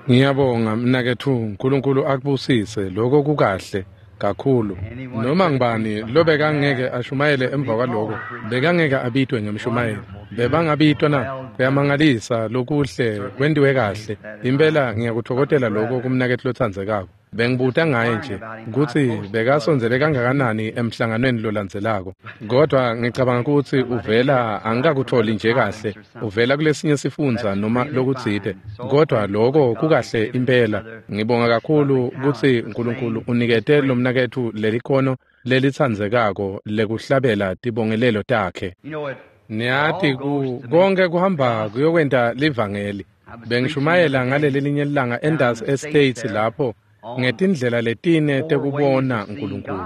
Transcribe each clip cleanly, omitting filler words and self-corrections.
Ngiyabonga mnaketfu, uNkulunkulu akubusise. Lokho kukahle kakhulu. Noma ngibani lobekangeke ashumayele emva kwaloko, bekangeke abitwe ngemshumayeli. Bebangabitwa na? Kuyamangalisa, lokuhle kwentiwe kahle. Impela ngiyakutfokotela lokho kumnaketfu lotsandzekako. Bengibuta ngaye nje kutsi bekasondzele kangakanani emhlanganweni lolandzelako. Kodwa ngicabanga kutsi uvela angikakutholi nje kahle, uvela kulesinye sifundza noma lokutsite. Kodwa lokho kukahle impela. Ngibonga kakhulu kutsi uNkulunkulu unikete lomnaketfu lelikhono lelitsandzekako lekuhlabela tibongelelo takhe. Niyati konke kuhamba kuyokwenta livangeli. Bengishumayela ngaleli lilanga eNdas Estates lapho ngetindlela letine tekubona uNkulunkulu.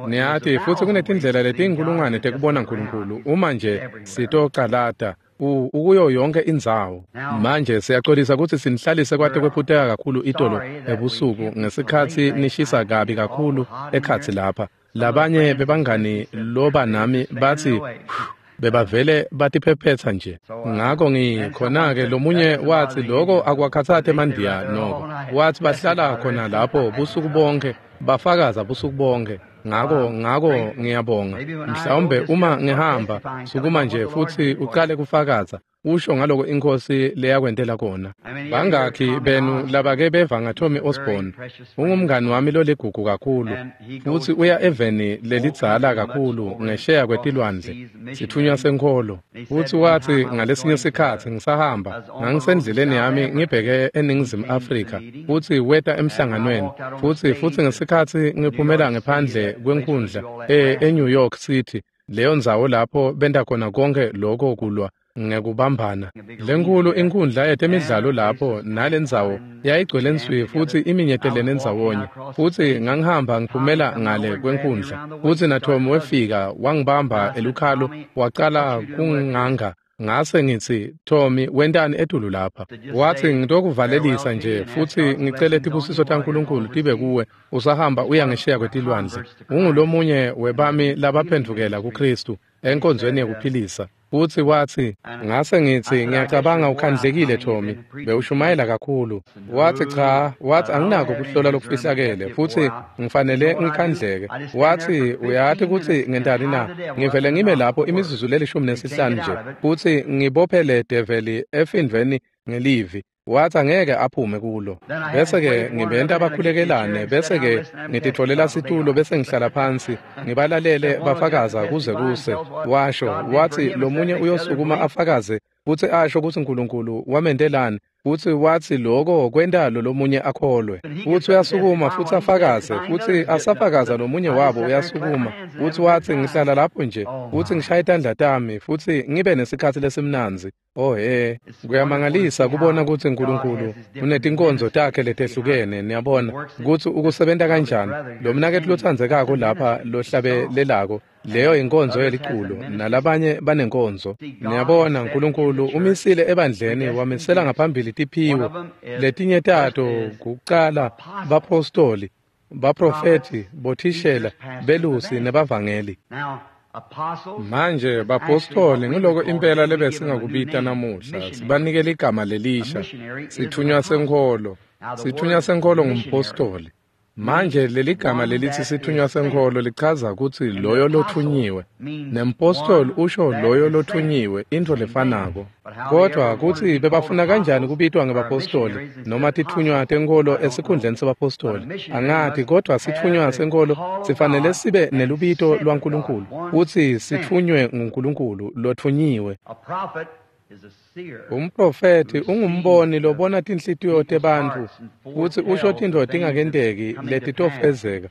Niyati futsi kunetindlela letinkulungwane tekubona uNkulunkulu uma nje sitocalata ukuyo yonke indzawo. Manje siyaxolisa kutsi sinihlalise kwate kwephuteka kakhulu itolo ebusuku ngesikhatsi nishisa kabi kakhulu ekhatsi lapha. Labanye bebangani loba nami batsi bebavele batiphephetsa nje. Ngako ngikhona-ke lomunye watsi lokho akwakhatsati emandiya noko. Watsi bahlala khona lapho busuku bonke, bafakaza busuku bonke. Ngako ngiyabonga. Mhlawumbe uma ngihamba sukuma nje futsi uqale kufakaza usho ngaloko inkosi leyakwentela kona. Bangakhi benu labake beva ngaTommy Osborne? Ungumngani wami loligugu kakhulu futsi uya eveni lelidzala kakhulu ngesheya kwetilwandle, sitfunywa senkholo. Futsi watsi ngalesinye sikhatsi ngisahamba ngangisendleleni yami ngibheke eNingizimu Afrika futsi weta emhlanganweni futsi ngesikhatsi ngiphumela ngephandle kwenkundla eNew York City, leyo ndzawo lapho benta khona konke lokho kulwa ngekubambana. Lenkulu inkundla yetemidlalo lapho nalendzawo yayigcwele nswi futsi iminyetelene ndzawonye. Futsi ngangihamba ngiphumela ngale kwenkundla futsi naTom wefika wangibamba elukhalo wacala kunganga. Ngase ngitsi, Tommy, wentani etulu lapha? Watsi, ngitokuvalelisa nje futsi ngicele tibusiso taNkulunkulu tibe kuwe usahamba uya ngesheya kwetilwandle. Ungulomunye webami labaphendvukela kuKristu enkonzweni yekuphilisa. Futsi watsi, ngase ngitsi, ngiyacabanga ukhandlekile Tommy, bewushumayela kakhulu. Watsi cha, watsi anginako kuhlola lokufihlakele futsi ngifanele ngikhandleke. Watsi uyati kutsi ngentani na? Ngivele ngime lapho imizuzu leli-15 nje futsi ngibophele develi efindveni ngelivi. Watsi angeke aphume kulo. Bese-ke ngibenta bakhulekelane, bese-ke ngititfolela situlo bese ngihlala phansi ngibalalele bafakaza kuze kuse. Washo watsi lomunye uyosukuma afakaze futsi asho kutsi uNkulunkulu wamentelani, futsi watsi lokho kwenta lo lomunye akholwe. Futsi uyasukuma futsi afakaze, futsi asafakaza lomunye wabo uyasukuma futsi watsi ngihlala lapho nje futsi ngishaye tandla tami futsi ngibe nesikhatsi lesimnandzi. Oh he, kuyamangalisa kubona kutsi uNkulunkulu unetinkonzo takhe letehlukene. Niyabona kutsi ukusebenta kanjani. Lo mnaketfu lotsandzekako lapha lohlabelelako, leyo inkonzo yeliculo, nalabanye banenkonzo. Niyabona uNkulunkulu umisile ebandleni wamisela ngaphambili tiphiwo. Letinye tato kucala bapostoli, baprofeti, bothishela, belusi nebavangeli. Manje bapostoli ngiloko impela lebesingakubita namuhla, sibanike ligama lelisha, sitfunywa senkholo. Sitfunywa senkholo ngumpostoli. Manje leligama lelithi sitfunywa senkholo lichaza kutsi loyo lothunyiwe, nempostoli usho loyo lothunyiwe, intfo lefanako. Kodwa kutsi bebafuna kanjani kubitwa ngebapostoli noma titfunywa tenkholo esikhundleni sebapostoli angati, kodwa sitfunywa senkholo sifanele sibe nelubito lwaNkulunkulu futsi sitfunywe nguNkulunkulu lothunyiwe. Umprofethi ungumboni lobona tinhlitiyo tebantfu futsi usho tintfo tingakenteki letitofezeka.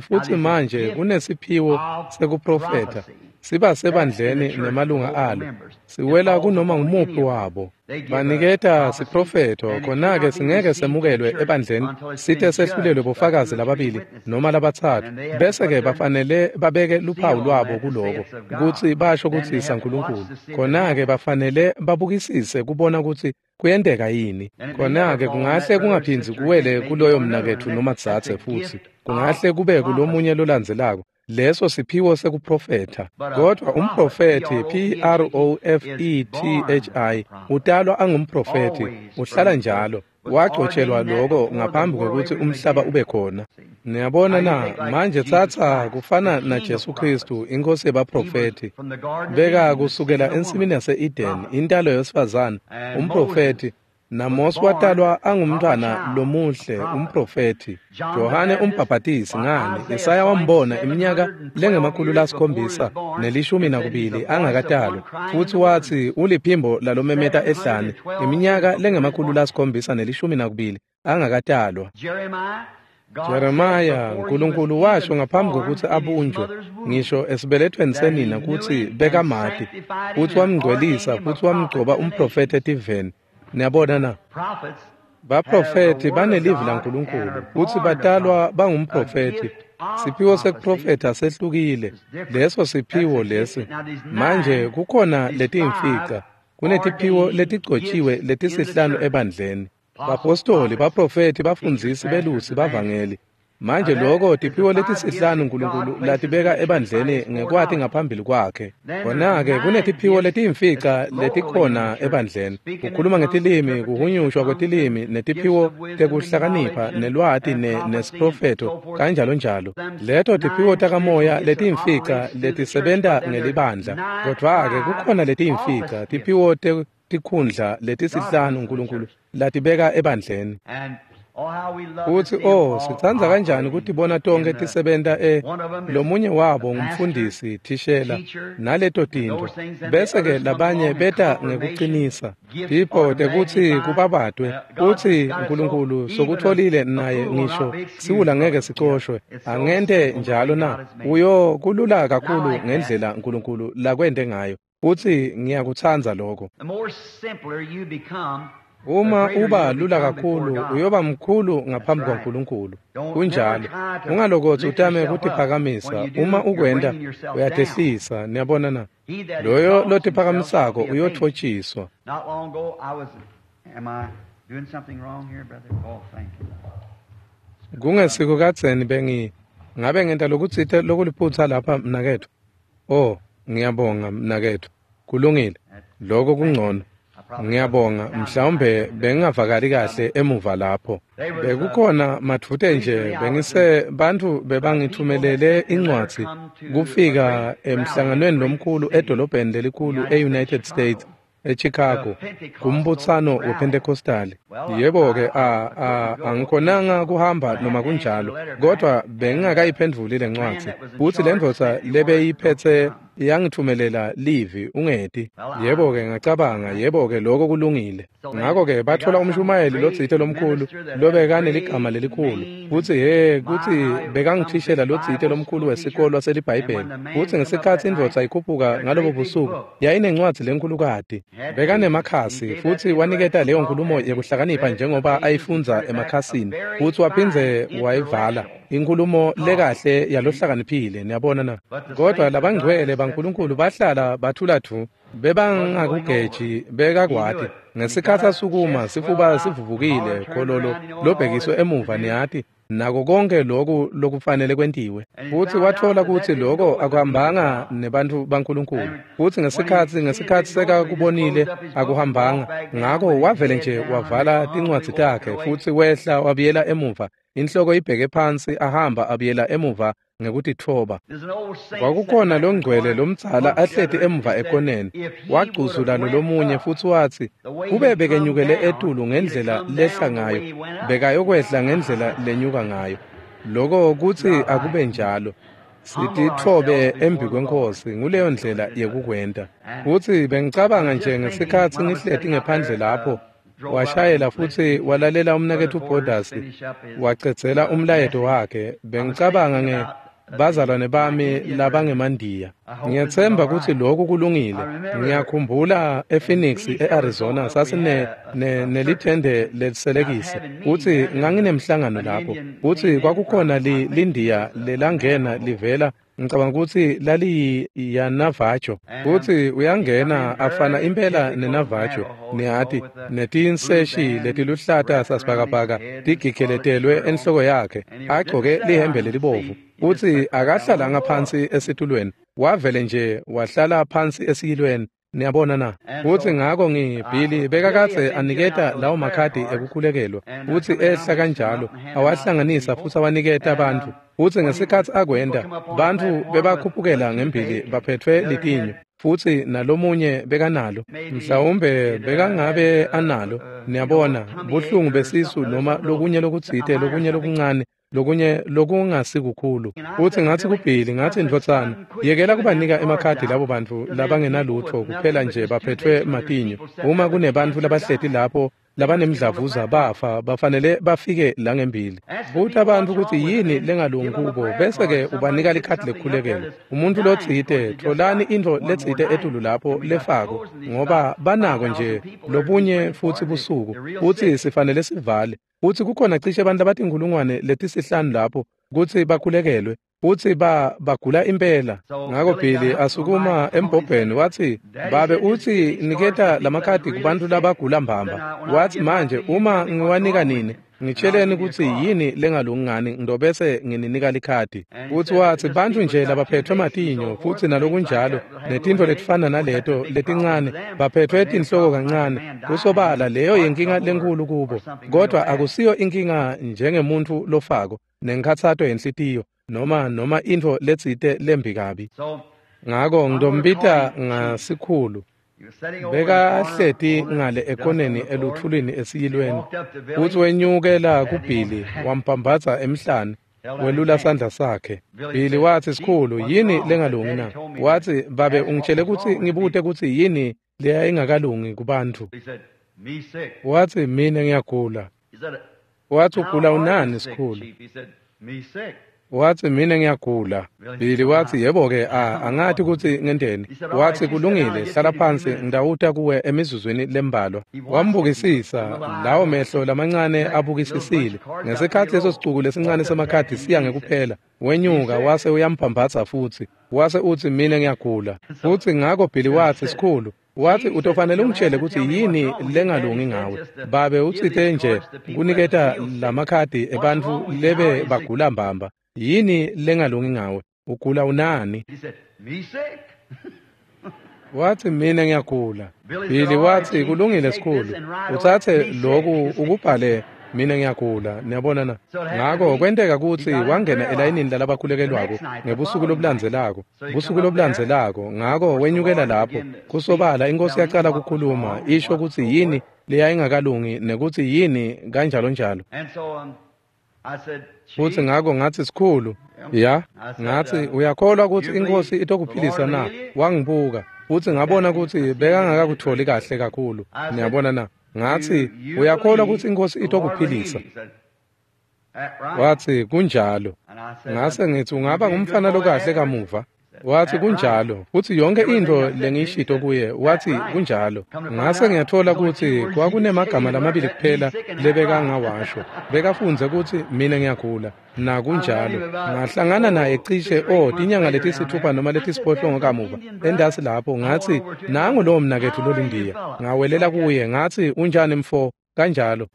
Futsi manje kunesiphiwo sekuprofetha siba sebandleni nemalunga alo, siwela kunoma ngumuphi wabo. Baniketa siprofetho, khona-ke singeke semukelwe ebandleni site sehlulelwe bofakazi lababili noma labatsatfu, bese-ke bafanele babeke luphawu lwabo kuloko kutsi basho kutsi saNkulunkulu. Khona-ke bafanele babukisise kubona kutsi kuyenteka yini. Khona-ke kungahle kungaphindzi kuwele kuloyo mnaketfu noma dzadze, futsi kungahle kube kulomunye lolandzelako. Leso siphiwo sekuprofetha. Kodwa umprofethi, P-R-O-F-E-T-H-I, utalwa angumprofethi, uhlala njalo. Wagcotshelwa loko ngaphambi kokuthi umhlaba ube khona. Niyabona na? Manje tsatsa kufana naJesu Kristu, inkosi yebaprofethi. Beka kusukela ensimini yase-Eden, intalo yesifazane, umprofethi. NaMose watalwa angumntwana lomuhle, umprofethi. Johane umbhabhatisi ngani, Isaya wambona iminyaka le-712 angakatalwa, futhi wathi uliphimbo lalomemeta ehlane, iminyaka le-712 angakatalwa. Jeremiah, uNkulunkulu washo ngaphambi kokuthi abunjwe ngisho esibelethweni senina ukuthi bekamati, futhi wamngcwelisa futhi wamgcoba umprofethi etiveni. Niyabona na? Baprofethi banelivi laNkulunkulu futhi batalwa bangumprofethi. Siphiwo sekuprofetha sehlukile. Leso siphiwo lesi. Manje kukhona letiyimfica. Kunetiphiwo letigcotshiwe letisihlanu ebandleni. Bapostoli, baprofethi, bafundzisi, belusi, bavangeli. Manje lokho tiphiwo letisihlanu uNkulunkulu latibeka ebandleni ngekwati ngaphambili kwakhe. Kona-ke kunetiphiwo letiyimfica letikhona ebandleni. Kukhuluma ngetilimi, kuhunyushwa kwetilimi, netiphiwo tekuhlakanipha, nelwati nesiprofetho, kanjalo njalo. Leto tiphiwo takamoya letiyimfica letisebenta ngelibandla. Kodwa-ke kukhona letiyimfica, tiphiwo tikhundla letisihlanu uNkulunkulu latibeka ebandleni. Futhi oh, sitsandza kanjani kutibona tonke tisebenta lomunye wabo ngumfundisi, thishela, naleto tintfo. Bese-ke labanye beta ngekuqinisa tipho tekutsi kubabatwe. Uthi uNkulunkulu sokutholile naye ngisho siwula ngeke sicoshwe. Angente njalo na? Uyo kulula kakhulu ngendlela uNkulunkulu lakwente ngayo. Futhi ngiyakutsandza lokho. Uma uba lula kakhulu uyoba mkhulu ngaphambi kwaNkulunkulu. Kunjalo. Ungalokothi utame kutiphakamisa. Uma ukwenta uyatehlisa. Niyabona na? Loyo lotiphakamisako uyotfotshiswa. Kungesiko kadzeni bengi ngabe ngenta lokutsite lokuliphutsa lapha mnaketfu. Oh, ngiyabonga mnaketfu. Kulungile. Lokho kungcono. Ngiyabonga, mhlawumbe bengingavakali kahle emuva lapho. Bekukhona madvute nje bengise bantfu bebangithumelele incwadzi kufika emhlanganweni lomkhulu edolobheni lelikhulu e-United States, eChicago, kumbutsano wePentecostal. Yebo-ke, angikhonanga kuhamba noma kunjalo, kodwa bengingakayiphendvuli lencwadzi. Futhi lendvodza lebeyiphethe yangithumelela livi ungeti. Yebo-ke ngacabanga, yebo-ke lokho kulungile. Ngakho-ke bathola umshumayeli lotsite lomkhulu lobekaneligama lelikhulu. Futhi he kutsi bekangithishela lotsite lomkhulu wesikolo seliBhayibheli. Futhi ngesikhatsi indvodza ikhuphuka ngalobo busuku yayinencwadzi lenkhulukati. Bekanemakhasi futhi waniketa leyo nkulumo yekuhlakanipha njengoba ayifundza emakhasini. Futhi waphindze wayivala inkulumo lekahle yalohlakaniphile. Niyabona na? Kodwa labangcwele baNkulunkulu bahlala bathula thu, bebangakugeji, bekakwati. Ngesikhatsi asukuma sifuba sivuvukile khololo lobhekiswe emuva, niyati, nako konke loku lokufanele kwentiwe. Futhi wathola kutsi loko akuhambanga nebantfu baNkulunkulu. Futhi ngesikhatsi sekakubonile akuhambanga, ngako wavele nje wavala tincwadzi takhe futhi wehla wabuyela emuva, inhloko ibheke phansi, ahamba abuyela emuva ngekutitfoba. Kwakukhona longcwele lomdzala ahleti emuva ekoneni, wagcuzula lolomunye futhi watsi kube bekenyukele etulu ngendlela lehla ngayo, bekayokwehla ngendlela lenyuka ngayo. Loko kutsi akube njalo. Sititfobe embi kweNkhosi, nguleyo ndlela yekukwenta. Futhi bengicabanga nje ngesikhatsi ngihleti ngephandle lapho, washayela futhi walalela umnaketfu Borders wacedzela umlayeto wakhe. Bengicabanga nge bazalwane bami labangemandiya. Ngiyethemba ukuthi lokhu kulungile. Ngiyakhumbula ePhoenix eArizona sasine nelithende leliselekisi. Uthi nganginemhlangano lapho. Uthi kwakukhona lindiya lelangena livela, ngicabanga ukuthi laliyiyaNavajo. Uthi uyangena afana impela neNavajo, niyati, netinseshi letiluhlata sasibhakabhaka tigigeletelwe enhloko yakhe, agcoke lihembe lelibovu. Uthi akahlalanga phansi esitulweni, wavele nje wahlala phansi esiyilweni. Niyabona na? Futsi ngako Billy bekakadze aniketa lawo makhadi ekukhulekelwa, futsi ehla kanjalo, awahlanganisa futsi awaniketa bantfu. Futsi ngesikhatsi akwenta, bantfu bebakhuphukela ngembili baphetfwe litinyo, futsi nalomunye bekanalo, mhlawumbe bekangabe analo, niyabona, buhlungu besisu noma lokunye lokutsite, lokunye lokuncane, lokunye lokungasikukhulu. Futsi ngatsi kuBilly, ngatsi, ndvodzana, yekela kubanika emakhadi labo bantfu labangenalutfo kuphela nje baphetfwe matinyo. Uma kunebantfu labahleti lapho labanemdlavuza bafa, bafanele bafike la ngembili. Buta bantfu kutsi yini lengalungi kubo, bese-ke ubanika likhadi lekukhulekelwa. Umuntfu lotsite, tfolani intfo letsite etulu lapho lefako, ngoba banako nje lobunye futsi busuku, futsi sifanele sivale. Futsi kukhona cishe bantfu labatinkhulungwane letisihlanu lapho kutsi bakhulekelwe, futsi bagula impela. Ngako Billy asukuma embhobheni watsi, babe utsi niketa lamakhadi kubantfu labagula mbamba. Watsi, manje uma ngiwanika nini, ngitsheleni kutsi yini lengalungi ngani, ngitobese ngininika likhadi. Futsi watsi, bantfu nje labaphetfwe matinyo futsi nalokunjalo, netintfo letifana naleto letincane, baphetfwe tinhloko kancane. Kusobala leyo yinkinga lenkhulu kubo, kodvwa akusiyo inkinga njengemuntfu lofako nenkhatsato yenhlitiyo noma intfo letsite lembi kabi. Ngako ngitombita ngasikhulu. Bekahleti ngale ekoneni elutfulwini esiyilweni, futsi wenyukela kuBilly wamphambatsa emhlane, welula sandla sakhe. Billy watsi, sikhulu, yini lengalungi na? Watsi, babe ungitshele kutsi ngibute kutsi yini leyayingakalungi kubantfu. Watsi, mina ngiyagula. Watsi, ugula unani sikhulu? Watsi, mina ngiyagula. Billy watsi, yebo-ke, angati kutsi ngenteni. Watsi, kulungile, hlala phansi, ngitawuta kuwe emizuzwini lembalwa. Wambukisisa, lawo mehlo lamancane abukisisile. Ngesikhatsi leso sicuku lesincane semakhadi siya ngekuphela, wenyuka wase uyamphambatsa futsi. Wase utsi, mina ngiyagula. Futsi ngako Billy watsi, sikhulu, watsi, utofanele ungitshele kutsi yini lengalungi ngawe. Babe utsite nje kuniketa lamakhadi ebantfu lebe bagula mbamba. Yini lengalungi ngawe? Ugula unani? Watsi, mina ngiyagula. Billy watsi, kulungile sikhulu, utsatse loku ukubhale, mina ngiyagula. Niyabona na? Ngako kwenteka kutsi wangena elayinini lalabakhulekelwako ngebusuku lobulandzelako, busuku lobulandzelako. Ngako wenyukela lapho, kusobala inkosi yacala kukhuluma, isho kutsi yini leyayingakalungi nekutsi yini kanjalo njalo. Futsi ngako ngatsi, sikhulu, ya, ngatsi, uyakholwa kutsi inkosi itokuphilisa na? Wangibuka, futsi ngabona kutsi bekangakakutholi kahle kakhulu. Niyabona na? Ngatsi, uyakholwa kutsi inkosi itokuphilisa? Watsi, kunjalo. Ngase ngitsi, ungaba ngumfana lokahle kamuva? Watsi, kunjalo. Futsi yonke intfo lengiyishito kuye, watsi, kunjalo. Ngase ngiyatfola kutsi kwakunemagama lamabili kuphela lebekangawasho. Bekafundze kutsi mina ngiyagula, nakunjalo. Ngahlangana naye cishe tinyanga letisithupha noma letisiphohlongo kamuva endasi lapho. Ngatsi, nangu lowo mnaketfu lolindiya. Ngawelela kuye, ngatsi, unjani mfo? Kanjalo.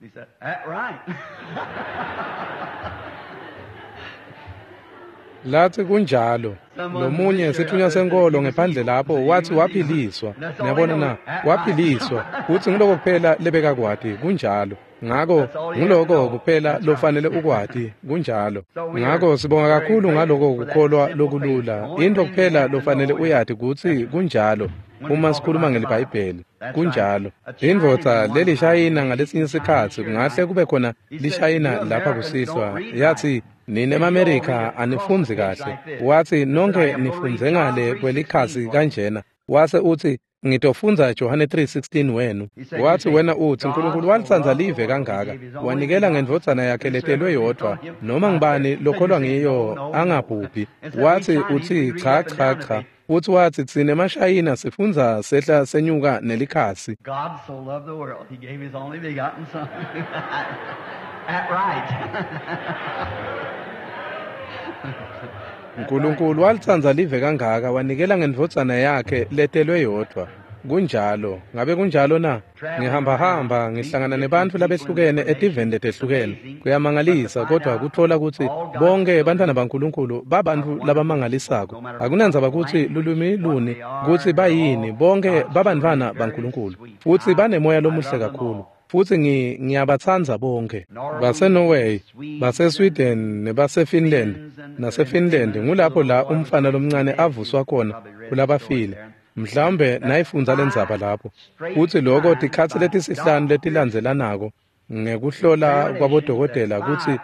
Latsi, kunjalo. Lomunye sitfunywa senkolo ngephandle lapho watsi waphiliswa. Niyabona na? Waphiliswa. Futsi nguloko kuphela lebekakwati, kunjalo. Ngako nguloko kuphela lofanele ukwati, kunjalo. Ngako sibonga kakhulu ngaloko kukholwa lokulula. Intfo kuphela lofanele uyati kutsi kunjalo. Uma sikhuluma ngeliBhayibheli, kunjalo. Indvodza lelishayina ngalesinye sikhatsi, kungahle kube khona lishayina lapha kusihlwa, yatsi, nine emaMerika anifundzi kahle. Watsi, nonke nifundze ngale kwelikhasi kanjena. Wase utsi, ngitofundza Johane 3:16 wenu. Watsi, wena utsi, uNkulunkulu walitsandza live kangaka, wanikela ngendvodzana yakhe letelwe yodvwa, noma ngubani lokholwa ngiyo angabhubhi. Watsi, utsi, cha cha cha. Futsi watsi, tsine emashayina sifundza sehla senyuka nelikhasi. God so loved the world, he gave his only begotten son. That right. uNkulunkulu walitsandza live kangaka, wanikela ngendvodzana yakhe letelwe yodvwa. Kunjalo. Ngabe kunjalo na? Ngihambahamba ngihlangana nebantfu labehlukene etiveni letehlukene. Kuyamangalisa kodwa kutfola kutsi bonke bantfwana baNkulunkulu babantfu labamangalisako. Akunandzaba kutsi lulwimi luni, kutsi bayini, bonke babantfwana baNkulunkulu. Futsi banemoya lomuhle kakhulu. Futsi ngiyabatsandza bonke. BaseNorway, baseSweden nebaseFinland. NaseFinland ngulapho la umfana lomncane avuswa khona kulabafile. Mhlawumbe nayifundza lendzaba lapho. Futsi lokho tikhatsi letisihlanu letilandzelanako ngekuhlola kwabodokotela kutsi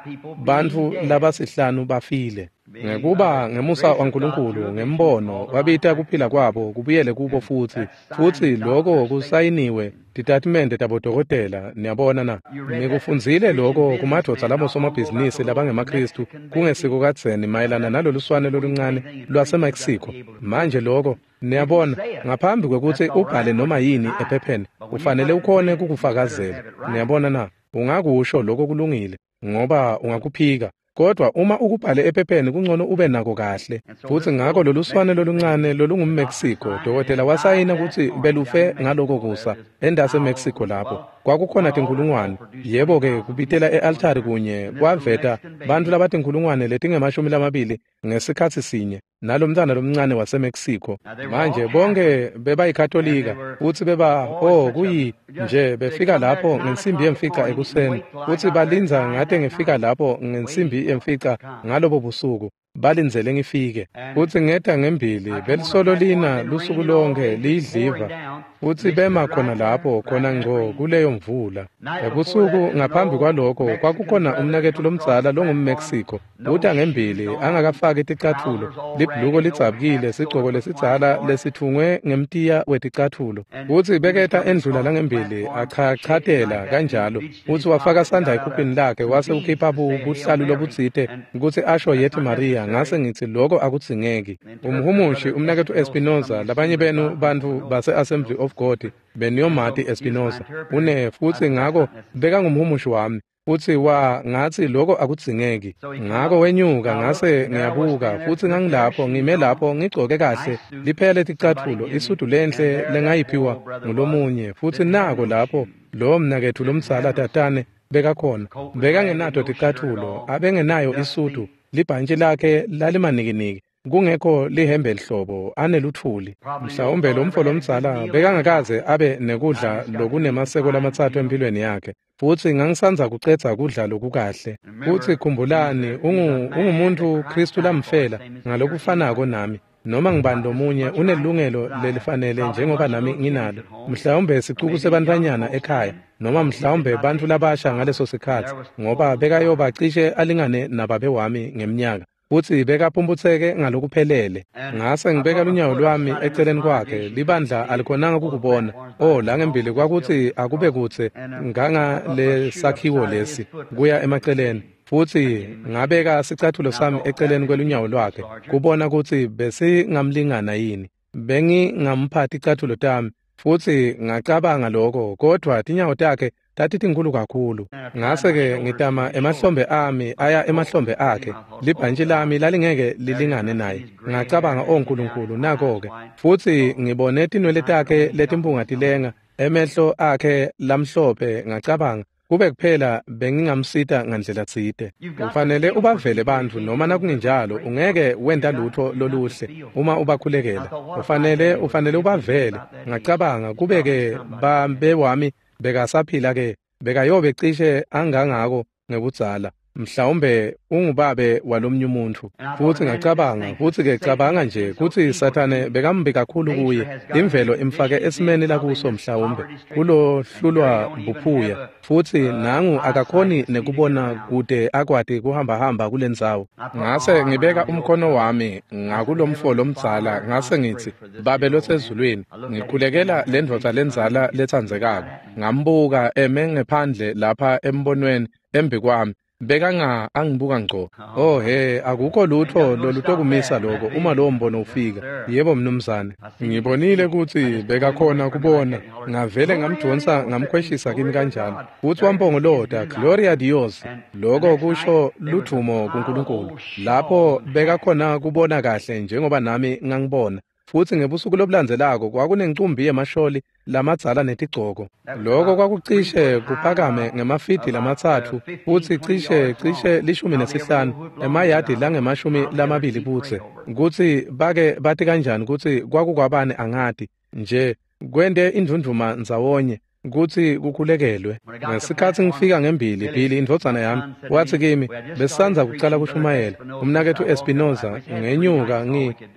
bantfu labasihlanu bafile. Ngekuba ngemusa waNkulunkulu ngembono wabita kuphila kwabo kubuyele kubo futsi. Futsi lokho kusayiniwe titatimende tabodokotela, niyabona na. Nikufundzile lokho kumadvodza labosomabhizinisi labangemaKhristu kungesiko kadzeni mayelana naloluswane loluncane lwaseMexico. Manje lokho, niyabona, ngaphambi kwekutsi ubhale noma yini ephepheni, ufanele ukhone kukufakazela. Niyabona na, ungakusho lokho kulungile ngoba ungakuphika. Kodwa uma ukubhale ephepheni kungcono ube nako kahle. Futsi ngako loluswane loluncane lolungumMexico, dokotela wasayina kutsi belufe ngaloko kusa endase Mexico lapho. Kwakukhona tinkhulungwane. Yebo-ke kubitela e-altari kunye kwaveta bantfu labatinkhulungwane letingama-20 ngesikhatsi sinye nalomntwana lomncane waseMexico. Manje bonke bebayikatolika futsi beba kuyi nje befika lapho ngensimbi yemfica ekuseni futsi balindza ngate ngifika lapho ngensimbi yemfica ngalobo busuku. Balindzele ngifike. Futsi ngeta ngembili belisolo lina lusuku lonke liyidliva futsi bema khona lapho khona ngco kuleyo mvula. Ebusuku ngaphambi kwalokho kwakukhona umnaketfu lomdzala longumMexico uta ngembili angakafaki ticatfulo, libhuluko lidzabukile, sigcoko lesidzala lesitfungwe ngemtiya weticatfulo. Futsi beketa endlula langembili achachatela kanjalo futsi wafaka sandla ekhuphini lakhe wase ukhipha buhlalu lobutsite kutsi asho yethi Maria. Ngase ngitsi lokho akudzingeki. Umhumushi umnaketfu Espinoza, labanye benu bantfu base-Assembly of God beniyomati Espinoza une futsi ngako bekangumhumushi wami. Futsi ngatsi lokho akudzingeki. Ngako wenyuka ngase ngiyabuka futsi ngangilapho ngime lapho ngigcoke kahle liphele ticatfulo isudu lenhle lengayiphiwa ngulomunye futsi nako lapho lo mnaketfu lomdzala tatane bekakhona bekangenato ticatfulo abengenayo isudu libhantshi lakhe lalimanikiniki kungekho lihembe lihlobo aneluthuli. Mhlawumbe lo mfo lomdzala bekangakaze abe nekudla lokunemaseko lamatsatfu empilweni yakhe futsi ngangisandza kucedza kudla lokukahle. Futsi khumbulani ungumuntfu Khristu lamfela ngalokufanako nami. Noma ngibani lomunye unelungelo lelifanele njengoba nami nginalo. Mhlawumbe sicuku sebantfwanyana ekhaya noma mhlawumbe bantfu labasha ngaleso sikhatsi ngoba bekayoba cishe alingane nababe wami ngeminyaka. Futsi bekaphumputseke ngalokuphelele. Ngase ngibeka lunyawo lwami eceleni kwakhe, libandla alikhonanga kukubona. La ngembili kwakutsi akube kutse nganga lesakhiwo lesi kuya emaceleni. Futsi ngabeka sicatfulo sami eceleni kwelunyawo lwakhe kubona kutsi besingamlingana yini. Bengingampha ticatfulo tami futsi ngacabanga lokho, kodwa tinyawo takhe tatitinkhulu kakhulu. Ngase-ke ngitama emahlombe ami aya emahlombe akhe. Libhantshi lami lalingeke lilingane naye. Ngacabanga, o Nkulunkulu, nako-ke. Futsi ngibone tinwele takhe letimpunga tilenga, emehlo akhe lamhlophe, ngacabanga kube kuphela bengingamsita ngandlela tsite. Ufanele ubavele bantfu noma nakungenjalo ungeke wenta lutho loluhle uma ubakhulekela. Ufanele ubavele. Ngacabanga kube-ke babe wami bekasaphila ke bekayobe cishe angangako ngebudzala. Mhlawumbe ungubabe walomnye umuntu. Futsi ngacabanga, futsi-ke cabanga nje kutsi Sathane bekambi kakhulu kuye. Imvelo imfake esimeni lakuso mhlawumbe kulohlulwa buphuya. Futsi nangu akakhoni nekubona kude akwati kuhambahamba kulendzawo. Ngase ngibeka umkhono wami ngakulomfo lomdzala ngase ngitsi, Babe losezulwini, ngikhulekela lendvodza lendzala letsandzekako. Ngambuka eme ngephandle lapha embonweni embikwami. Bekanga angibuka ngco. Oh he, akukho lutho lolutokumisa lokho uma lowo mbono ufika. Yebo mnumzane. Ngibonile kutsi bekakhona kubona. Ngavele ngamdonsa ngamkhweshisa kimi kanjalo. Futsi wampongolota, Gloria Dios. Lokho kusho ludvumo kuNkulunkulu. Lapho bekakhona kubona kahle njengoba nami ngangibona. Futsi ngebusuku lobulandzelako kwakunencumbi yemasholi lamadzala netigcoko. Loko kwakucishe kuphakame ngemafidi 3 futsi cishe 15 emayadi langama-20 budze. Kutsi bake bati kanjani kutsi kwakukwabani angati nje kwente indvundvuma ndzawonye kutsi kukhulekelwe. Ngesikhatsi ngifika ngembili, Billy indvodzana yami watsi kimi, besisandza kucala kushumayela umnaketfu Espinoza ngenyuka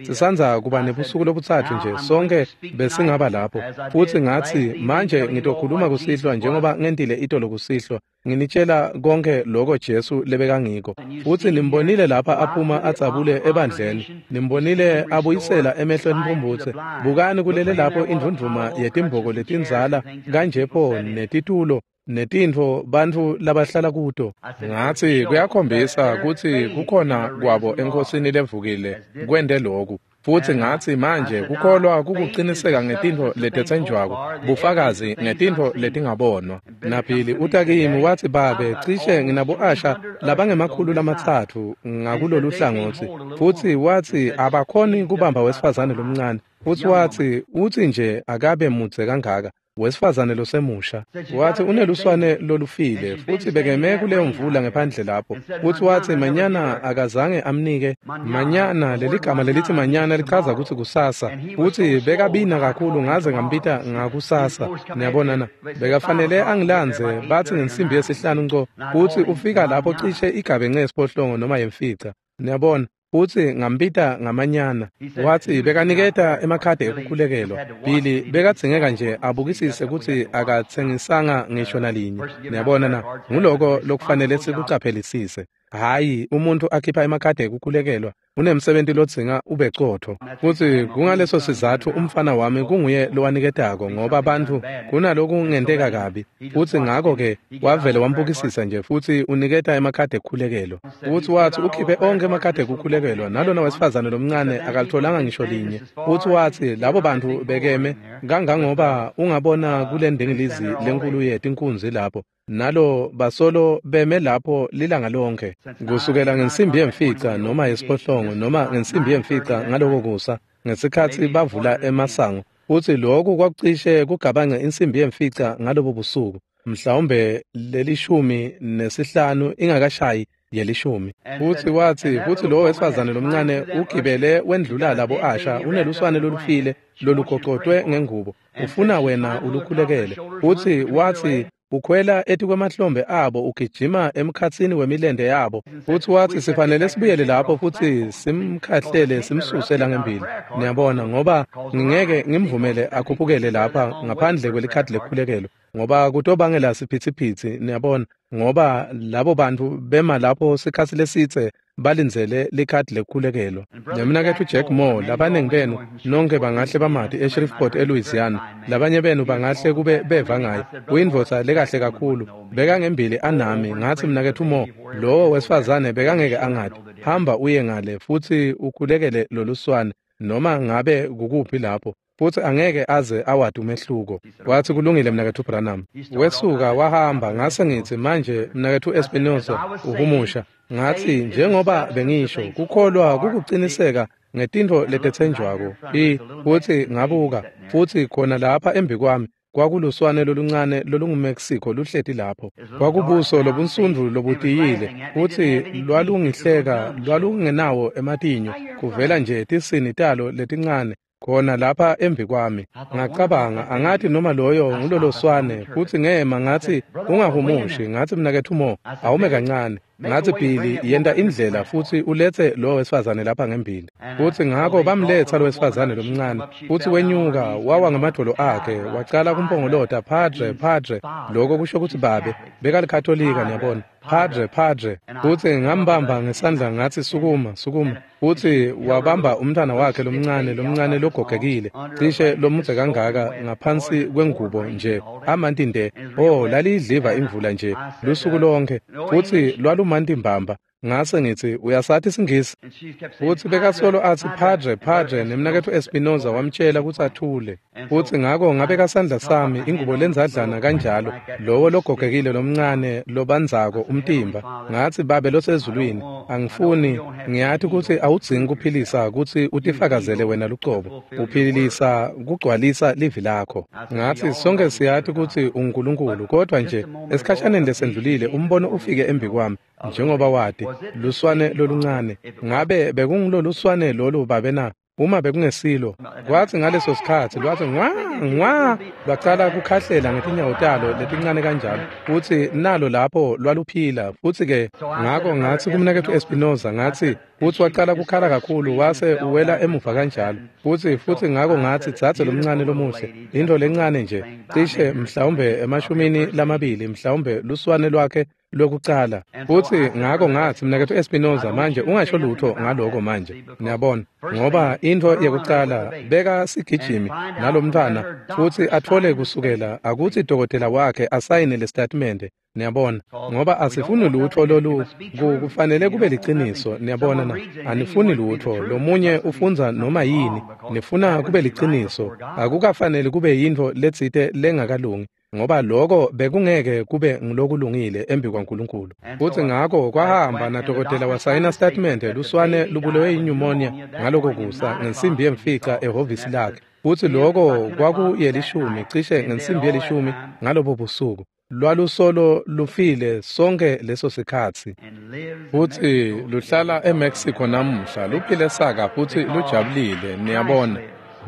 sisandza kuba nebusuku lobutsatfu nje sonke besingaba lapho. Futsi ngatsi, manje ngitokhuluma kusihlwa njengoba ngentile itolo kusihlwa, nginitshela konke lokho Jesu lebekangiko. Futsi nimbonile lapha aphuma adzabule ebandleni, nimbonile abuyisela emehlo emphumphutse. Bukani kulele lapho indvundvuma yetimboko letindzala kanjepho netitulo netintfo bantfu labahlala kuto. Ngatsi kuyakhombisa kutsi kukhona kwabo eNkhosini levukile kwente loku. Futsi ngatsi manje kukholwa kukuciniseka ngetintfo letetsenjwako, bufakazi ngetintfo letingabonwa. NaBilly uta kimi watsi, babe, cishe nginabo-asha labangema-300 ngakulolu hlangotsi. Futsi watsi abakhoni kubamba wesifazane lomncane. Futsi watsi utsi nje akabe mudze kangaka wesifazane losemusha. Watsi uneluswane lolufile futsi bekeme kuleyo mvula ngephandle lapho. Futsi watsi manyana akazange amnike manyana. Leligama lelithi manyana lichaza kutsi kusasa. Futsi bekabina kakhulu ngaze ngambita ngakusasa. Niyabona na, bekafanele angilandze batsi ngensimbi yesihlanu nco. Futsi ufika lapho cishe igabe ngesiphohlongo noma yemfica. Niyabona. Futsi ngambita ngamanyana. Watsi bekaniketa emakhadi ekukhulekelwa. Billy bekadzingeka nje abukisise kutsi akatsengisanga ngisho nalinye. Niyabona na, nguloko lokufanele sikucaphelisise. Hhayi umuntu akhipha emakhadi ekukhulekelwa unemsebenti lodzinga ube cotfo. Futsi kungaleso sizatfu umfana wami kunguye lowaniketako, ngoba bantfu kunalokungenteka kabi. Futsi ngako-ke wavele wambukisisa nje futsi uniketa emakhadi ekukhulekelwa. Futsi watsi ukhiphe onkhe emakhadi ekukhulekelwa, nalona wesifazane lomncane akalitholanga ngisho linye. Futsi watsi labo bantfu bekeme kangangoba ungabona kule ndingilizi lenkulu yetinkunzi lapho, nalo basolo beme lapho lilanga lonke kusukela ngensimbi yemfica noma yesiphohlongo noma ngensimbi yemfica ngaloko kusa ngesikhatsi bavula emasango. Futsi lokhu kwakucishe kugabange insimbi yemfica ngalobo busuku, mhlawumbe 15 ingakashayi 10. Futsi watsi futsi lowo wesifazane lomncane ugibele wendlula labo asha uneluswane lolufile lolugocotwe ngengubo, ufuna wena ulukhulekele. Futsi watsi ukhwela etikwemahlombe abo ugijima emkhatsini wemilente yabo. Futsi watsi sifanele sibuyele lapho futsi simkhahlele simsuse langembili. Niyabona, ngoba ngingeke ngimvumele akhuphukele lapha ngaphandle kwelikhadi lekukhulekelwa, ngoba kutobangela siphithiphithi. Niyabona, ngoba labo bantfu bema lapho sikhatsi lesitse balindzele likhadi lekukhulekelwa. Nemnaketfu Jack Moore, labaningi benu nonke bangahle bamati eShreveport eLouisiana, labanye benu bangahle kube beva ngaye. Uyindvodza lekahle kakhulu, bekangembili anami. Ngatsi mnaketfu Moore, lowo wesifazane bekangeke angati. Hamba uye ngale futsi ukhulekele loluswane noma ngabe kukuphi lapho, futsi angeke aze awati umehluko. Watsi kulungile mnaketfu Branham. Wesuka wahamba. Ngase ngitsi manje mnaketfu Espinoza uhumusha. Ngatsi njengoba bengisho, kukholwa kukuciniseka ngetintfo letetsenjwako. Futsi ngabuka, futsi khona lapha embikwami kwakuluswane loluncane lolunguMexico luhleti lapho. Kwakubuso lobunsundvu lobutiyile, futsi lwalungihleka lwalungenawo ematinyo, kuvela nje tisini talo letincane khona lapha embikwami. Ngacabanga, angathi noma loyo nguloloswane. Futsi ngema ngatsi ungahumushi. Ngatsi mnaketfu Mo, awume kancane. Ngatsi Billy, yenta indlela futsi uletse lo wesifazane lapha ngembili. Futsi ngako bamletsa lo wesifazane lomncane, futsi wenyuka wawa ngamadvolo akhe wacala kumpongolota, Padre, Padre. Lokho kusho kutsi babe, bekalikatolika, niyabona. Padre, Padre. Futsi ngambamba ngesandla ngatsi sukuma, sukuma. Futsi wabamba umntwana wakhe lomncane logogekile, cishe lomudze kangaka ngaphansi kwengubo nje, amanti nde. Oh, laliyidliva imvula nje lusuku lonke, futsi lwalumanti mbamba. Ngase ngitsi, uyasati isiNgisi? Futsi bekasolo atsi, Padre, Padre, nemnaketfu Espinoza wamtjela kutsi athule. Futsi ngako ngabeka sandla sami, ingubo lenzadlana kanjalo, lowo logogekile lomncane lobandzako umtimba. Ngatsi, Babe losezulwini, angifuni, ngiyati kutsi awudzingi kuphilisa kutsi utifakazele wena lucobo. Uphilisa kugcwalisa livi lakho. Ngatsi, sonke siyati kutsi unguNkulunkulu, kodwa nje esikhashaneni lesendlulile umbono ufike embi kwami, njengoba wati, luswane loluncane. Ngabe bekunguloluswane lolu babe na? Uma bekungesilo, kwatsi ngaleso sikhatsi lwatsi ngwa ngwa, lwacala kukhahlela ngetinyawo talo letincane kanjalo, futsi nalo lapho lwaluphila. Futsi-ke ngako ngatsi kumnaketfu Espinoza, ngatsi, futsi wacala kukhala kakhulu wase uwela emuva kanjalo. Futsi ngako ngatsi, dzadze lomncane lomuhle, intfo lencane nje, cishe mhlawumbe 20 mhlawumbe luswane lwakhe lwekucala. Futsi ngako ngatsi, mnaketfu Espinoza, manje ungasho lutho ngaloko manje, niyabona, ngoba intfo yekucala beka sigijimi nalomntfwana futsi atfole kusukela akutsi dokotela wakhe asayine lesitatimende, niyabona, ngoba asifuni lutho lolu, kufanele kube liciniso, niyabona na, anifuni lutho, lomunye ufundza noma yini, nifuna kube liciniso, akukafanele kube yintfo letsite lengakalungi, ngoba lokho bekungeke kube ngulokulungile embi kwaNkulunkulu. Futsi ngako kwahamba nadokotela wasayina statement luswane lubulewe yinyumonia ngaloko kusa ngensimbi yemfica ehhovisi lakhe. Futsi lokho kwakuyelishumi, cishe ngensimbi yelishumi ngalobo busuku. Lwalusolo lufile sonke leso sikhatsi. Futsi luhlala eMexico namuhla, luphile saka futsi lujabulile, niyabona.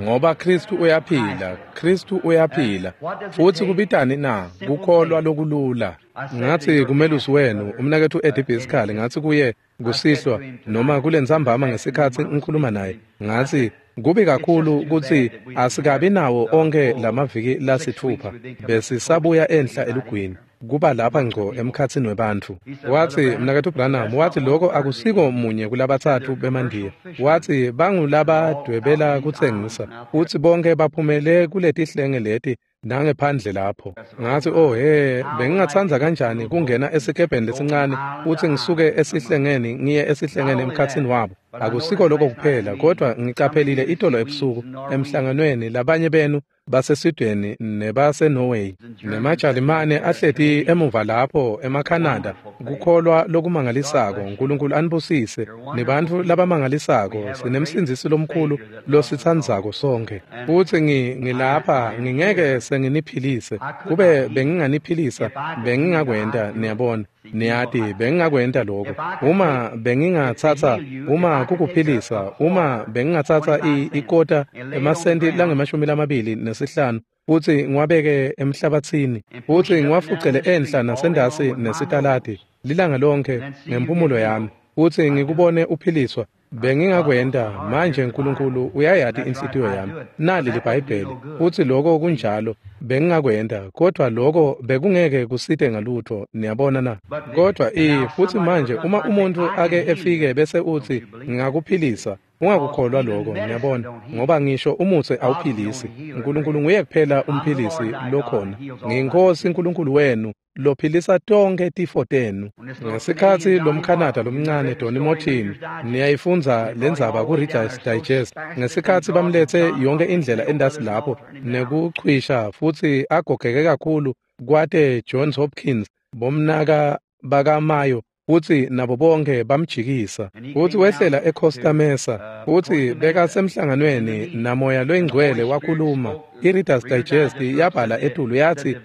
Ngoba Kristu uyaphila, Kristu uyaphila. Futsi kubitani na? Kukholwa lokulula. Ngatsi kumelusi wenu, umnaketfu Eddie Biskali, ngatsi kuye kusihlwa noma kulentsambama ngesikhatsi ngikhuluma naye, ngatsi kubi kakhulu kutsi asikabi nawo onke lamaviki lasitfupha, besisabuya enhla elugwini, kuba lapha ngco emkhatsini webantfu. Watsi, mnaketfu Branham, watsi lokho akusiko munye kulabatsatfu bemandiya. Watsi bangulabadwebela kutsengisa, futsi bonke baphumele kuletihlenge leti nangephandle lapho. Ngatsi, oh he, bengingatsandza kanjani kungena esikebheni lesincane futsi ngisuke esihlengeni ngiye esihlengeni emkhatsini wabo. Akusiko lokho kuphela, kodwa ngicaphelile itolo ebusuku emhlanganweni labanye benu baseSweden nebaseNorway nemaJalimane ahleti emuva lapho emaCanada. Kukholwa lokumangalisako, uNkulunkulu anibusise, nibantfu labamangalisako, sinemsindzisi lomkhulu lositsandzako sonke. Futsi ngilapha ngingeke senginiphilise, kube benginganiphilisa bengingakwenta, niyabona, niyati bengingakwenta lokho. Uma bengingatsatsa, uma kukuphilisa, uma bengingatsatsa ikota emasenti lange-25 futsi ngiwabeke emhlabatsini futsi ngiwafucele enhla nasendasi nesitaladi lilanga lonke ngempumulo yami futsi ngikubone uphiliswa, bengingakwenta. Manje uNkulunkulu uyayati inhlitiyo yami, nali liBhayibheli, futsi lokho kunjalo, bengingakwenta, kodwa lokho bekungeke kusite ngalutho, niyabona na. Kodwa futhi manje uma umuntu ake efike bese uthi ngingakuphilisa, ungakukholwa lokho, niyabona, ngoba ngisho umutsi awuphilisi. uNkulunkulu nguye kuphela umphilisi lokhona. NgiyiNkosi uNkulunkulu wenu lophilisa tonke tifo tenu. Ngesikhatsi lomKhanada lomncane Donny Morton, niyayifundza lendzaba ku-Reader's Digest, ngesikhatsi bamlethe yonke indlela endasi lapho nekuchwisha futsi agogeke kakhulu kwate Johns Hopkins, bomnaka bakaMayo, futsi nabo bonke bamjikisa. Futsi wehlela eCosta Mesa, futsi bekasemhlanganweni naMoya loyiNgcwele wakhuluma. I-Reader's Digest yabhala etulu yatsi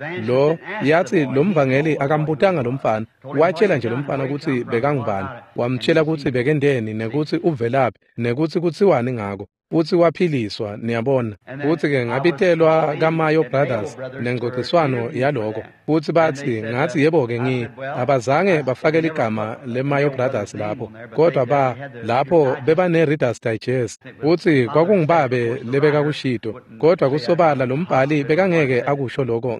yathi lo mvangeli akambutanga lo mfana, watshela nje lo mfana kutsi bekangubani, wamtshela kutsi bekendeni nekutsi uvelaphi nekutsi kutsiwani ngako, futsi waphiliswa, niyabona. Futsi-ke ngabitelwa kaMayo Brothers nengcociswano yaloko, futsi batsi, ngatsi yebo-ke abazange bafake ligama leMayo Brothers lapho, kodwa lapho bebane-Reader's Digest, futsi kwakungubabe lebekakushito, kodwa kusobala lo mbhali bekangeke akusho loko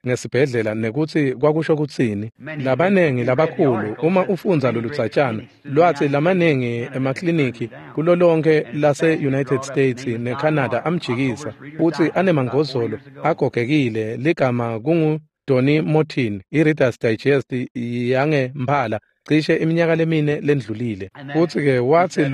ngesibhedlela nekutsi kwakusho kutsini. Labanengi labakhulu, uma ufundza loludzatshana, lwatsi lamanengi emakliniki kulo lonke lase-United States neCanada amjikisa, futsi anemangozolo agogekile, ligama kungu Tony Motin, i-Reader's Digest yangemphala cishe iminyaka lemine lendlulile. Futhi-ke wathi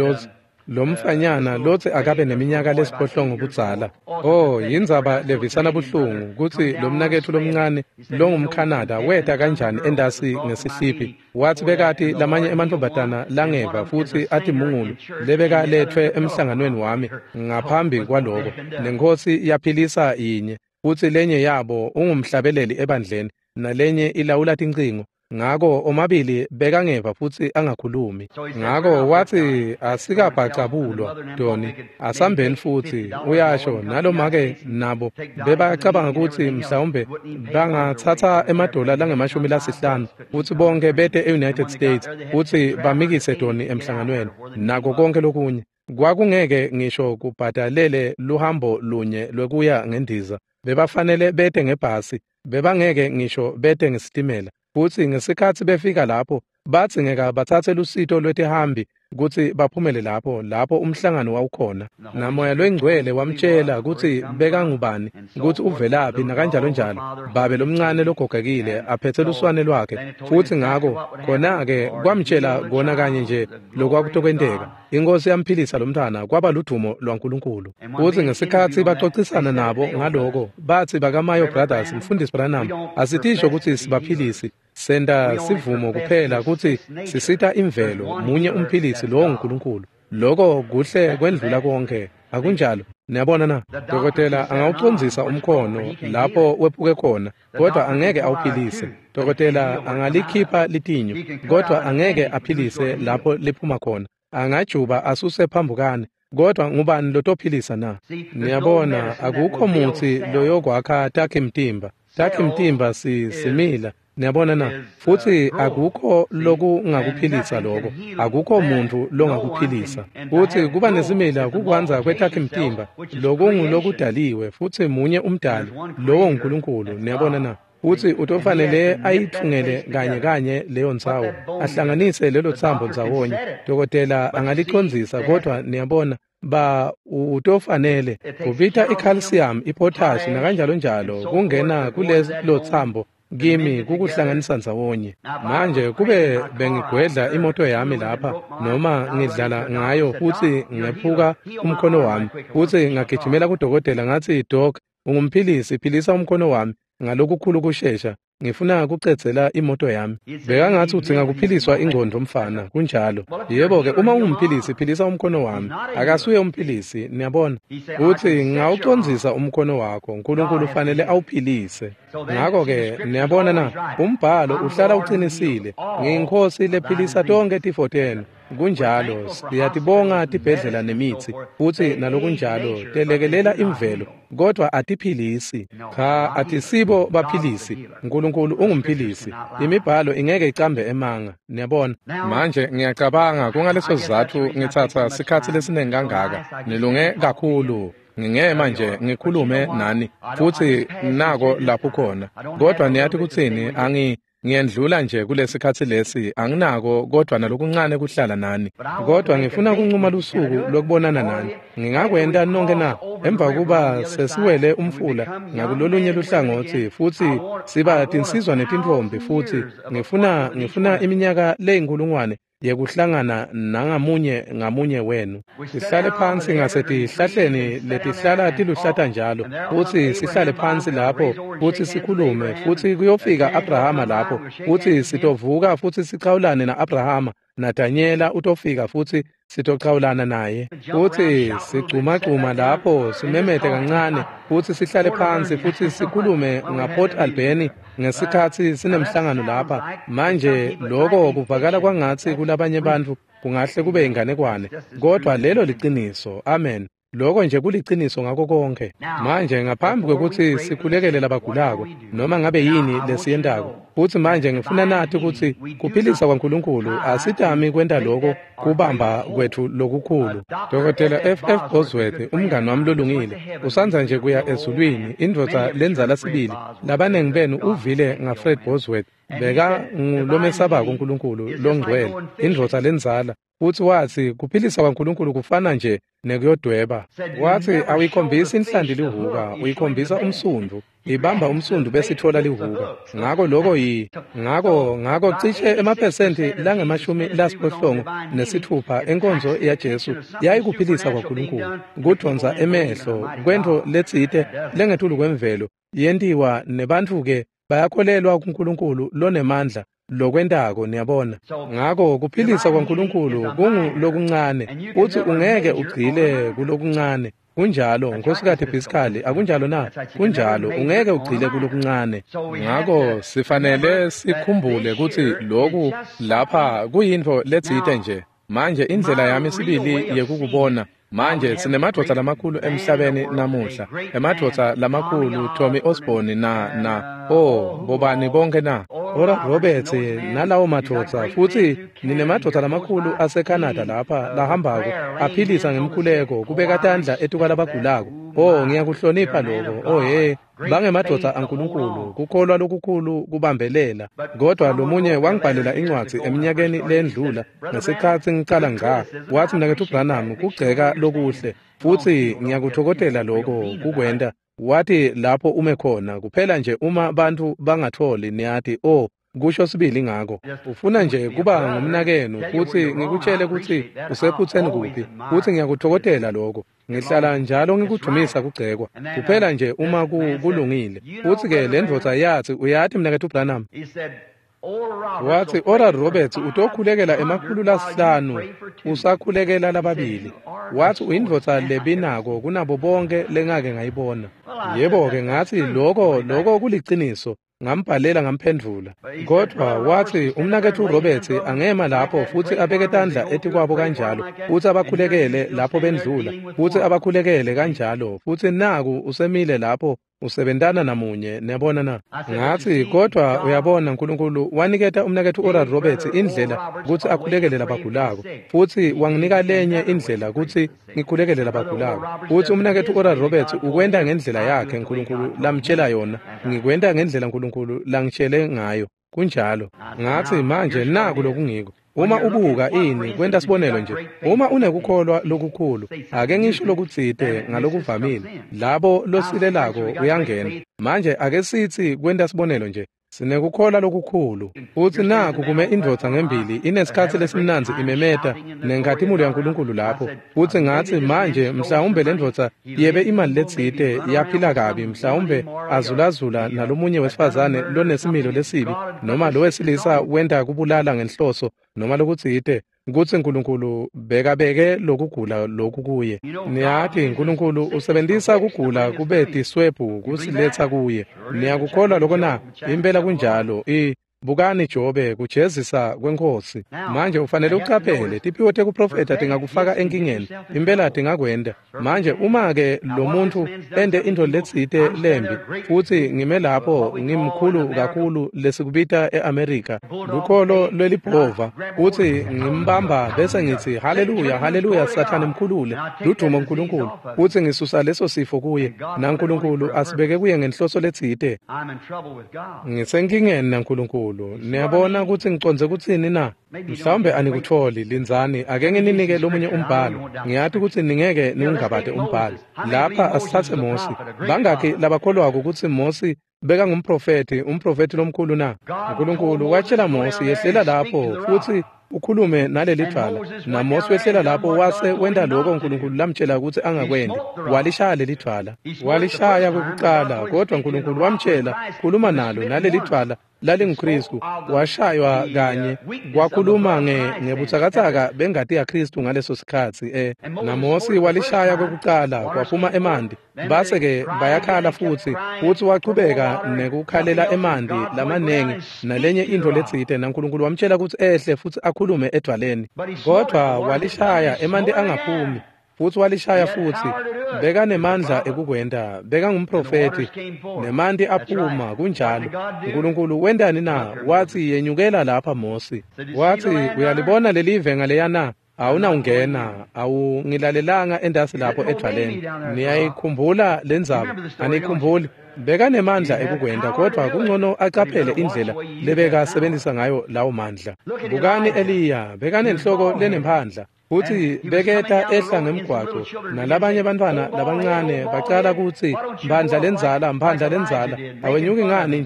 lo mfanyana lotsi akabe neminyaka lesiphohlongo budzala. Oh, yindzaba levisana buhlungu kutsi lo mnaketfu lomncane longumKhanada weta kanjani endasi ngesihliphi. Wathi bekati lamanye emantfombatana langeva futsi atimungulu lebekaletfwe emhlanganweni wami ngaphambi kwaloko. Nenkhosi yaphilisa yinye, futsi lenye yabo ungumhlabeleli ebandleni nalenye ilawula tincingo. Ngako omabili bekangeva futsi angakhulumi. Ngako wathi asikabhacabulwa Tony, asambeni futhi uyasho nalomake nabo bebacabanga kutsi mhlawumbe bangathatha emadola langama-50 futsi bonke bete e-United States futsi bamikise Tony emhlanganweni nako konke lokunye. Kwakungeke ngisho kubhadalele luhambo lunye lwekuya ngendiza. Bebafanele bete ngebhasi, bebangeke ngisho bete ngesitimela. Futsi ngesikhatsi befika lapho badzingeka batsatse lusito lwetihambi kutsi baphumele lapho umhlangano wawukhona. Namoya lwengcwele wamtshela kutsi bekangubani, kutsi uvelaphi nakanjalo njalo. Babe lomncane logogekile aphethe luswane lwakhe, futsi ngako khona-ke kwamtshela kona kanye nje lokwakutokwenteka. Inkosi yamphilisa lomntwana, kwaba ludumo lwaNkulunkulu. Futsi ngesikhatsi baxoxisana nabo ngaloko, batsi bakaMayo Brothers, Mfundisi Branham, asitisho kutsi sibaphilisi, senta sivumo kuphela kutsi sisita imvelo, munye umphilisi lowo nguNkulunkulu. Loko kuhle kwendlula konke, akunjalo? Niyabona na? Dokotela angawucondzisa umkhono lapho wephuke khona, kodwa angeke awuphilise. Dokotela angalikhipha litinyo, kodwa angeke aphilise lapho liphuma khona. Angajuba asuse phambukane, kodwa ngubani lotophilisa na? Niyabona, akukho mutsi loyokwakha takhi mtimba. Takhi mtimba simila. Niyabona na? Futsi akukho lokungakuphilisa lokho, akukho muntu longakuphilisa. Futsi kuba nesimila kukwandza kwetakhi mtimba lokungulokudaliwe, futsi munye umdali, lowo nguNkulunkulu. Niyabona na? Futsi utofanele ayithungele kanye kanye leyo ndzawo, ahlanganise lelo tsambo ndzawonye. Dokotela angalicondzisa, kodwa niyabona utofanele kubita i-calcium, i-potash nakanjalo njalo kungena kulelo tsambo kimi kukuhlanganisa ndzawonye. Manje kube bengigwedla imoto yami lapha noma ngidlala ngayo futsi ngephuka umkhono wami, futsi ngagijimela kudokotela ngathi, "Doc, ungumphilisi, philisa umkhono wami ngalokukhulu kushesha, ngifuna kucedzela imoto yami." Bekangathi udzinga kuphiliswa ingcondvo mfana, kunjalo. Yebo-ke, uma ungumphilisi, philisa umkhono wami. Akasuye umphilisi, niyabona. Uthi ngawucondzisa umkhono wakho, uNkulunkulu ufanele awuphilise. Ngako-ke, niyabona na, umbhalo uhlala uqinisile. Ngiyinkosi lephilisa tonke tifo tenu. Kunjalo, siyatibonga tibhedlela nemitsi, futsi nalokunjalo telekelela imvelo, kodwa atiphilisi. Cha, atisibo baphilisi. uNkulunkulu ungumphilisi. Imibhalo ingeke icambe emanga, niyabona. Manje ngiyacabanga kungaleso sizatfu ngitsatsa sikhatsi lesiningi kangaka. Nilunge kakhulu. Ngingema nje ngikhulume nani, futsi nako lapho khona. Kodwa niyathi kutsini, ngiyendlula nje kulesikhatsi lesi, anginako kodwa nalokuncane kuhlala nani. Kodwa ngifuna kuncuma lusuku lokubonana nani. Ngingakwenta nonke na? Emva kuba sesiwele umfula ngakulolunye luhlangotsi futsi siba tinsizwa netintfombi, futsi ngifuna iminyaka leyinkulungwane yekuhlangana nangamunye ngamunye wenu. Sihlale phansi ngasetihlahleni letihlala tiluhlata njalo, futsi sihlale phansi lapho futsi sikhulume, futsi kuyofika Abrahama lapho, futsi sitovuka futsi sichawulane na-Abrahama, naDanyela utofika futsi sitochawulana naye, futsi sigcumagcuma lapho simemete kancane, futsi sihlale phansi futsi sikhulume ngaPort Albany ngesikhatsi sinemhlangano lapha. Manje lokho kuvakala kwangatsi kulabanye bantfu kungahle kube inganekwane, kodwa lelo liciniso. Amen. Lokho nje kuliciniso ngako konke. Manje ngaphambi kwekutsi sikhulekele labagulako noma ngabe yini lesiyentako, futsi manje ngifuna nathi kutsi kuphilisa kwaNkulunkulu asitami kwenta lokho kubamba kwethu lokukhulu. Dr. F.F. Bosworth, umngani wami lolungile, usandza nje kuya ezulwini, indvodza lendzala sibili. Labanengi benu uvile ngaFred Bosworth, beka ngulomesabako uNkulunkulu longcwele, indvodza lendzala. Futsi watsi kuphilisa kwaNkulunkulu kufana nje nekuyodweba. Watsi awuyikhombisi inhlanti lihuka, uyikhombisa umsundvu. Ibamba umsundu bese itfola lihuka. Ngako loko ngako cishe emaphesenti lange-66 enkonzo yaJesu yayikuphilisa kwaNkulunkulu, kudvonsa emehlo kwentfo letsite lengetulu kwemvelo yentiwa nebantfu-ke bayakholelwa kuNkulunkulu lonemandla lokwentako, niyabona. Ngako kuphilisa kwaNkulunkulu kungulokuncane, futsi ungeke ugcile kulokuncane. Kunjalo, Nkhosikati Biskali, akunjalo na? Kunjalo, ungeke ugcile kulokuncane. Ngako sifanele sikhumbule kutsi loku lapha kuyintfo letsite nje. Manje indlela yami sibili yekukubona. Manje sinemadvodza lamakhulu emhlabeni namuhla, emadvodza lamakhulu Tommy Osborne na bobani bonke na Oral Roberts nalawo madvodza, futsi ninemadvodza lamakhulu aseCanada lapha lahambako aphilisa ngemkhuleko, kubeka tandla etukwalabagulako. Oh, ngiyakuhlonipha lokho. Oh hey, bangemadvodza aNkulunkulu, kukholwa lokukhulu kubambelela. Kodwa lomunye wangibhalela incwadzi eminyakeni lendlula ngesikhatsi ngicala ngqa, wathi, "Mnaketfu Branham, kugceka lokuhle, futsi ngiyakuthokozela lokho kukwenta." Wathi, "Lapho ume khona kuphela nje uma bantfu bangatholi, niyati, oh, kusho sibili ngako. Ufuna nje kuba ngumnakenu futsi ngikutshele kutsi usephutseni kuphi, futsi ngiyakuthokozela lokho. Ngihlala njalo ngikudumisa kugcekwa, kuphela nje uma kulungile." Futsi-ke le ndvodza yathi, "Uyati, Mnaketfu Branham," wathi, "Oral Roberts utokhulekela 500 usakhulekela lababili." Wathi, "Uyindvodza lebinako kunabo bonke lengake ngayibona." Yebo-ke, ngathi, lokho kuliciniso. Ngambhalela ngamphendvula. Kodwa wathi, "Umnaketfu Roberts angema lapho futsi abeke tandla etikwabo kanjalo, futsi abakhulekele lapho bendlula, futsi abakhulekele kanjalo, futsi naku usemile lapho usebentana namunye, niyabona na?" Ngathi, "Kodwa uyabona, uNkulunkulu waniketa umnaketfu Oral Roberts indlela kutsi akhulekele labagulako, futsi wanginika lenye indlela kutsi ngikhulekele labagulako. Futsi umnaketfu Oral Roberts ukwenta ngendlela yakhe uNkulunkulu lamtshela yona, ngikwenta ngendlela uNkulunkulu langitshele ngayo." Kunjalo. Ngathi, "Manje naku lokungiko. Uma ubuka ini, kwenta sibonelo nje, uma unekukholwa lokukhulu, ake ngisho lokutsite ngalokuvamile, labo losilelako uyangena. Manje ake sitsi kwenta sibonelo nje, sinekukholwa lokukhulu, futsi naku kume indvodza ngembili inesikhatsi lesimnandzi imemeta nenkhatimulo yaNkulunkulu lapho. Futsi ngathi, manje mhlawumbe le ndvodza yebe imali letsite yaphila kabi, mhlawumbe azulazula nalomunye wesifazane lonesimilo lesibi, noma lo wesilisa wenta kubulala ngenhloso, noma lokutsite, kutsi uNkulunkulu bekabeke lokugula lokhu kuye. Niyati, uNkulunkulu usebentisa kugula kube tiswebhu kusiletsa kuye. Niyakukholwa lokho na? Impela kunjalo. Bukani Jobe, kujezisa kweNkhosi. Manje ufanele ucaphele, tiphiwo tekuprofetha tingakufaka enkingeni, impela tingakwenta. Manje uma-ke lo muntu ente intfo letsite lembi, futsi ngime lapho ngimkhulu kakhulu lesikubita e-Amerika, lukholo lwelibhova, futsi ngimbamba bese ngitsi, haleluya, haleluya, Sathane mkhulule, ludumo uNkulunkulu, futsi ngisusa leso sifo kuye, naNkulunkulu asibeke kuye ngenhloso letsite. Ngisenkingeni naNkulunkulu. Niyabona kutsi ngicondze kutsini na? Mhlawumbe anikutfoli, lindzani, ake ngininike lomunye umbhalo. Ngiyati kutsi ningeke niwungabate umbhalo. Lapha asithathe Mosi. Bangakhi labakholwako kutsi Mosi bekangumprofethi, umprofethi lomkhulu na? uNkulunkulu watshela Mosi, yehlela lapho futsi ukhulume naleli dvwala. NaMosi wehlela lapho wase wenta lokho uNkulunkulu lamtshela kutsi angakwenti. Walishaya leli dvwala. Walishaya kokucala, kodwa uNkulunkulu wamtshela, khuluma nalo naleli dvwala lalinguKristu. Washaywa kanye, kwakhuluma ngebutsakatsaka bengati yaKristu ngaleso sikhatsi. NaMosi walishaya kokucala, kwaphuma emanti. Base-ke bayakhala futsi wachubeka nekukhalela emanti lamanengi nalenye intfo letsite, naNkulunkulu wamtshela kutsi ehle futsi akhulume edvwaleni. Kodwa walishaya, emanti angaphumi, futsi walishaya futsi. Bekanemandla ekukwenta, bekangumprofethi, nemanti aphuma. Kunjalo. uNkulunkulu wentani na? Wathi, yenyukela lapha Mosi. Wathi, uyalibona lelive ngaleya na? Awunawungena, awungilalelanga endasi lapho edvwaleni. Niyayikhumbula lendzaba? Anikhumbuli? Bekanemandla ekukwenta, kodwa kungcono acaphele indlela lebekasebenzisa ngayo lawo mandla. Bukani Eliya, bekanenhloko lenemphandla. Futsi beketa ehla ngemgwaco nalabanye bantfwana labancane bacala kutsi mphandla lendzala, mphandla lendzala, awenyuki ngani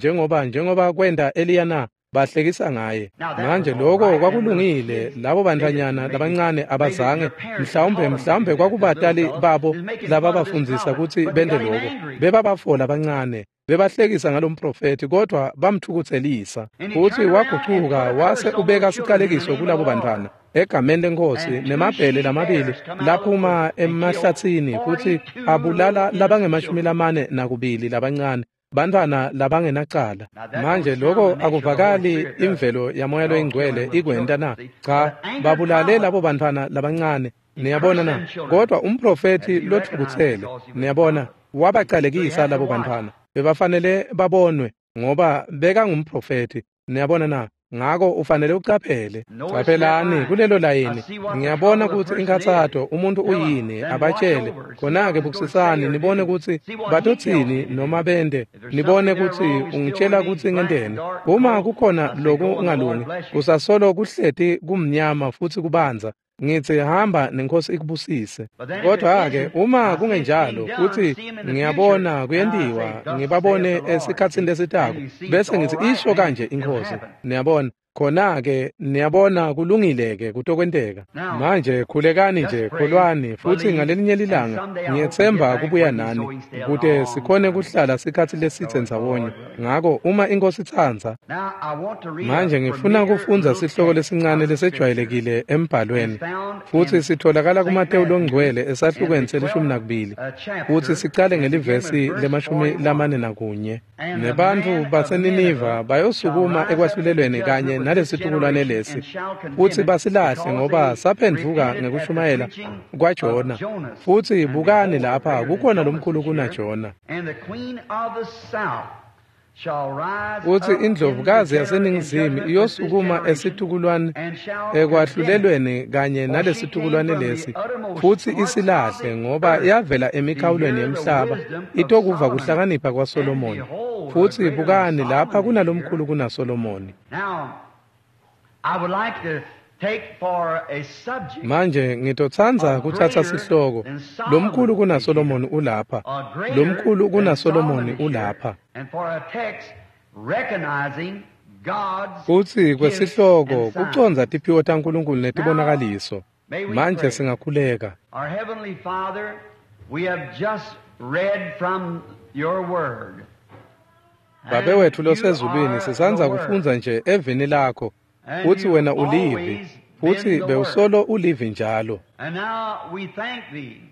njengoba kwenta Eliya na? Bahlekisa ngaye. Manje lokho kwakulungile, labo bantfwanyana labancane abazange, mhlawumbe kwakubatali babo lababafundzisa kutsi bente lokho. Bebabafo labancane, bebahlekisa ngalomprofethi, kodwa bamthukutselisa. Futsi wagucuka wase ubeka sicalekiso kulabo bantfwana egameni leNkhosi, nemabhele lamabili laphuma emahlatsini futsi abulala labange-42 labancane, bantfwana labangenacala. Manje lokho akuvakali imvelo yaMoya loyiNgcwele ikwenta na? Cha, babulale labo bantfwana labancane. Niyabona na? Kodwa umprofethi lotfukutsele, niyabona, wabacalekisa labo bantfwana. Bebafanele babonwe ngoba bekangumprofethi. Niyabona na? Ngako ufanele ucaphele. Caphelani kulelo layini. Ngiyabona kutsi inkhatsato umuntu uyini, abatshele. Khona-ke bukisisani nibone kutsi batotsini noma bente. Nibone kutsi ungitshela kutsi ngenteni. Uma kukhona lokungalungi, kusasolo kuhleti kumnyama futsi kubanza. Ngitsi hamba nenkosi ikubusise. Kodwa-ke uma kungenjalo futsi ngiyabona kuyentiwa, ngibabone esikhatsini lesitako, bese ngitsi isho kanje iNkhosi. Niyabona? Khona-ke niyabona kulungile-ke kutokwenteka. Manje khulekani nje, kholwani, futsi ngalelinye lilanga ngiyetsemba kubuya nani kute sikhone kuhlala sikhatsi lesitse ndzawonye. Ngako uma iNkhosi itsandza. Manje ngifuna kufundza sihloko lesincane lesejwayelekile embhalweni, futsi sitholakala kuMatewu loNgcwele esahlukweni se-12, futsi sicale ngelivesi le-41. Nebantfu baseNiniva bayosukuma ekwahlulelweni kanye nalesitukulwane lesi, futsi basilahle ngoba saphendvuka ngekushumayela kwaJona. Futsi bukani lapha, kukhona lomkhulu kunaJona. Futsi indlovukazi yaseNingizimu iyosukuma esitukulwane ekwahlulelweni kanye nalesitukulwane lesi, futsi isilahle ngoba yavela emikhawulweni yemhlaba itokuva kuhlakanipha kwaSolomoni. Futsi bukani lapha kunalomkhulu kunaSolomoni. Manje ngitotsandza kutsatsa sihloko, lomkhulu kunaSolomoni ulapha, lomkhulu kunaSolomoni ulapha. Futsi kwesihloko kucondza tiphiwo taNkulunkulu netibonakaliso. Manje singakhuleka. Babe wetfu losezulwini, sisandza kufundza nje evini lakho, futsi wena ulivi, futsi bewusolo ulivi njalo.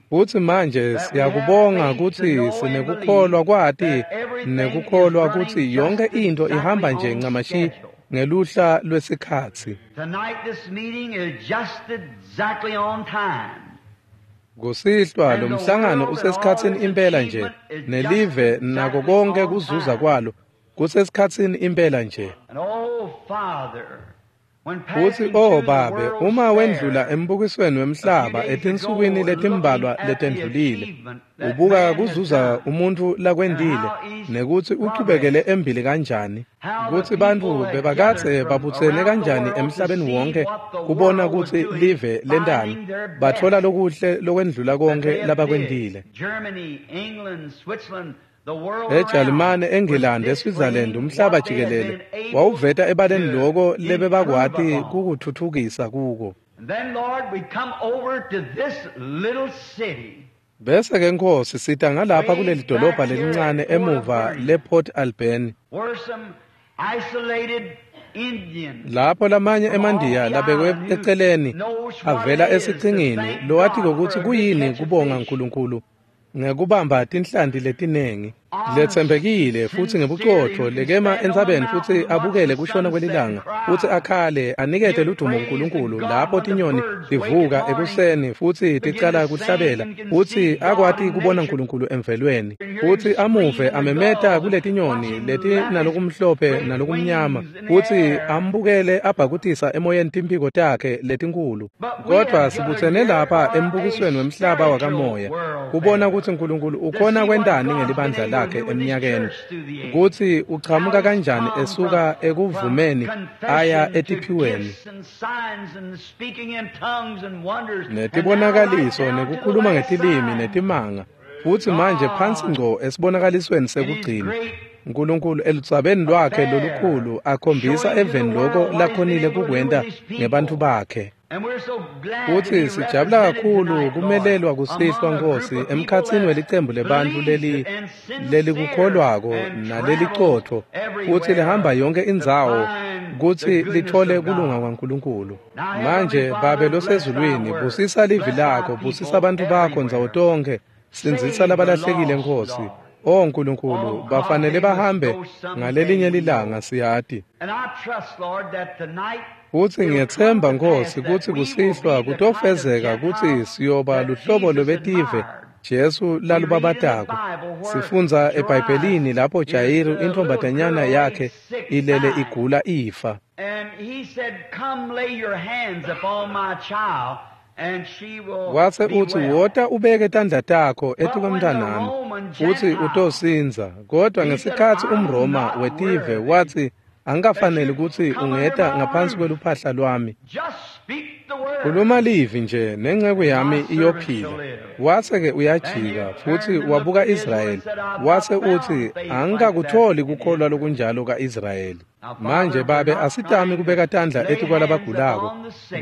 Futsi manje siyakubonga kutsi sinekukholwa kwati nekukholwa kutsi yonke into ihamba nje ncamashi ngeluhla lwesikhatsi. Kusihlwa lo mhlangano usesikhatsini impela nje, nelive nako konke kuzuza kwalo kusesikhatsini impela nje. Futsi oh Babe, uma wendlula embukisweni wemhlaba etinsukwini letimbalwa letendlulile, ubuka kuzuza umuntfu lakwendile nekutsi uchubekele embili kanjani, kutsi bantfu bebakadze babutsene kanjani emhlabeni wonke kubona kutsi live lentani, batfola lokuhle lokwendlula konke labakwendile. EJalimane, eNgilandi, eSwitzerland, umhlaba jikelele wawuveta ebaleni loko lebebakwati kukuthuthukisa kuko. Bese ke Nkosi sita ngalapha kuleli dolobha lelincane emuva lePort Alberni, lapho lamanye emandiya labekwe eceleni avela esichingini lowatiko kutsi kuyini kubonga Nkulunkulu ngekubamba tinhlanti letinengi, letsembekile futsi ngebucotfo, lekema entsabeni futsi abukele kushona kwelilanga, futsi akhale anikete ludumo kuNkulunkulu lapho tinyoni tivuka ekuseni futsi ticala kuhlabela, futsi akwati kubona Nkulunkulu emvelweni, futsi amuve amemeta kuletinyoni letinalokumhlophe nalokumnyama, futsi ambukele abhakutisa emoyeni timphiko takhe letinkulu. Kodwa sibutsene lapha embukisweni wemhlaba wakamoya kubona kutsi Nkulunkulu ukhona kwentani ngelibandla lakhe. bakhe eminyakeni, kutsi uchamuka kanjani esuka ekuvumeni aya etiphiweni netibonakaliso nekukhuluma ngetilimi netimanga, futsi manje phansi ngco esibonakalisweni sekugcina, Nkulunkulu eludzabeni lwakhe lolukhulu akhombisa eveni loko lakhonile kukwenta ngebantfu bakhe. Futsi sijabula kakhulu kumelelwa kusihlwa, Nkosi, emkhatsini welicembu lebantfu lelikukholwako nalelicotfo, futsi lihamba yonke indzawo kutsi lithole kulunga kwaNkulunkulu. Manje, Babe losezulwini, busisa livi lakho, busisa bantfu bakho ndzawo tonkhe, sindzisa labalahlekile, Nkosi. O Nkulunkulu, bafanele bahambe ngalelinye lilanga, siyati. Futsi ngiyetsemba, Nkosi, kutsi kusihlwa kutofezeka kutsi siyoba luhlobo lwebetive Jesu lalubabatako. Sifundza eBhayibhelini lapho Jayiru intfombatanyana yakhe ilele igula ifa. Wase utsi, wota ubeke tandla takho etikwemntanami, futsi utosindza. Kodwa ngesikhatsi umRoma wetive watsi, angikafaneli kutsi ungeta ngaphansi kweluphahla lwami. Khuluma livi nje nenceku yami iyophila. Wase-ke uyajika futsi wabuka Israyeli, wase utsi, angikakutholi kukholwa lokunjalo ka-Israyeli. Manje, Babe, asitami kubeka tandla etikwalabagulako,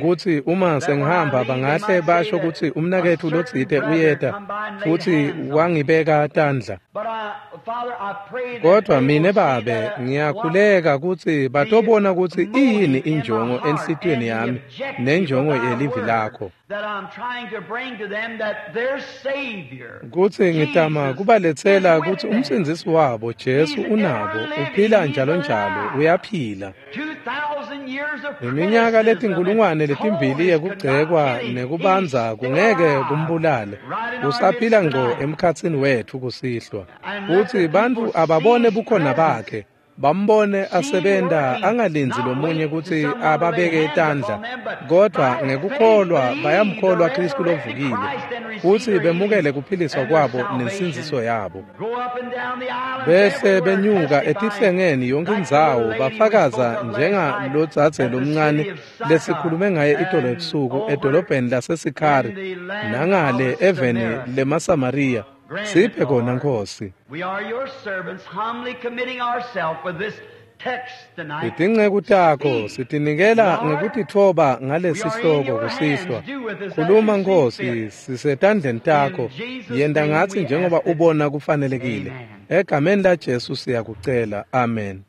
kutsi uma sengihamba bangahle basho kutsi umnaketfu lotsite uyeta futsi wangibeka tandla. Kodwa mine, Babe, ngiyakhuleka kutsi batobona kutsi iyini injongo enhlitiyweni yami nenjongo yelivi lakho, kutsi ngitama kubaletsela kutsi umsindzisi wabo Jesu unabo, uphila njalo njalo, uyaphila. Iminyaka 2000 yekugcekwa nekubanza kungeke kumbulale, usaphila ngco emkhatsini wetfu kusihlwa. Futsi bantfu ababone bukhona bakhe, bambone asebenta, angalindzi lomunye kutsi ababeke tandla, kodvwa ngekukholwa bayamkholwa Khristu lovukile, futsi bemukele kuphiliswa kwabo nensindziso yabo. Bese benyuka etihlengeni yonke indzawo bafakaza njengalodzadze lomncane lesikhulume ngaye itolo ebusuku edolobheni laseSikhari nangale eveni lemaSamariya. Siphe kona, Nkosi. Itinceku takho sitinikela ngekutitfoba ngalesihloko kusihlwa. Khuluma, Nkosi, sisetandleni takho. Yenta ngatsi njengoba ubona kufanelekile. Egameni laJesu siyakucela. Amen.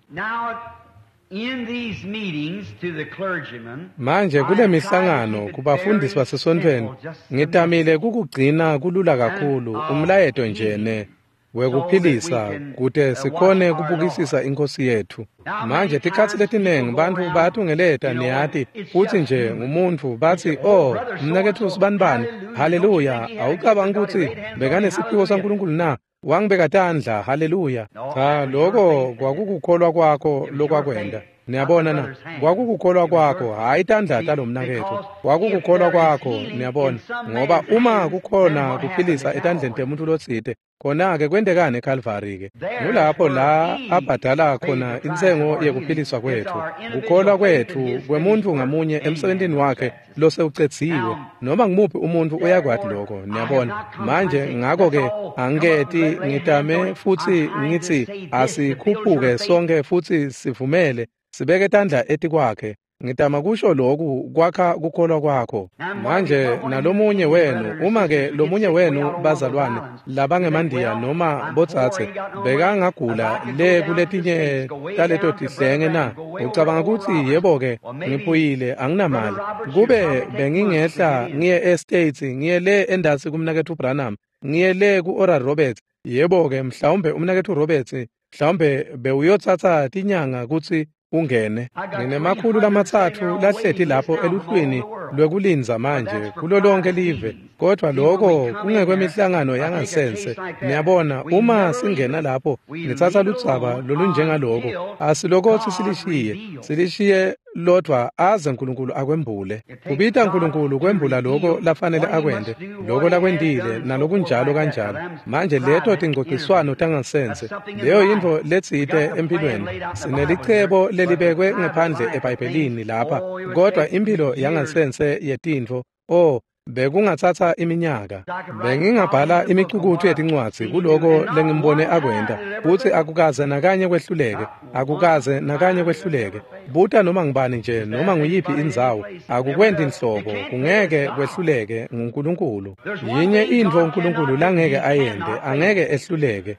Manje kule mihlangano kubafundisi basesontfweni ngitamile kukugcina kulula kakhulu umlayeto nje ne wekuphilisa kute sikhone kubukisisa iNkosi yetfu. Manje tikhatsi letinengi bantfu bayatungeleta, niyati, futsi nje ngumuntfu batsi, oh, mnaketfu sibanibani, haleluya, awucabangi kutsi bekanesiphiwo saNkulunkulu na? Wangibeka tandla, haleluya. Cha, loko kwakukukholwa kwakho lokwakwenta. Niyabona na? Kwakukukholwa kwakho, hhayi tandla talomnaketfu. Kwakukukholwa kwakho, niyabona. Ngoba uma kukhona kuphilisa etandleni temuntfu lotsite, khona-ke kwentekani eKalvari-ke? Ngulapho la abhadala khona intsengo yekuphiliswa kwetfu. Kukholwa kwetfu kwemuntfu ngamunye emsebentini wakhe losewucedziwe. Noma ngumuphi umuntfu uyakwati lokho, niyabona. Manje ngako-ke angiketi ngitame futsi ngitsi asikhuphuke sonke futsi sivumele sibeke tandla etikwakhe. Ngitama kusho loku kwakha kukholwa kwakho. Manje nalomunye wenu, uma-ke lomunye wenu bazalwane labangemandiya noma botsatse bekangagula le kuletinye taleto tihlenge na? Ucabanga kutsi yebo-ke ngiphuyile anginamali. Kube bengingehla ngiye eStates, ngiye le endasi kumnaketfu Branham, ngiye le ku-Oral Roberts, yebo-ke mhlawumbe umnaketfu Roberts mhlawumbe bewuyotsatsa tinyanga kutsi ungene. Nginemakhulu 300 lahleti lapho eluhlwini lwekulindza manje kulo lonke live, Kodwa lokho kungekwemihlangano yangasense. Niyabona, uma singena lapho ngitsatsa ludzaba lolunjengaloko, asilokothi silishiye, silishiye lodwa aze uNkulunkulu akwembule. Kubita uNkulunkulu kwembula lokho lafanele akwente, lokho lakwentile nalokunjalo kanjalo. Manje leto tingcociswano tangasense, leyo yintfo letsite empilweni. Sinelicebo lelibekwe ngephandle eBhayibhelini lapha, kodwa impilo yangasense yetintfo, oh, bekungatsatsa iminyaka. Bengingabhala imicukutfu yetincwadzi kuloko lengimbone akwenta, futsi akukaze nakanye kwehluleke, akukaze nakanye kwehluleke. Buta noma ngubani nje noma nguyiphi indzawo, akukwenti nhlobo, kungeke kwehluleke nguNkulunkulu. Yinye intfo uNkulunkulu langeke ayente, angeke ehluleke,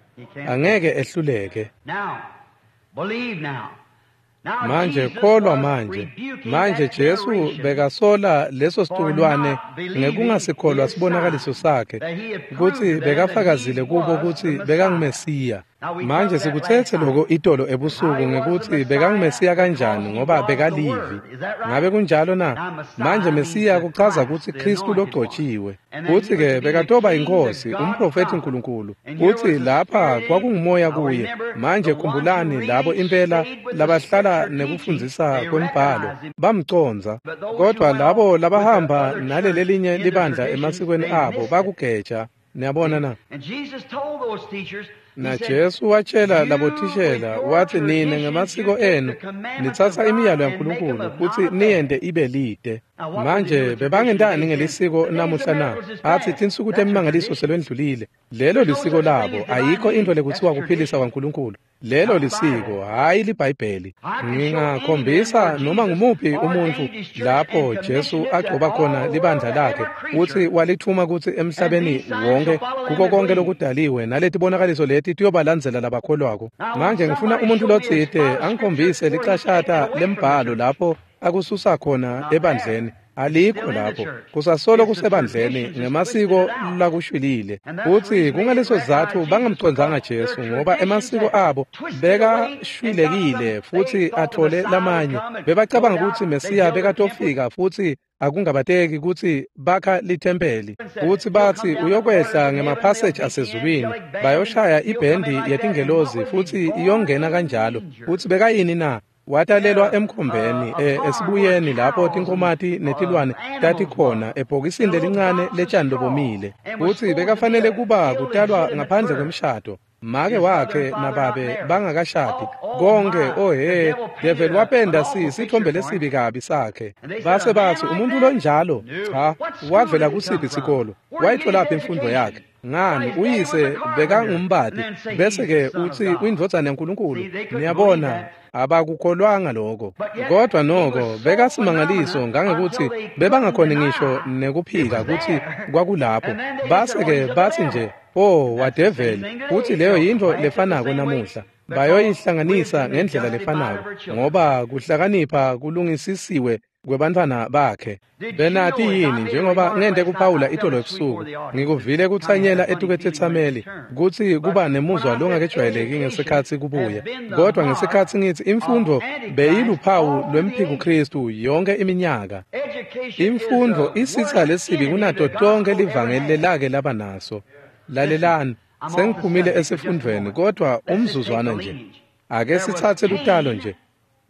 angeke ehluleke. Manje kholwa manje. Manje Jesu bekasola leso situkulwane ngekungasikholwa sibonakaliso sakhe, kutsi bekafakazile kubo kutsi bekanguMesiya. Manje sikutsetse loko itolo ebusuku ngekutsi bekanguMesiya kanjani, ngoba bekalivi. Ngabe kunjalo na? Manje Mesiya kuchaza kutsi Khristu logcotshiwe. Kutsi-ke bekatoba inkosi, umprofethi uNkulunkulu. Kutsi lapha kwakungumoya kuye. Manje khumbulani labo impela labahlala nekufundzisa kwembhalo bamcondza, kodwa labo labahamba nalelelinye libandla emasikweni abo bakugeja. Niyabona na? Na Jesu watshela labothishela wathi, nine ngemasiko enu nitsatsa imiyalo yaNkulunkulu kutsi niyente ibe lide. Manje bebangentani ngelisiko namuhla na? Athi tinsuku temimangaliso selwendlulile. Lelo lisiko labo, ayikho intfo lekutsiwa kuphilisa kwaNkulunkulu. Lelo lisiko, hhayi liBhayibheli. Ngingakhombisa noma ngumuphi umuntfu lapho Jesu agcoba khona libandla lakhe kutsi walithuma kutsi emhlabeni wonke kuko konke lokudaliwe naletibonakaliso leti tiyobalandzela labakholwako. Manje ngifuna umuntu lotsite angikhombise licashata lembhalo lapho akususa khona ebandleni. Alikho lapho, kusasolo kusebandleni ngemasiko lakushwilile. Kutsi kungaleso sizatfu bangamcondzanga Jesu, ngoba emasiko abo bekashwilekile futsi athole lamanye. Bebacabanga kutsi Mesiya bekatofika futsi akungabateki kutsi bakha lithempeli, kutsi batsi uyokwehla ngemaphaseji asezulwini, bayoshaya ibhendi yetingelozi futsi iyongena kanjalo. Kutsi bekayini na? Watalelwa emkhombeni, esibuyeni lapho tinkomati netilwane tatikhona, ebhokisini lelincane letshani lobomile. Kutsi bekafanele kuba kutalwa ngaphandle kwemshado, make wakhe nababe bangakashadi konke. Ohe, develi wapenda sithombe lesibi kabi sakhe. Base batsi umuntu lonjalo, cha, wavela kusiphi isikolo? Wayitholaphi imfundo yakhe? Ngani, uyise bekangumbati, bese-ke utsi uyindvodzana yaNkulunkulu. Niyabona, abakukholwanga lokho. Kodwa noko bekasimangaliso ngangekuthi bebangakhoni ngisho nekuphika kutsi kwakulapho. Base-ke batsi nje, oh, wadeveli. Kutsi leyo yintfo lefanako namuhla. Bayoyihlanganisa ngendlela lefanako, ngoba kuhlakanipha kulungisisiwe kwebantfwana bakhe. Benati yini, njengoba ngente kuphawula itolo ebusuku, ngikuvile kutsanyela etukethethameli kutsi kuba nemuzwa longakejwayeleki ngesikhatsi kubuya. Kodwa ngesikhatsi ngitsi imfundvo beyiluphawu lwemphikuKristu yonke iminyaka. Imfundvo isitsa lesibi kunato tonke livangeli lelake laba naso. Lalelani, sengiphumile esifundvweni, kodwa umzuzwana nje. Ake sitsatse lutalo nje.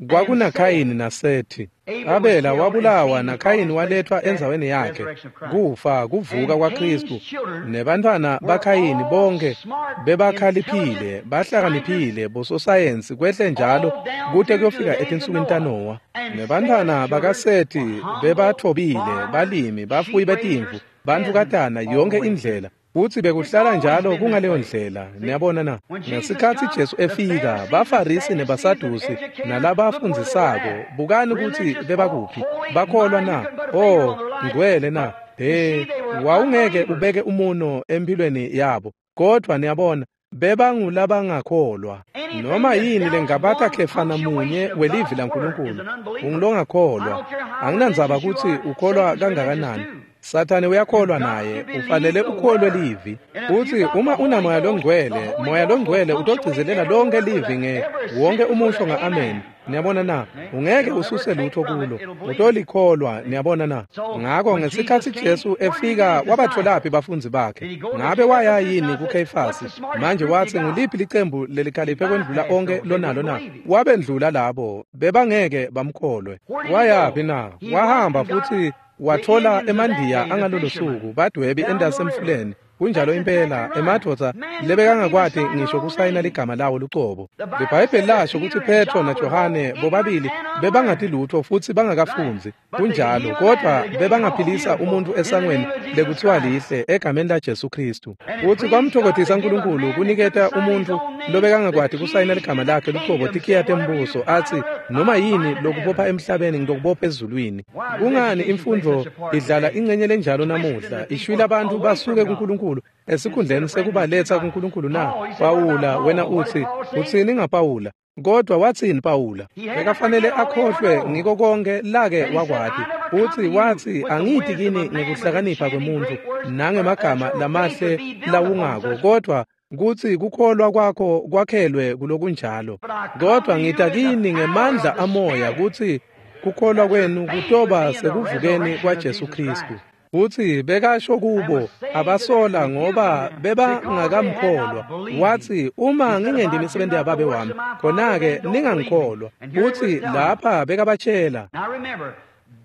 KwakunaKhayini naSethi. Abela wabulawa naKhayini walethwa endzaweni yakhe. Kufa kuvuka kwaKristu. Nebantfwana baKhayini bonke bebakhaliphile, bahlakaniphile, bososayensi kwehle njalo kute kuyofika etinsukwini taNowa. Nebantfwana bakaSethi bebathobile, balimi, bafuyi betimvu, bantukatana yonke indlela. Kutsi bekuhlala njalo kungaleyo ndlela. Niyabona na? Ngesikhatsi Jesu efika, baFarisi nebaSadusi nalabafundzisako, bukani kutsi bebakuphi. Bakholwa na? Oh, ngcwele na? He, wawungeke ubeke umuno empilweni yabo. Kodwa niyabona, bebangulabangakholwa. Noma yini lengabata khefana munye welivi laNkulunkulu, ungulongakholwa. Anginandzaba kutsi ukholwa kangakanani. Sathane uyakholwa naye, ufanele ukholwe livi. Uthi uma unamoya longcwele, moya longcwele utogcizelela lonke livi nge wonke umusho nga-amen. Niyabona na? Ungeke ususe lutho kulo, utolikholwa. Niyabona na? Ngakho ngesikhathi Jesu efika wabatholaphi bafundzi bakhe? Ngabe waya yini kuKheyifasi? Manje wathi nguliphi licembu lelikhaliphe kwendlula onke lonalo na? Wabendlula labo, bebangeke bamkholwe. Wayaphi na? Wahamba futhi wathola emandiya angalolo suku, badwebi endasemfuleni. Kunjalo impela, emadvodza lebekangakwati ngisho kusayina ligama lawo lucobo. LiBhayibheli lasho kutsi Petro naJohane bobabili bebangati lutho futhi bangakafundzi. Kunjalo, kodwa bebangaphilisa umuntu esangweni lekuthiwa lihle egameni laJesu Kristu. Futhi kwamthokothisa uNkulunkulu kuniketa umuntu lobekangakwati kusayina ligama lakhe lucobo tikhiya tembuso, athi noma yini lokubopha emhlabeni ngitokubopha ezulwini. Kungani imfundvo idlala ingcenye lenjalo namuhla, ishwila abantu basuke kuNkulunkulu esikhundleni sekubaletha kuNkulunkulu na? Pawula, wena uthi utsini ngaPawula? Kodwa watsini Pawula? Bekafanele akhohlwe ngiko konke lake wakwati. Uthi wathi angithi kini ngekuhlakanipha kwemuntu nangemagama lamahle lawungako, kodwa kutsi kukholwa kwakho kwakhelwe kulokunjalo. Kodwa ngita kini ngemandla amoya kutsi kukholwa kwenu kutoba sekuvukeni kwaJesu Kristu. Uthi bekasho kubo abasola ngoba bebangakamkholwa. Wathi uma ngingendi imisebenzi yababe wami, khona-ke ningangikholwa. Uthi lapha bekabatshela.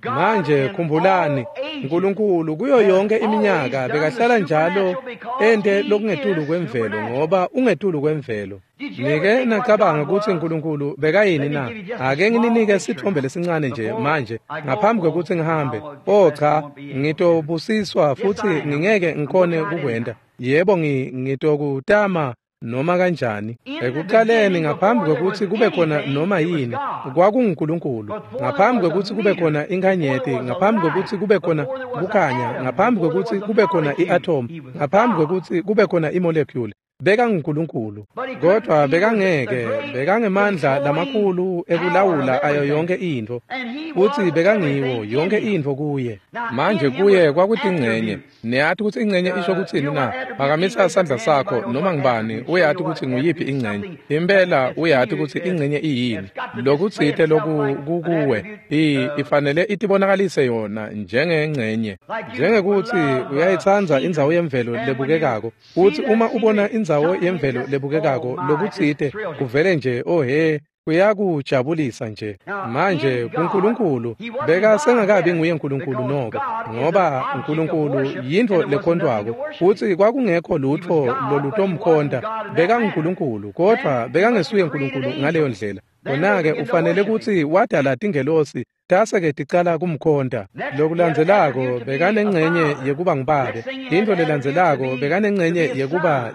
Manje khumbulani, uNkulunkulu kuyo yonke iminyaka bekahlala njalo ente lokungetulu kwemvelo, ngoba ungetulu kwemvelo. Nike nacabanga ukuthi uNkulunkulu bekayini na? Ake ngininike sithombe lesincane nje manje ngaphambi kwekuthi ngihambe. Oh cha, ngitobusiswa futhi ngingeke ngikhone kukwenta. Yebo, ngitokutama noma kanjani. Ekuqaleni, ngaphambi kwekuthi kube khona noma yini, kwakunguNkulunkulu. Ngaphambi kwekuthi kube khona inkanyeti, ngaphambi kwekuthi kube khona kukhanya, ngaphambi kwekuthi kube khona i-atom, ngaphambi kwekuthi kube khona i-molecule, bekanguNkulunkulu. Kodwa bekangeke, bekangemandla lamakhulu ekulawula ayo yonke intfo, futhi bekangiwo yonke intfo kuye. Manje kuye kwakutingcenye. Niyati ukuthi ingcenye isho kutsini na? Phakamisa sandla sakho noma ngibani uyati ukuthi nguyiphi ingcenye. Impela uyati ukuthi ingcenye iyini. Lokutsite lokukuwe ifanele itibonakalise yona njengengcenye. Njengekuthi uyayitsandza indzawo yemvelo lebukekako. Uthi uma ubona indzawo yemvelo lebukekako lokutsite kuvele nje oh he, kuyakujabulisa nje. Manje kuNkulunkulu bekasengakabi nguye uNkulunkulu noko, ngoba uNkulunkulu yintfo lekhontwako, futhi kwakungekho lutho lolutomkhonta. BekanguNkulunkulu, kodwa bekangesuye uNkulunkulu ngaleyo ndlela. Kona-ke ufanele kutsi wadala tingelosi tase-ke ticala kumkhonta. Lokulandzelako bekanengcenye yekuba ngubabe. Intfo lelandzelako bekanengcenye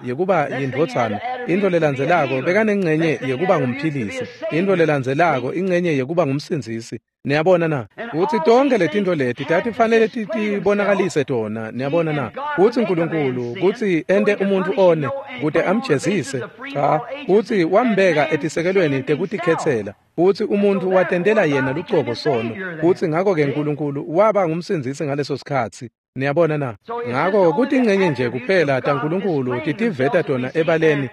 yekuba yindvodzana. Intfo lelandzelako bekanengcenye yekuba ngumphilisi. Intfo lelandzelako ingcenye yekuba ngumsindzisi. Niyabona na? Kutsi tonke letintfo leti tatifanele titibonakalise tona. Niyabona na? Kutsi uNkulunkulu kutsi ente umuntfu one kute amjezise. Cha, kutsi wambeka etisekelweni tekutikhetsela. Kutsi umuntu watentela yena lucobo sono. Kutsi ngakho-ke uNkulunkulu waba ngumsindzisi ngaleso sikhatsi. Niyabona na? Ngakho kutingcenye nje kuphela taNkulunkulu titiveta tona ebaleni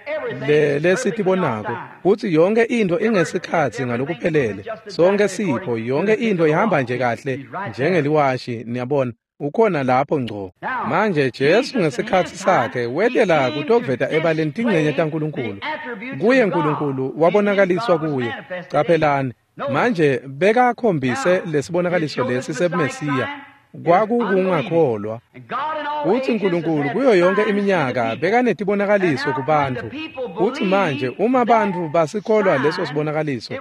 lesitibonako. Kutsi yonke intfo ingesikhatsi ngalokuphelele. Sonke sipho, yonke intfo ihamba nje kahle njengeliwashi, niyabona. Ukhona lapho ngco. Manje Jesu ngesikhatsi sakhe wetela kutoveta ebaleni tingcenye taNkulunkulu. Kuye uNkulunkulu wabonakaliswa kuye. Caphelani, manje bekakhombise lesibonakaliso lesi sebuMesiya. Kwakukungakholwa. Kutsi uNkulunkulu kuyo yonke iminyaka bekanetibonakaliso kubantfu. Kutsi manje uma bantfu basikholwa leso sibonakaliso,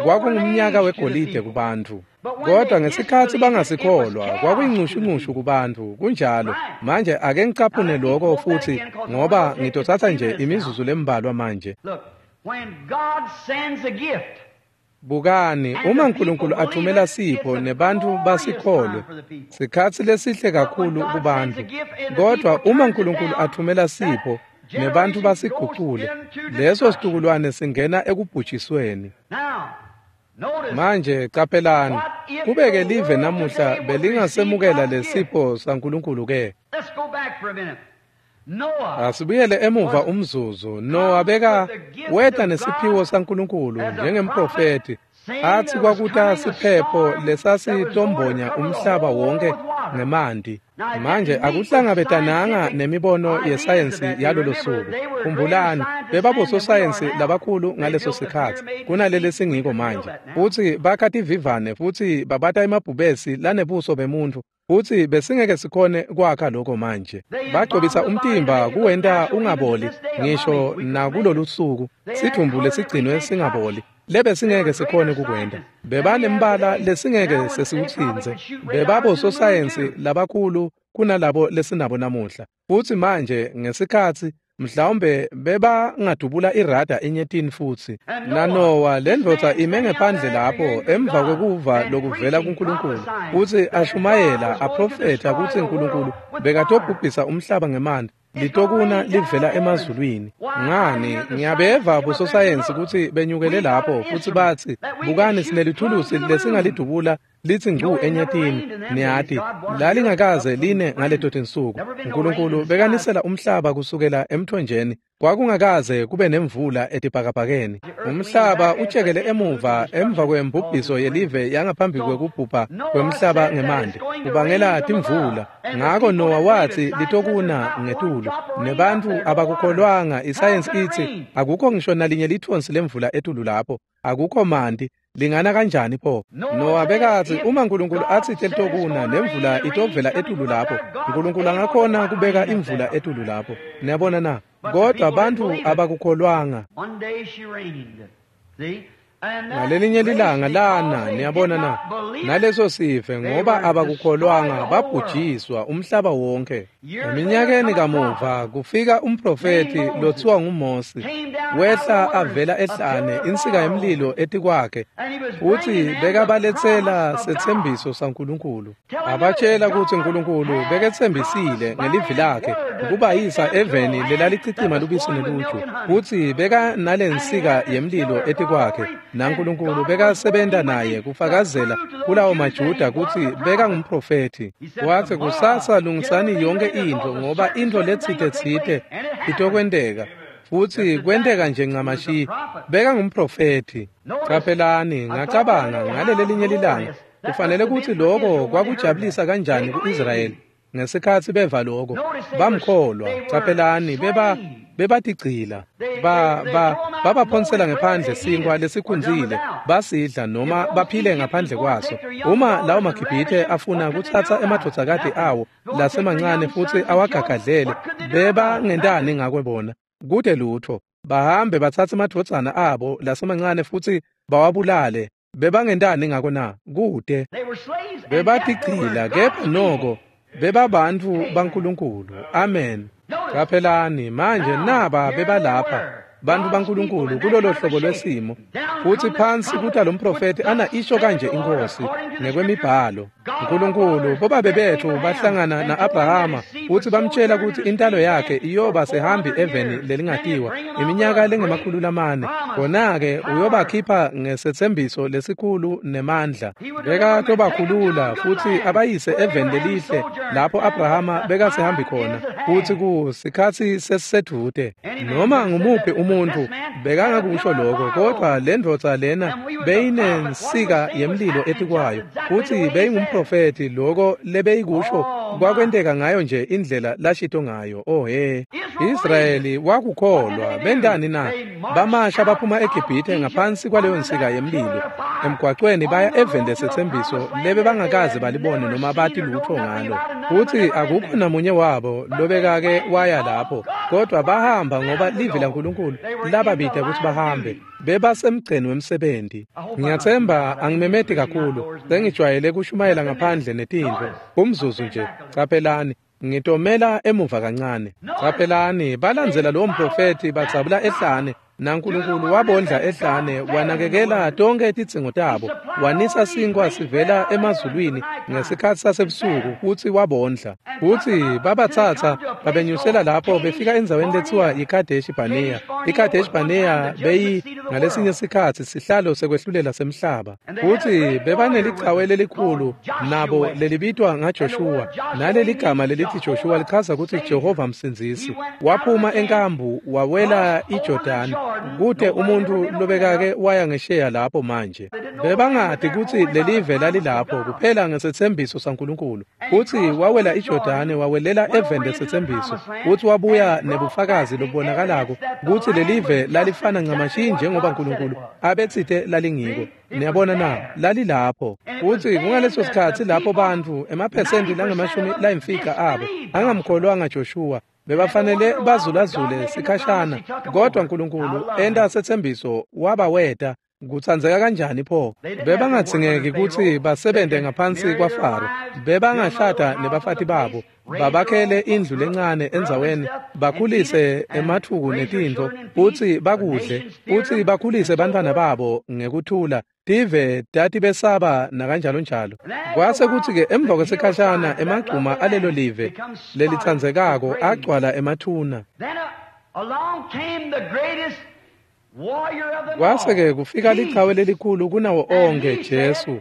kwakungumnyaka wegolide kubantfu. Kodwa ngesikhatsi bangasikholwa, kwakuyincushunqushu kubantfu. Kunjalo. Manje ake ngicaphune lokho futhi, ngoba ngitotsatsa nje imizuzu lembalwa manje. Bukani, uma uNkulunkulu athumela sipho nebantfu basikholwe, sikhatsi lesihle kakhulu kubantfu. Kodwa uma uNkulunkulu athumela sipho nebantfu basigucule, leso situkulwane singena ekubhujisweni. Manje caphelani, kubeke live namuhla belingasemukela lesipho saNkulunkulu ke. Asibuyele emuva umzuzu. Noah beka weta nesiphiwo saNkulunkulu njengemprofeti, athi kwakuta siphepho lesasitombonya umhlaba wonke ngemanti. Manje akuhlangabetananga nemibono yesayensi yalolo suku. Khumbulani, bebabososayensi labakhulu ngaleso sikhatsi kunaleli singiko manje. Futsi bakha tivivane futsi babata emabhubesi lanebuso bemuntfu, futsi besingeke sikhone kwakha lokho manje. Bagcobisa umtimba kuwenta ungaboli ngisho nakulolu suku, sidvumbu lesigcinwe singaboli lebesingeke sikhone kukwenta. Bebanembala lesingeke sesiwutsintse. Bebabososayensi labakhulu kunalabo lesinabo namuhla. Futsi manje ngesikhatsi mhlawumbe bebangadubula irada enyetini futsi. NaNowa lendvodza ime ngephandle lapho emva kwekuva lokuvela kuNkulunkulu, futsi ashumayela aprofetha kutsi uNkulunkulu bekatobhubhisa umhlaba ngemanti litokuna livela emazulwini. Ngani, ngiyabeva bososayensi kutsi benyukele lapho futsi batsi, bukani sinelithulusi lesingalidubula litsi ngcu enyetini. Niyati, lalingakaze line ngaleto tinsuku. uNkulunkulu bekanisela umhlaba kusukela emthonjeni. Kwakungakaze kube nemvula etibhakabhakeni. Umhlaba utshekele emuva emva kwembubhiso yelive yangaphambi kwekubhubha kwemhlaba ngemanti, kubangela timvula. Ngako Noah wathi litokuna ngetulu, nebantfu abakukholwanga. Isayensi itsi akukho ngisho nalinye lithonsi lemvula etulu lapho, akukho manti. Lingana kanjani pho? Noah bekathi uma uNkulunkulu athi litokuna nemvula itovela etulu lapho, uNkulunkulu angakhona kubeka imvula etulu lapho. Niyabona na? Kodwa abantu abakukholwanga. Ngalelinye lilanga lana, niyabona na, naleso sive ngoba abakukholwanga babhujiswa umhlaba wonke. Eminyakeni kamuva kufika umprofeti lothiwa nguMose, wehla avela ehlane, insika yemlilo etikwakhe, futsi bekabaletsela setsembiso saNkulunkulu. Abatshela kutsi uNkulunkulu beketsembisile ngelivi lakhe ukubayisa eveni lelalichichima lubisi neluju, futsi beka nalensika yemlilo etikwakhe, naNkulunkulu bekasebenta naye kufakazela kulawo maJuda kutsi beka ngumprofethi. Wathi kusasa lungisani yonke intfo ngoba intfo letsite itokwenteka, futsi kwenteka nje ncamashi. Beka ngumprofethi. Caphelani, ngacabanga ngalelelinye lilanga kufanele kutsi lokho kwakujabulisa kanjani ku-Israyeli ngesikhatsi beva lokho. Bamkholwa. Caphelani, bebatigcila, babaphonsela ngephandle sinkwa lesikhunzile, basidla noma baphile ngaphandle kwaso. Uma lawo maGibhithe afuna kutsatsa emadvodzakati awo lasemancane futsi awagagadlele, bebangentani ngakwe bona? Kude lutho. Bahambe batsatse emadvodzana abo lasemancane futsi bawabulale. Bebangentani ngako na? Kude. Bebatigcila, kepha noko bebabantfu baNkulunkulu. Amen. Caphelani manje, naba bebalapha bantfu baNkulunkulu kulolo hlobo lwesimo, futsi phansi kuta lo mprofeti ana isho kanje inkosi ngekwemibhalo. uNkulunkulu bobabe bethu bahlangana na-Abrahama futsi bamtshela kutsi intalo yakhe iyoba sehambi eveni lelingatiwa iminyaka lengemakhulu 4. Kona-ke uyobakhipha ngesetsembiso lesikhulu nemandla. Bekatobakhulula futsi abayise eveni lelihle lapho Abrahama bekasehambi khona, futsi kusikhatsi sesisedvute. Noma ngumuphi umuntfu bekangakusho lokho, kodwa lendvodza lena beyinensika yemlilo etikwayo, futsi beyingumprofethi. Lokho lebeyikusho kwakwenteka ngayo nje indlela lashito ngayo. Oh he, Israyeli wakukholwa. Bentani na? Bamasha baphuma eGibhithe ngaphansi kwaleyo nsika yemlilo emgwacweni baya eveni lesetsembiso lebe bangakaze balibone noma bati lutho ngalo, futsi akukho namunye wabo lobekake waya lapho, kodwa bahamba ngoba livi laNkulunkulu lababita kutsi bahambe. Bebasemgceni wemsebenti. Ngiyathemba angimemeti kakhulu, sengijwayele kushumayela ngaphandle netintfo. Umzuzu nje, caphelani, ngitomela emuva kancane. Caphelani, balandzela lowo mprofethi badzabula ehlane. NaNkulunkulu wabondla ehlane, wanakekela tonke tidzingo tabo, wanisa sinkwa sivela emazulwini ngesikhatsi sasebusuku futsi wabondla. Futsi babatsatsa babenyusela lapho befika endzaweni letsiwa yiKadeshi Barnea. IKadeshi Barnea beyi ngalesinye sikhatsi sihlalo sekwehlulela semhlaba. Futsi bebanelichawe lelikhulu nabo lelibitwa ngaJoshua. Naleli gama lelithi Joshua lichaza kutsi Jehova msindzisi. Waphuma enkambu wawela iJordani. Kute umuntu lobekake waya ngesheya lapho manje. Bebangati kutsi lelive lalilapho kuphela ngesetsembiso saNkulunkulu. Futsi wawela iJordani wawelela eveni lesetsembiso. Futsi wabuya nebufakazi lobubonakalako kutsi lelive lalifana ncamashi njengoba Nkulunkulu abetsite lalingiko. Niyabona na, lalilapho. Futsi kungaleso sikhatsi lapho bantfu emaphesenti langamashumi layimfica abo angamkholwanga Joshua. Bebafanele bazulazule sikhashana, kodwa Nkulunkulu enta setsembiso wabaweta. Kutsandzeka kanjani pho? Bebangadzingeki kutsi basebente ngaphansi kwaFaro. Bebangashada nebafati babo, babakhele indlu lencane endzaweni, bakhulise ematfuku netintfo, futsi bakudle, futsi bakhulise bantfwana babo ngekuthula. Tive tatibesaba nakanjalonjalo. Kwase kutsi-ke emva kwesikhashana emagcuma alelo live lelitsandzekako agcwala emathuna. Then along came the greatest warrior of them Kwase-ke all, kufika lichawe Jesus. lelikhulu kunawo onke, Jesu.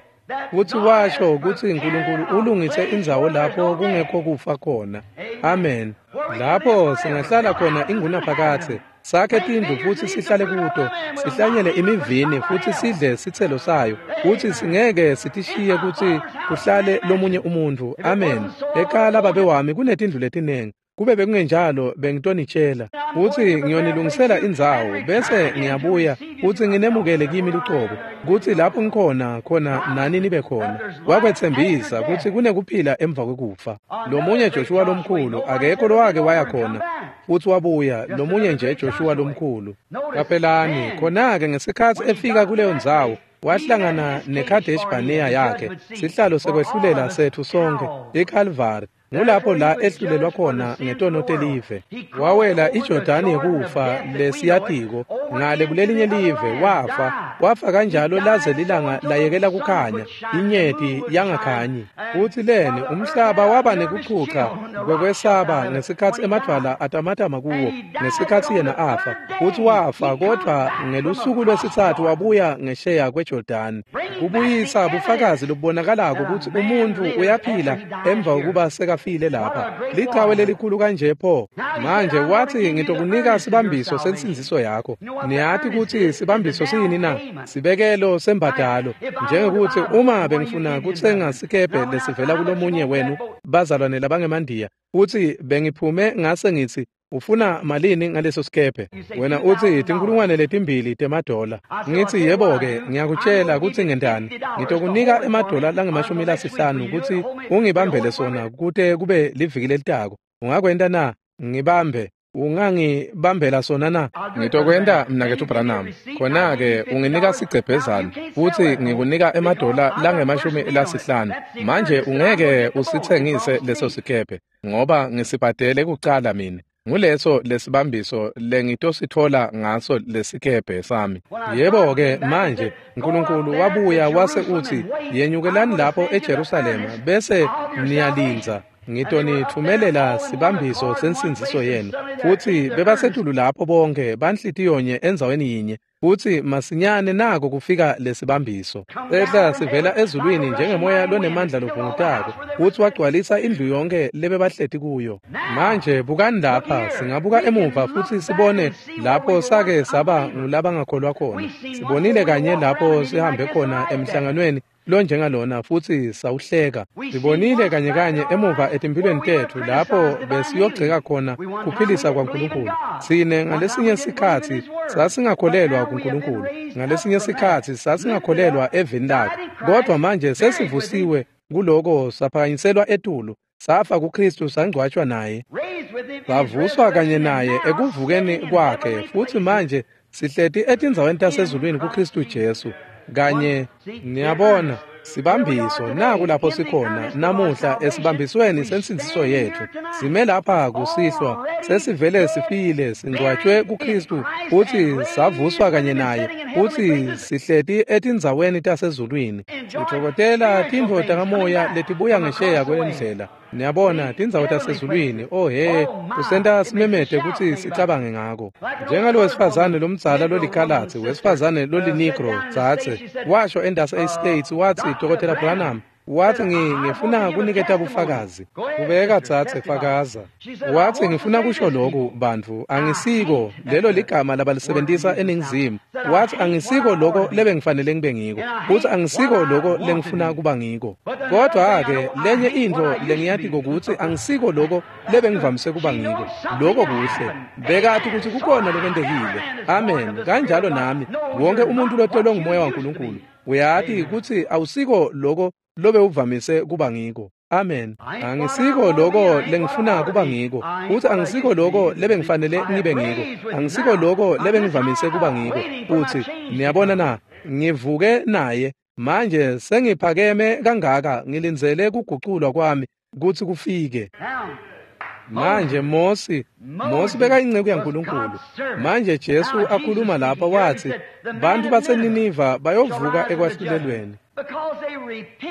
Futsi washo kutsi Nkulunkulu ulungise indzawo lapho kungekho kufa khona. Amen. Lapho singahlala khona ingunaphakadze, sakhe tindlu futsi sihlale kuto, sihlanyele imivini futsi sidle sitselo sayo, futsi singeke sitishiye kutsi kuhlale lomunye umuntfu. Amen. Ekhaya lababe wami kunetindlu letinengi. Kube bekungenjalo bengitonitshela. Futsi ngiyonilungisela indzawo, bese ngiyabuya futsi nginemukele kimi lucobo, kutsi lapho ngikhona khona nani nibe khona. Wakwetsembisa kutsi kunekuphila emva kwekufa. Lomunye Joshua lomkhulu akekho lowake waya khona futsi wabuya, lomunye nje Joshua lomkhulu. Qaphelani, khona-ke ngesikhatsi efika kuleyo ndzawo, wahlangana neKadesh Barnea yakhe, sihlalo sekwehlulela setfu sonkhe, iKalvari. Ngulapho la ehlulelwa khona ngetono telive. Wawela iJordani yekufa lesiyatiko ngale kulelinye live, wafa. Wafa kanjalo laze lilanga layekela kukhanya, inyeti yangakhanyi. Futsi leni umhlaba waba nekuchucha kwekwesaba ngesikhatsi emadvwala atamatama kuwo ngesikhatsi yena afa. Futsi wafa, kodvwa ngelusuku lwesitsatfu wabuya ngesheya kweJordani. Kubuyisa bufakazi lobubonakalako kutsi umuntfu uyaphila emva kokuba sekafile lapha. Lichawe lelikhulu kanje pho. Manje wathi ngitokunika sibambiso sensindziso yakho. Niyati kutsi sibambiso siyini na? Sibekelo sembadalo. Njengekuthi uma bengifuna kutsenga sikebhe lesivela kulomunye wenu bazalwane labangemandiya, futsi bengiphume ngase ngitsi ufuna malini ngaleso sikebhe? Wena utsi $2,000. Ngitsi yebo-ke, ngiyakutshela kutsi ngentani. Ngitokunika emadola langama-50 kutsi ungibambele sona kute kube liviki lelitako. Ungakwenta na? Ngibambe. Ungangibambela sona na? Ngitokwenta, mnaketfu Branham. Khona-ke unginika sigcebhezana futsi ngikunika emadola langama-50. Manje ungeke usitsengise leso sikebhe ngoba ngisibhadele kucala mine. Nguleso lesibambiso lengitositfola ngaso lesikebhe sami. Yebo-ke manje Nkulunkulu wabuya wase utsi yenyukelani lapho eJerusalema bese niyalindza. Ngitonitfumelela sibambiso sensindziso yenu. Futsi bebasetulu lapho bonke banhlitiyonye endzaweni yinye. Futsi masinyane nako kufika lesibambiso. Ehla sivela ezulwini njengemoya lonemandla lovungutako, futsi wagcwalisa indlu yonke lebebahleti kuyo. Manje bukani lapha, singabuka emuva futsi sibone lapho sake saba ngulabangakholwa khona. Sibonile kanye lapho sihambe khona emhlanganweni lonjengalona futsi sawuhleka. Sibonile kanye kanye emuva etimphilweni tetfu lapho besiyogceka khona kuphilisa kwaNkulunkulu. Sine ngalesinye sikhatsi sasingakholelwa kuNkulunkulu, ngalesinye sikhatsi sasingakholelwa evini lakhe, kodvwa manje sesivusiwe kuloko, saphakanyiselwa etulu, safa kuKristu, sangcwatshwa naye, savuswa kanye naye ekuvukeni kwakhe, futsi manje sihleti etindzaweni tasezulwini kuKristu Jesu. Kanye niyabona, Sibambiso naku lapho sikhona namuhla esibambisweni sensindiso yethu. Sime lapha kusihlwa sesivele sifile, singcwatshwe kuKristu futhi savuswa kanye naye, futhi sihleti etindzaweni tasezulwini. Sitfokotela tintfo takamoya letibuya ngesheya kwendlela. Niyabona, tindzawo tasezulwini. Oh he, kusenta simemete kutsi sicabange ngako. Njengalo wesifazane lomdzala lolikhalatsi, wesifazane lolinigro dzadze, washo endasi e-States, watsi, Dr. Branham, wathi ngifuna kuniketa bufakazi. Kubeka dzadze, fakaza. Wathi ngifuna kusho lokhu bantfu, angisiko lelo ligama labalisebentisa eNingizimu. Wathi angisiko lokho lebengifanele ngibe ngiko, futhi angisiko lokho lengifuna kuba ngiko. Kodwa-ke lenye intfo lengiyatiko kutsi angisiko lokho lebengivamise kuba ngiko. Lokho kuhle. Bekati kutsi kukhona lokwentekile. Amen. Kanjalo nami, wonke umuntu lotelwe ngumoya waNkulunkulu uyati kutsi awusiko lokho lobe uvamise kuba ngiko. Amen. Angisiko lokho lengifuna kuba ngiko, futhi angisiko lokho lebengifanele ngibe ngiko. Angisiko lokho lebengivamise kuba ngiko. Futhi niyabona na, ngivuke naye manje sengiphakeme kangaka, ngilindzele kuguculwa kwami kutsi kufike. Manje Mosi bekayinceku yaNkulunkulu. Manje Jesu akhuluma lapha wathi bantfu baseNiniva bayovuka ekwahlulelweni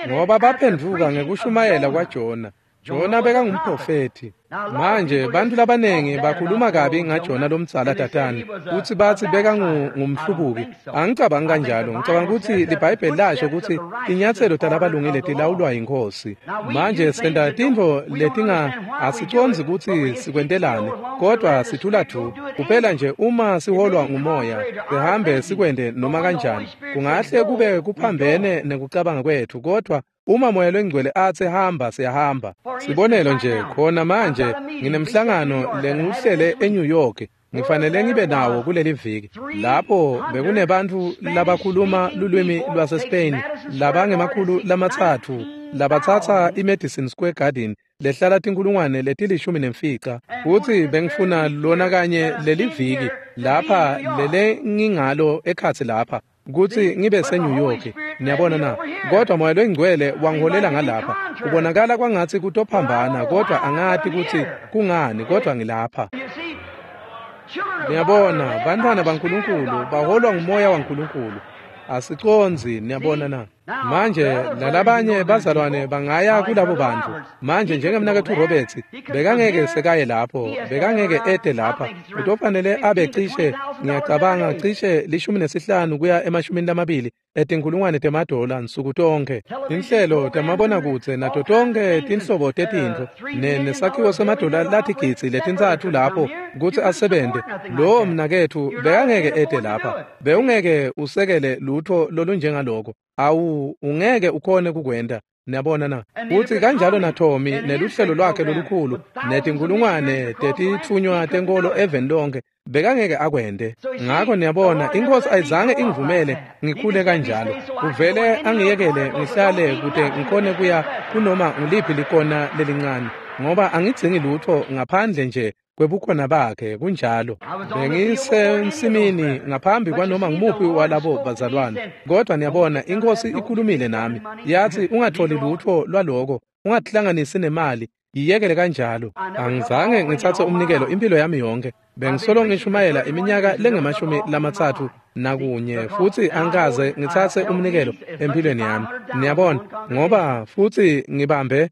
ngoba baphendvuka ngekushumayela kwaJona. Jona bekangumprofethi. Manje bantfu labanengi bakhuluma kabi ngaJona lomdzala tatane, kutsi batsi bekangumhlubuki. Angicabangi kanjalo. Ngicabanga kutsi liBhayibheli lasho kutsi tinyatselo talabalungile tilawulwa yiNkhosi. Manje senta tintfo letinga asicondzi kutsi sikwentelani, kodwa sithula du. Kuphela nje uma siholwa ngumoya, sihambe sikwente noma kanjani. Kungahle kube kuphambene nekucabanga kwetfu, kodwa uma moya longcwele atsi hamba, siyahamba. Sibonelo nje, khona manje nginemhlangano lengiwuhlele eNew York, ngifanele ngibe nawo kuleli viki. Lapho bekunebantfu labakhuluma lulwimi lwaseSpain labangema-300 labatsatsa iMadison Square Garden lehlala 15,000, futsi bengifuna lona kanye leli viki lapha lele ngingalo ekhatsi lapha kutsi ngibe seNew York. Niyabona na, kodwa moya longcwele wangiholela ngalapha. Kubonakala kwangatsi kutophambana, kodwa angati kutsi kungani, kodwa ngilapha. Niyabona, bantfwana baNkulunkulu baholwa ngumoya waNkulunkulu. Asicondzi, niyabona na. Manje lalabanye bazalwane bangaya kulabo bantfu. Manje njengemnaketfu Roberts bekangeke sekaye lapho, bekangeke ete lapha. Utofanele abe cishe, ngiyacabanga cishe 15 kuya 20 etinkhulungwane temadola nsuku tonke. Tinhlelo tamabonakudze nato tonke tinhlobo tetintfo nesakhiwo semadola latigidzi letintsatfu lapho kutsi asebente. Lowo mnaketfu bekangeke ete lapha. Bewungeke usekele lutho lolunjengaloko. Awu, ungeke ukhone kukwenta. Niyabona na, kutsi kanjalo naTommy neluhlelo lwakhe lolukhulu netinkhulungwane tetitfunywa tenkolo eveni lonke bekangeke akwente. Ngakho niyabona, iNkhosi ayizange ingivumele ngikhule kanjalo. Uvele angiyekele ngihlale kute ngikhone kuya kunoma nguliphi likona lelincane, ngoba angidzingi lutho ngaphandle nje kwebukhona bakhe. Kunjalo. Bengisensimini ngaphambi kwanoma ngumuphi walabo bazalwane, kodwa niyabona, iNkhosi ikhulumile nami yathi ungatholi lutho lwaloko, ungatihlanganisi nemali, yiyekele kanjalo. Angizange ngitsatse umnikelo impilo yami yonke. Bengisolo ngishumayela iminyaka lengu-31 futhi angikaze ngitsatse umnikelo empilweni yami. Niyabona, ngoba futhi ngibambe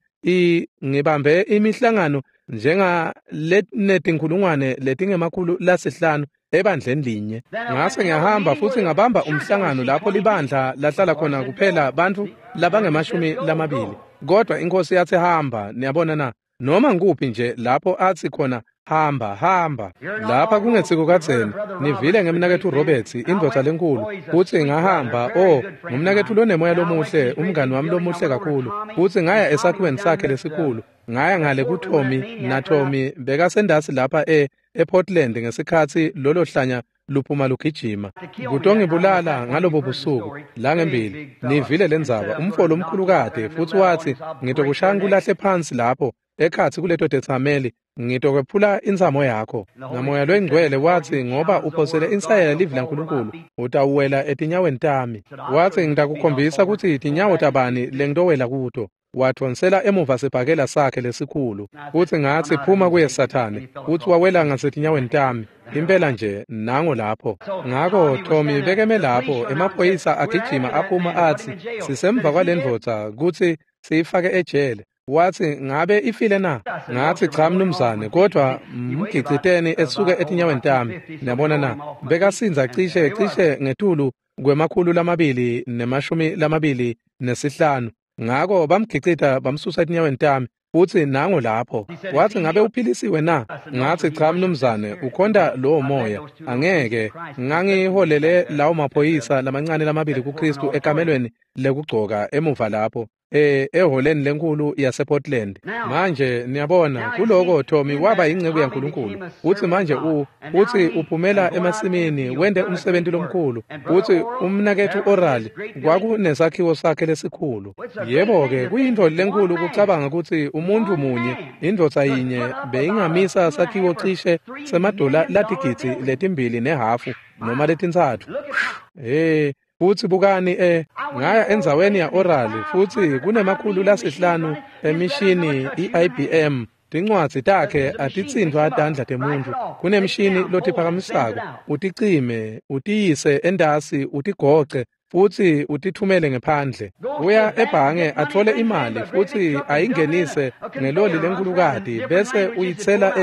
imihlangano njenga letinkhulungwane letingema-500 ebandleni linye. Ngase ngiyahamba futhi ngabamba umhlangano lapho libandla lahlala khona kuphela bantfu labangema-20. Kodwa iNkhosi yathi hamba. Niyabona na, noma ngikuphi nje lapho athi khona hamba, hamba. Lapha kungetsiko kadzeni nivile ngemnaketfu Roberts, indvodza lenkulu, kutsi ngahamba. Oh, ngumnaketfu lonemoya lomuhle, umngani wami lomuhle kakhulu. Kutsi ngaya esakhiweni sakhe lesikhulu, ngaya ngale kuTommy, naTommy bekasendasi lapha ePortland ngesikhatsi lolo hlanya luphuma lugijima kutongibulala ngalobo busuku langembili. Nivile lendzaba, umfo lomkhulu kade, futhi wathi ngitokushaya ngikulahle phansi lapho ekhatsi kuleto tetsameli. Ngitokwephula intsamo yakho. NaMoya loyiNgcwele watsi, ngoba uphosele insayela livi laNkulunkulu, utawuwela etinyaweni tami. Watsi, ngitakukhombisa kutsi tinyawo tabani lengitowela kuto. Wadvonsela emuva sibhakela sakhe lesikhulu. Futsi ngatsi, phuma kuye Sathane. Futsi wawela ngasetinyaweni tami. Impela nje, nango lapho. Ngako Tommy bekeme lapho, emaphoyisa agijima aphuma atsi, sisemva kwalendvodza kutsi siyifake ejele. Watsi, ngabe ifile na? Ngatsi, cha mnumzane, kodwa mgiciteni esuke etinyaweni tami. Niyabona na? Bekasindza cishe ngetulu kwe-225. Ngako bamgicita bamsusa etinyaweni tami, futsi nango lapho. Watsi, ngabe uphilisiwe na? Ngatsi, cha mnumzane, ukhonta lowo moya. Angeke. Ngangiholele lawo maphoyisa lamancane lamabili kuKristu ekamelweni lekugcoka emuva lapho, eholeni lenkulu yasePortland. Manje niyabona, kuloko Tommy waba yinceku yaNkulunkulu. Utsi manje utsi uphumela emasimini wente umsebenti lomkhulu. Utsi umnaketfu Oral kwakunesakhiwo sakhe lesikhulu. Yebo-ke, kuyintfo lenkulu kucabanga kutsi umuntfu munye, indvodza yinye, beyingamisa sakhiwo cishe semadola latigidzi 2.5 noma 3. Futsi bukani ngaya endzaweni ya Oral futsi kunema-500 emishini i-IBM. Tincwadzi takhe atitsintfwa tandla temuntfu. Kunemshini lotiphakamisako, uticime, utiyise entasi, utigoce futsi utithumele ngephandle. Uya ebhange atfole imali futsi ayingenise ngeloli lenkulukati bese uyitsela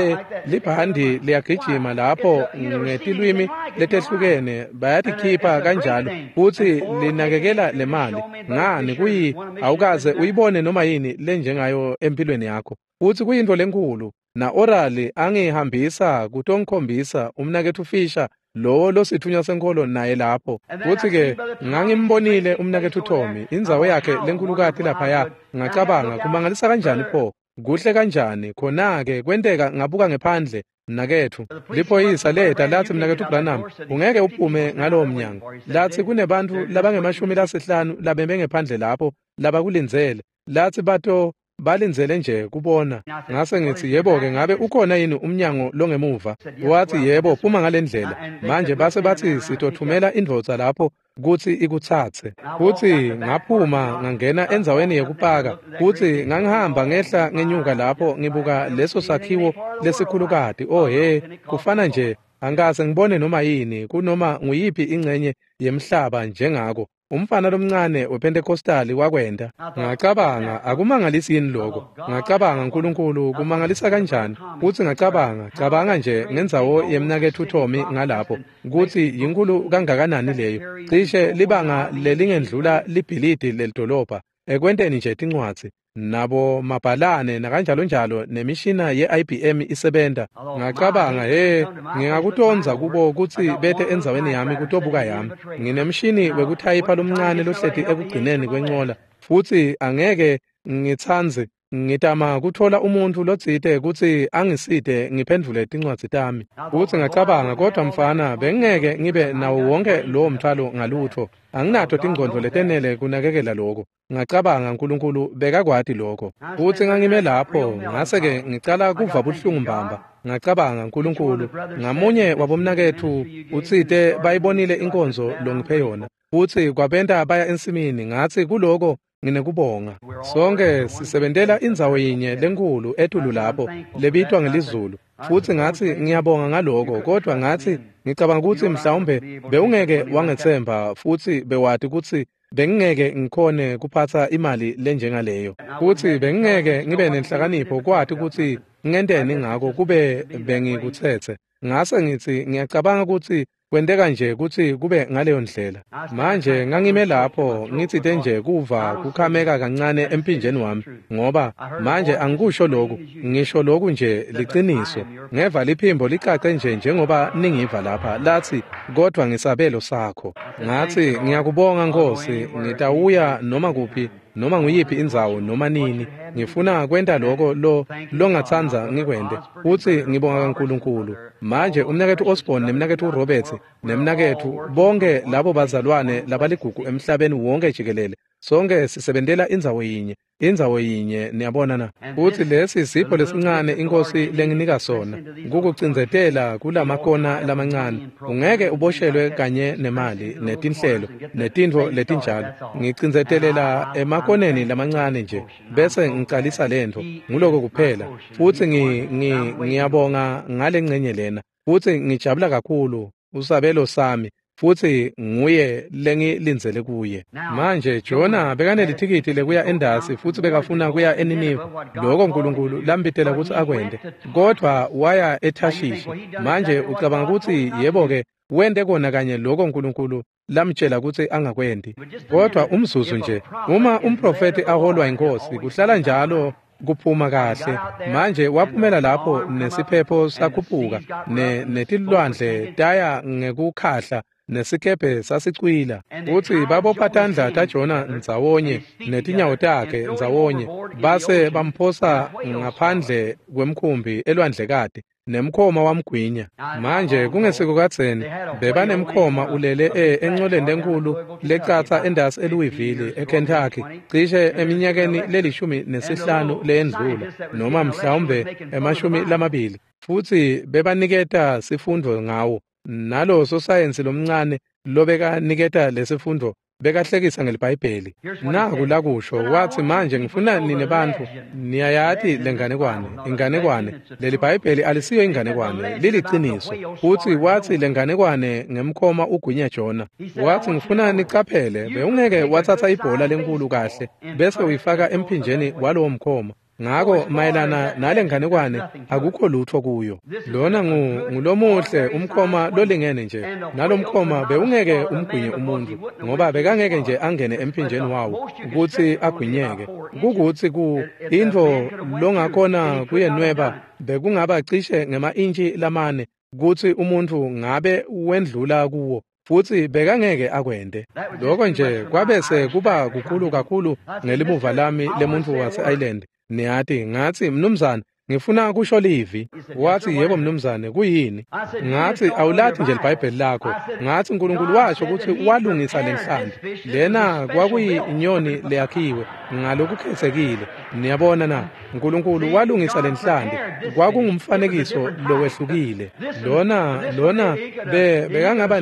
libhandi liyagijima lapho ngetilwimi letehlukene bayatikhipha kanjalo futsi linakekela le mali. Ngani kuyi awukaze uyibone noma yini lenjengayo empilweni yakho. Futsi kuyintfo lenkulu. Na Oral angihambisa kutonkhombisa umnaketfu Fisher lowo losithunywa senkolo naye lapho. Futsi-ke ngangimbonile umnaketfu Tommy, indzawo yakhe lenkulukati laphaya. Ngacabanga, kumangalisa kanjani pho, kuhle kanjani. Khona-ke kwenteka ngabuka ngephandle, mnaketfu. Liphoyisa leta latsi, mnaketfu Branham, ungeke uphume ngalowo mnyango. Latsi kunebantfu labangema-50 labeme ngephandle lapho labakulindzele. Latsi balindzele nje kubona. Ngase ngitsi, yebo-ke, ngabe ukhona yini umnyango longemuva? Watsi, yebo, phuma ngalendlela. Manje base batsi sitothumela indvodza lapho kutsi ikutsatse. Futsi ngaphuma ngangena endzaweni yekupaka. Futsi ngangihamba ngehla ngenyuka lapho ngibuka leso sakhiwo lesikhulukati. Oh he, kufana nje angikaze ngibone noma yini kunoma nguyiphi ingcenye yemhlaba njengako. Umfana lomncane wePentecostali wakwenta. Ngacabanga, akumangalisi yini lokho? Ngacabanga, uNkulunkulu kumangalisa kanjani? Futsi ngacabanga, cabanga nje ngendzawo yemnaketfu Tommy ngalapho, kutsi yinkulu kangakanani leyo. Cishe libanga lelingendlula libhilidi lelidolobha ekwenteni nje tincwadzi nabo mabhalane nakanjalo njalo nemishina ye-IBM isebenta. Ngacabanga, he, ngingakutonza kubo kutsi bete endzaweni yami kutobuka yami. Nginemshini wekuthayipha lomncane lohleti ekugcineni kwencola, futsi angeke ngitsandze ngitama kutfola umuntfu lotsite kutsi angisite ngiphendvule tincwadzi tami. Futsi ngacabanga, kodwa mfana, bengingeke ngibe nawo wonke lowo mthwalo ngalutfo. Anginato tingcondvo letenele kunakekela lokho. Ngacabanga, uNkulunkulu bekakwati lokho. Futsi ngangime lapho, ngase-ke ngicala kuva buhlungu mbamba. Ngacabanga, uNkulunkulu, ngamunye wabomnaketfu utsite bayibonile inkonzo longiphe yona, futsi kwabenta baya ensimini. Ngatsi kuloko nginekubonga. Sonke sisebentela indzawo yinye lenkulu etulu lapho lebitwa ngelizulu. Futsi ngatsi ngiyabonga ngaloko, kodwa ngatsi ngicabanga kutsi mhlawumbe bewungeke wangetsemba futsi bewati kutsi bengingeke ngikhone kuphatsa imali lenjengaleyo. Futsi bengingeke ngibe nenhlakanipho kwati kutsi ngenteni ngako kube bengikutsetse. Ngase ngitsi ngiyacabanga kutsi kwenteka nje kutsi kube ngaleyo ndlela. Manje ngangime lapho ngitsite nje kuva kukhameka kancane emphinjeni wami, ngoba manje angikusho lokhu, ngisho lokhu nje liciniso. Ngeva liphimbo licace nje njengoba ningiva lapha, latsi, kodwa ngisabelo sakho. Ngatsi, ngiyakubonga Nkosi, ngitawuya noma kuphi, noma nguyiphi indzawo noma nini. Ngifuna kwenta lokho longatsandza ngikwente. Futsi ngibonga kaNkulunkulu. Manje umnaketfu Osborne nemnaketfu Roberts nemnaketfu bonke labo bazalwane labaligugu emhlabeni wonke jikelele Sonke sisebentela indzawo yinye, indzawo yinye, niyabona na. Futsi lesi sipho lesincane iNkhosi lenginika sona, kukucindzetela kulamakona lamancane. Ungeke uboshelwe kanye nemali netinhlelo netintfo letinjalo. Ngicindzetelela emakoneni lamancane nje bese ngicalisa lentfo, nguloko kuphela. Futsi ngiyabonga ngalengcenye lena, futsi ngijabula kakhulu usabelo sami, futsi nguye lengilindzele kuye. Manje Jona bekanelithikithi lekuya endasi, futsi bekafuna kuya eNiniva, loko uNkulunkulu lambitela kutsi akwente, kodvwa waya eThashishi. Manje ucabanga kutsi yebo-ke wente kona kanye loko uNkulunkulu lamtjela kutsi angakwenti. Kodvwa umzuzu nje, uma umprofethi aholwa iNkhosi, kuhlala njalo kuphuma kahle. Manje waphumela lapho nesiphepho sakhuphuka, netilwandle taya ngekukhahla, nesikebhe sasicwila. Futsi babopha tandla taJona ndzawonye netinyawo takhe ndzawonye, base bamphosa ngaphandle kwemkhumbi elwandlekati, nemkhoma wamgwinya. Manje kungesiko kadzeni bebanemkhoma ulele encoleni lenkulu lecatsa endasi eLouisville eKentucky, cishe eminyakeni le-15 leyendlula, noma mhlawumbe 20, futsi bebaniketa sifundvo ngawo. Nalo sosayensi lomncane lobekaniketa lesifundvo bekahlekisa ngeliBhayibheli. Naku lakusho, wathi, manje ngifuna nine bantfu niyayati lenganekwane, inganekwane. Leli Bhayibheli alisiyo inganekwane, liliciniso. Futsi wathi lenganekwane ngemkhoma ugwinya Jona. Wathi, ngifuna nicaphele, bewungeke watsatsa ibhola lenkulu kahle bese uyifaka emphinjeni walowo mkhoma. Ngako mayelana nalenganekwane akukho lutho kuyo. Lona ngulomuhle umkhoma lolingene nje. Nalomkhoma bewungeke umgwinye umuntu, ngoba bekangeke nje angene emphinjeni wawo kutsi agwinyeke. Kukutsi ku intfo longakhona kuyenweba bekungaba cishe ngema-intshi 4 kutsi umuntfu ngabe wendlula kuwo, futsi bekangeke akwente. Loko nje kwabese kuba kukhulu kakhulu ngelimuva lami lemuntfu wase-Ireland. Niyati, ngathi, mnumzane, ngifuna kusho livi. Wathi, yebo mnumzane, kuyini? Ngathi, awulathi nje liBhayibheli lakho. Ngathi, uNkulunkulu washo kutsi walungisa lenhlanti. Lena kwakuyinyoni leyakhiwe ngalokukhetsekile. Niyabona na? uNkulunkulu walungisa lenhlanti. Kwakungumfanekiso lowehlukile. Lona bekangaba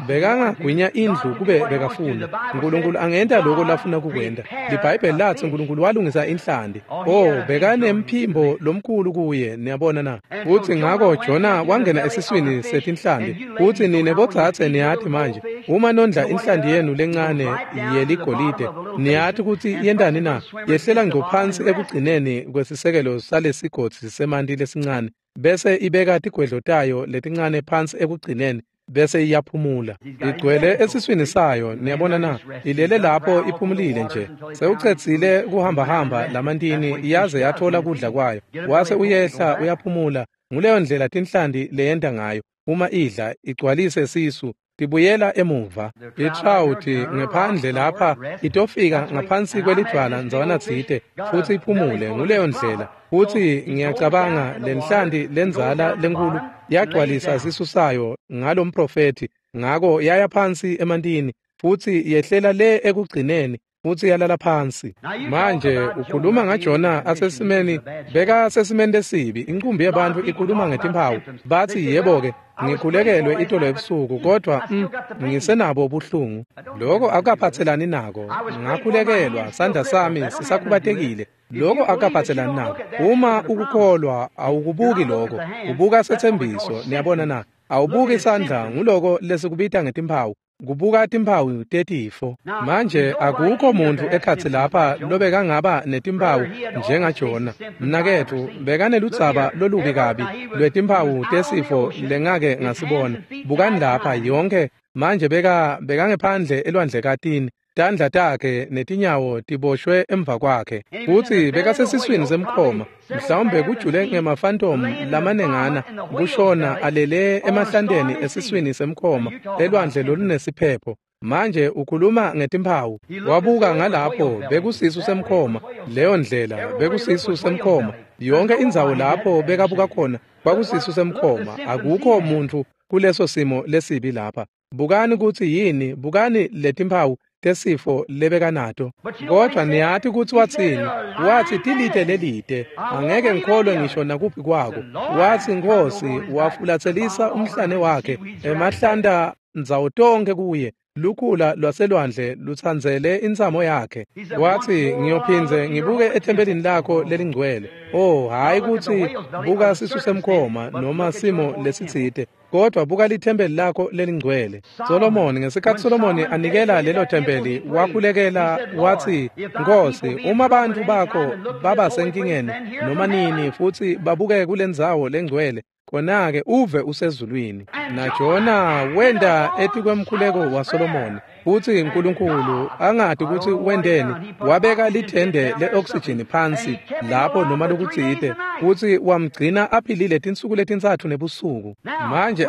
bekangagwinya indlu kube bekafuna. uNkulunkulu angenta lokho lafuna kukwenta. LiBhayibheli lathi uNkulunkulu walungisa inhlanti. Oh, bekanemphimbo lomkhulu kuye, niyabona na. Futsi ngako Jona wangena esiswini setinhlanti. Futsi nine bodzadze niyati manje, uma nondla inhlanti yenu lencane yeligolide, niyati kutsi yentani na? Yehlela ngco phansi ekugcineni kwesisekelo salesigodzi semanti lesincane, bese ibeka tigwedlo tayo letincane phansi ekugcineni, bese iyaphumula. Igcwele esiswini sayo, niyabona na. Ilele lapho iphumulile nje. Sewucedzile kuhambahamba lamantini yaze yathola kudla kwayo. Wase uyehla uyaphumula. Nguleyo ndlela tinhlanti leyenta ngayo. Uma idla igcwalise sisu, tibuyela emuva. Itrawuti ngephandle lapha itofika ngaphansi kwelidvwala ndzawana tsite futsi iphumule. Nguleyo ndlela. Futsi ngiyacabanga lenhlanti lendzala lenkulu yagcwalisa sisu sayo ngalomprofethi, ngako yaya phansi emantini futsi yehlela le ekugcineni futsi yalala phansi. Manje ukhuluma ngaJona asesimeni, beka sesimeni lesibi. Inqumbi yabantu ikhuluma ngetimphawu, bathi, yebo-ke, ngikhulekelwe itolo ebusuku, kodvwa ngisenabo ubuhlungu. Loko akukaphatselani nako. Ngakhulekelwa, sandla sami sisakhubatekile. Loko akukaphatselani nako. Uma ukukholwa awukubuki loko, ubuka setsembiso, niyabona na. Awubuki isandla, nguloko lesikubita ngetimphawu. Kubuka timphawu tetifo. Manje akukho muntfu ekhatsi lapha lobekangaba netimphawu njengaJona. Mnaketfu bekaneludzaba lolubi kabi lwetimphawu tesifo lengake ngasibona. Bukani lapha yonke manje bekangephandle elwandlekatini. Tandla takhe netinyawo tiboshwe emva kwakhe. Futsi bekasesiswini semkhoma, mhlawumbe kujule ngemafantomu lamanengana kushona alele emahlanteni esiswini semkhoma elwandle lolunesiphepho. Manje ukhuluma ngetimphawu. Wabuka ngalapho bekusisu semkhoma, leyo ndlela bekusisu semkhoma. Yonke indzawo lapho bekabuka khona kwakusisu semkhoma. Akukho muntfu kuleso simo lesibi lapha. Bukani kutsi yini, bukani letimphawu tesifo lebekanato. Kodwa niyati kutsi watsini? Watsi tilite lelite, angeke ngikholwe ngisho nakuphi kwako. Watsi Nkhosi, wafulatselisa umhlane wakhe emahlanta ndzawo tonkhe kuye. Lukhula lwaselwandle lutsandzele intsamo yakhe. Watsi ngiyophindze ngibuke ethempelini lakho lelingcwele. Oh, hayi kutsi buka sisu semkhoma noma simo lesitsite, kodwa buka lithempeli lakho lelingcwele. Solomoni, ngesikhatsi Solomoni anikela lelo thempeli, wakhulekela watsi, Nkhosi, uma bantfu bakho baba senkingeni noma nini futsi babuke kulendzawo lengcwele, khona-ke uve usezulwini. NaJona wenta etikwemkhuleko waSolomoni, futsi uNkulunkulu angati kutsi wenteni, wabeka lithende le-oksijini phansi lapho noma lokutsite, futsi wamgcina aphilile tinsuku letintsatfu nebusuku. Manje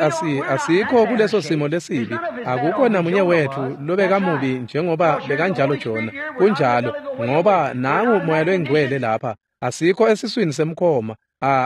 asikho kuleso simo lesibi. Akukho namunye wetfu lobekamubi njengoba bekanjalo Jona. Kunjalo, ngoba nangu Moya loyiNgcwele lapha. Asikho esiswini semkhoma.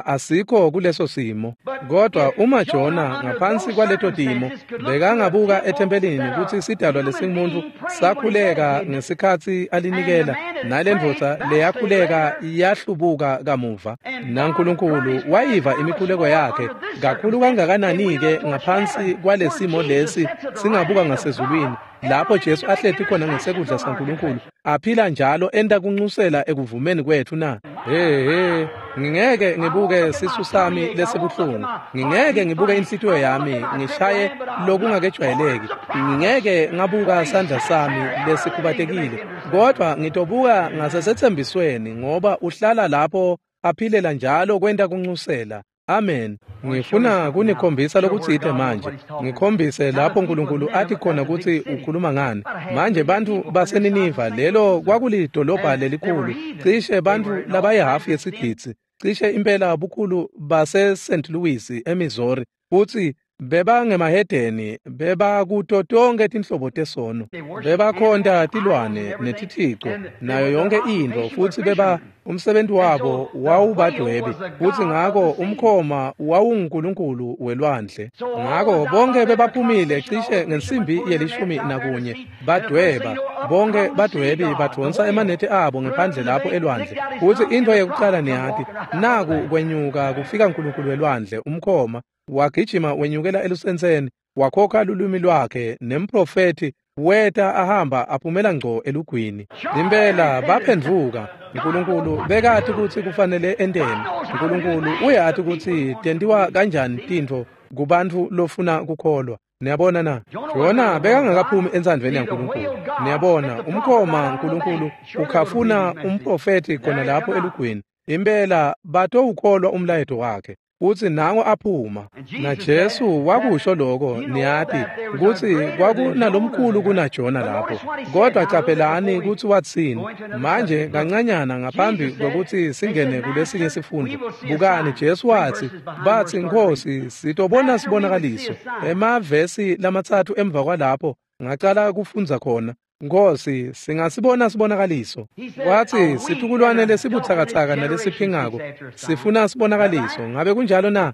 Asikho kuleso simo. Kodwa uma Jona ngaphansi kwaleto timo bekangabuka ethempelini kutsi sidalwa lesingumuntu sakhuleka ngesikhatsi alinikela, nalendvodza leyakhuleka yahlubuka kamuva, naNkulunkulu wayiva imikhuleko yakhe kakhulu kangakanani-ke ngaphansi kwalesimo lesi singabuka ngasezulwini, lapho Jesu ahleti khona ngesekudla saNkulunkulu, aphila njalo enta kuncusela ekuvumeni kwetfu na? He, ngingeke ngibuke sisu sami lesibuhlungu, ngingeke ngibuke inhlitiyo yami ngishaye lokungakejwayeleki, ngingeke ngabuka sandla sami lesikhubatekile, kodwa ngitobuka ngasesethembisweni, ngoba uhlala lapho aphilela njalo kwenta kuncusela. Amen. Ngifuna kunikhombisa lokutsite manje. Ngikhombise lapho uNkulunkulu athi khona kutsi ukhuluma ngani. Manje bantfu baseNiniva, lelo kwakulidolobha lelikhulu, cishe bantfu labayihafu yesigidzi, cishe impela bukhulu base St. Louis eMissouri, futsi bebangemahedeni, bebakuto tonkhe tinhlobo tesono, bebakhonta tilwane netithico nayo yonke intfo, futsi beba umsebenzi wabo wawubadwebi, futsi ngako umkhoma wawungunkulunkulu welwandle. Ngako bonke bebaphumile cishe ngensimbi ye-11 badweba, bonke badwebi badvonsa emanethe abo ngephandle lapho elwandle, futsi intfo yekucala niyati, naku kwenyuka kufika unkulunkulu welwandle umkhoma, wagijima wenyukela elusentseni, wakhokha lulwimi lwakhe, nemprofethi weta ahamba aphumela ngco elugwini. Impela baphendvuka. uNkulunkulu bekati kutsi kufanele enteni. uNkulunkulu uyati kutsi tentiwa kanjani tintfo kubantfu lofuna kukholwa. Niyabona na? Jona bekangakaphumi entsandvweni yaNkulunkulu. Niyabona, umkhoma uNkulunkulu ukhafuna umprofethi khona lapho elugwini. Impela batowukholwa umlayeto wakhe. Futsi nango aphuma. NaJesu wakusho lokho, niyati kutsi kwakunalomkhulu kunaJona lapho. Kodwa caphelani kutsi watsini. Manje kancanyana ngaphambi kwekutsi singene kulesinye sifundo, bukani Jesu watsi, batsi Nkhosi, sitobona sibonakaliso. Emavesi lamatsatfu emva kwalapho ngacala kufundza khona. Nkhosi, singasibona sibonakaliso. Watsi situkulwane lesibutsakatsaka nalesiphingako sifuna sibonakaliso. Ngabe kunjalo na?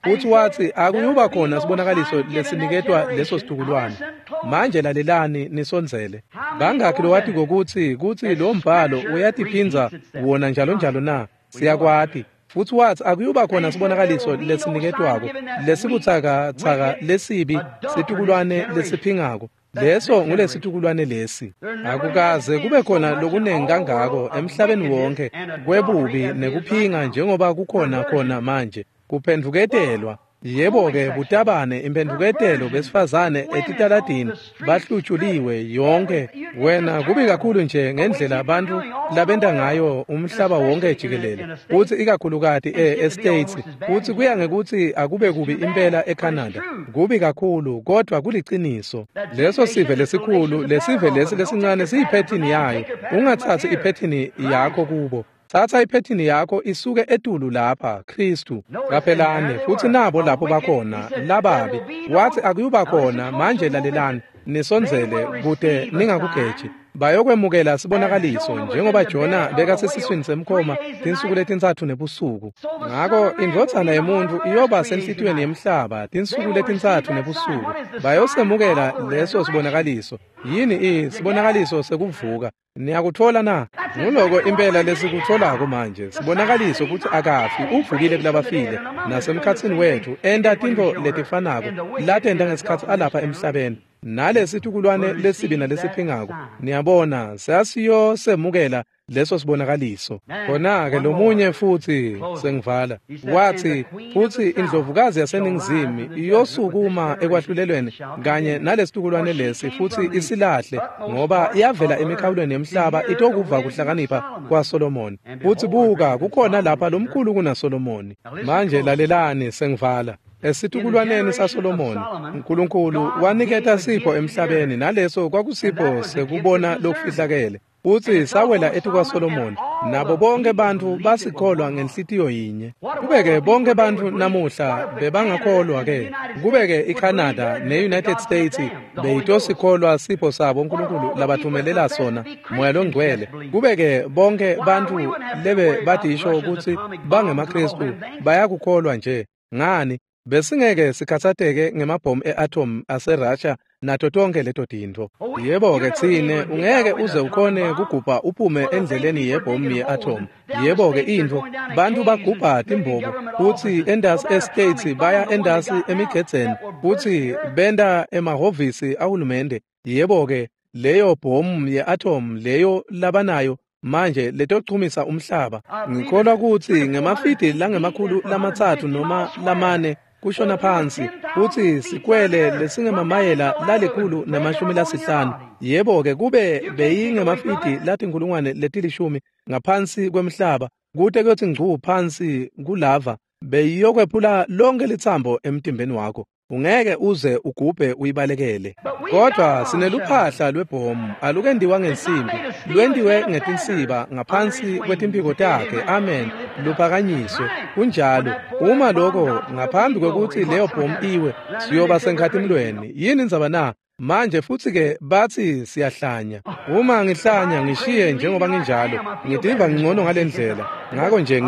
Futsi watsi akuyuba khona sibonakaliso lesiniketwa leso situkulwane. Manje lalelani nisondzele. Bangakhi lowati kokutsi kutsi lo mbhalo uyatiphindza wona njalo njalo na? Siyakwati. Futsi watsi akuyuba khona sibonakaliso lesiniketwako lesibutsakatsaka lesibi situkulwane lesiphingako. Leso ngulesitukulwane lesi. Akukaze kube khona lokunengi kangako emhlabeni wonke kwebubi nekuphinga njengoba kukhona khona manje. Kuphendvuketelwa. Yebo-ke butabane imphendvuketelo besifazane etitaladini bahlutshuliwe yonke. Wena kubi kakhulu nje ngendlela abantu labenta ngayo umhlaba wonke jikelele, futsi ikakhulukati e-States, futsi kuya ngekutsi akube kubi impela eCanada. Kubi kakhulu, kodwa kuliciniso. Leso sive lesikhulu, lesive lesi lesincane siyiphethini yayo. Ungatsatsi iphethini yakho kubo. Tsatsa iphethini yakho isuke etulu lapha, Kristu. Caphelani, futsi nabo lapho bakhona, lababi. Watsi akuyuba khona, manje lalelani, nisondzele kute ningakugeji. Bayokwemukela sibonakaliso njengoba Jona bekasesiswini semkhoma tinsuku letintsatfu nebusuku. Ngako indvodzana yemuntfu iyoba senhlitiyweni yemhlaba tinsuku letintsatfu nebusuku. Bayosemukela leso sibonakaliso. Yini sibonakaliso sekuvuka? Niyakutfola na? Nguloko impela lesikutfolako manje. Sibonakaliso kutsi akafi, uvukile kulabafile nasemkhatsini wetfu, enta tintfo letifanako latenta ngesikhatsi alapha emhlabeni. Nalesitukulwane lesibi nalesiphingako, niyabona, sasiyosemukela leso sibonakaliso. Khona-ke lomunye futsi sengivala wathi, futsi indlovukazi yaseningizimu iyosukuma ekwahlulelweni kanye nalesitukulwane lesi futsi isilahle, ngoba iyavela emikhawulweni yemhlaba itokuva kuhlakanipha kwaSolomoni. Futsi buka, kukhona lapha lomkhulu kunaSolomoni. Manje lalelani, sengivala. Esitukulwaneni saSolomoni, uNkulunkulu waniketa sipho emhlabeni, naleso kwakusipho sekubona lokufihlakele. Futsi sawela etikwaSolomoni, nabo bonke bantfu basikholwa ngenhlitiyo yinye. Kube-ke bonke bantfu namuhla bebangakholwa-ke, kube-ke iCanada ne-United States beyitosikholwa sipho sabo uNkulunkulu labathumelela sona, Moya loNgcwele. Kube-ke bonke bantfu lebe badisho kutsi bangemaKhristu bayakukholwa nje. Ngani? Besingeke sikhatsateke ngemabhomu e-atom aseRussia nato tonke leto tintfo. Yebo-ke tsine ungeke uze ukhone kugubha uphume endleleni yebhomu ye-atom. Yebo-ke intfo, bantfu bagubha timbobo futsi endasi e-States baya endasi emigedzeni futsi benta emahhovisi ahulumende. Yebo-ke leyo bhomu ye-atom leyo labanayo manje letochumisa umhlaba. Ngikholwa kutsi ngemafidi langama-300 noma 4 kushona phansi, futsi sikwele lesingemamayela 150. Yebo-ke kube beyingemafidi 10,000 ngaphansi kwemhlaba, kute kuyothi ngcu phansi kulava, beyiyokwephula lonke litsambo emtimbeni wakho. Ungeke uze ugubhe uyibalekele. Kodwa sineluphahla lwebhomu, alukendiwa ngensimbi, lwendiwe ngetinsiba ngaphansi kwetimphiko takhe. Amen. Luphakanyiswe. Kunjalo. Uma lokho ngaphambi kwekutsi leyo bhomu iwe, siyoba senkhatimlweni. Yini indzaba na? Manje futsi-ke bathi siyahlanya. Uma ngihlanya ngishiye njengoba nginjalo, ngitiva ngcono ngalendlela. Ngako nje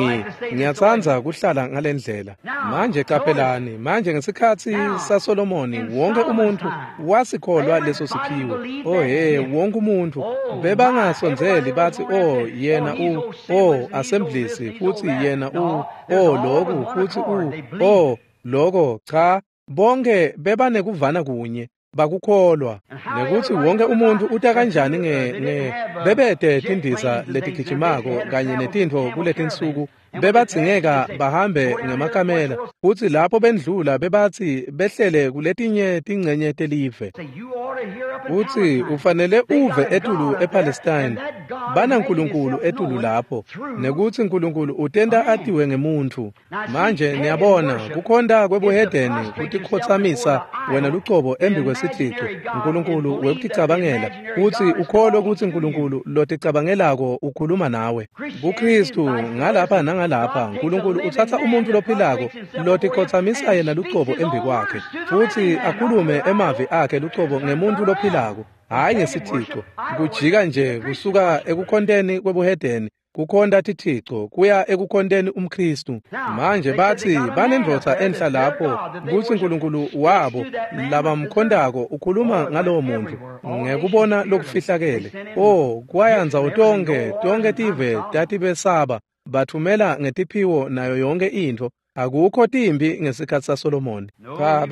ngiyatsandza kuhlala ngalendlela. Manje qaphelani, manje ngesikhatsi saSolomoni wonke umuntfu wasikholwa leso siphiwo. Oh he, wonke umuntfu bebangasondzeli bathi, oh yena u, oh assemblies, futhi yena u, oh lokhu, futhi u, oh lokho. Cha, bonke bebanekuvana kunye. Bakukholwa. Nekuthi wonke umuntu uta kanjani nge bebete tindiza letigijimako kanye netintfo kuletinsuku, bebadzingeka bahambe ngemakamela, futsi lapho bendlula bebatsi behlele kuletinye tincenye telive. Utsi ufanele uve etulu ePalestine, banaNkulunkulu etulu lapho, nekuthi Nkulunkulu utenta atiwe ngemuntfu. Manje niyabona, kukhonta kwebuhedeni kutikhotsamisa wena lucobo embi kwesithixo, Nkulunkulu wekuticabangela, utsi ukholwe kutsi Nkulunkulu loticabangelako ukhuluma nawe. KuKhristu ngalapha nangalapha, Nkulunkulu utsatsa umuntfu lophilako lotikhotsamisa yena lucobo embi kwakhe, futsi akhulume emavi akhe lucobo ngemuntfu lophilako, hhayi ngesithixo. Kujika nje kusuka ekukhonteni kwebuhedeni kukhonta tithixo kuya ekukhonteni umKhristu. Manje bathi banendvodza enhla lapho kutsi Nkulunkulu wabo labamkhontako ukhuluma ngalowo muntfu ngekubona lokufihlakele. Oh, kwaya ndzawo tonke tive tatibesaba, bathumela ngetiphiwo nayo yonke intfo. Akukho timbi ngesikhatsi saSolomoni. Cha,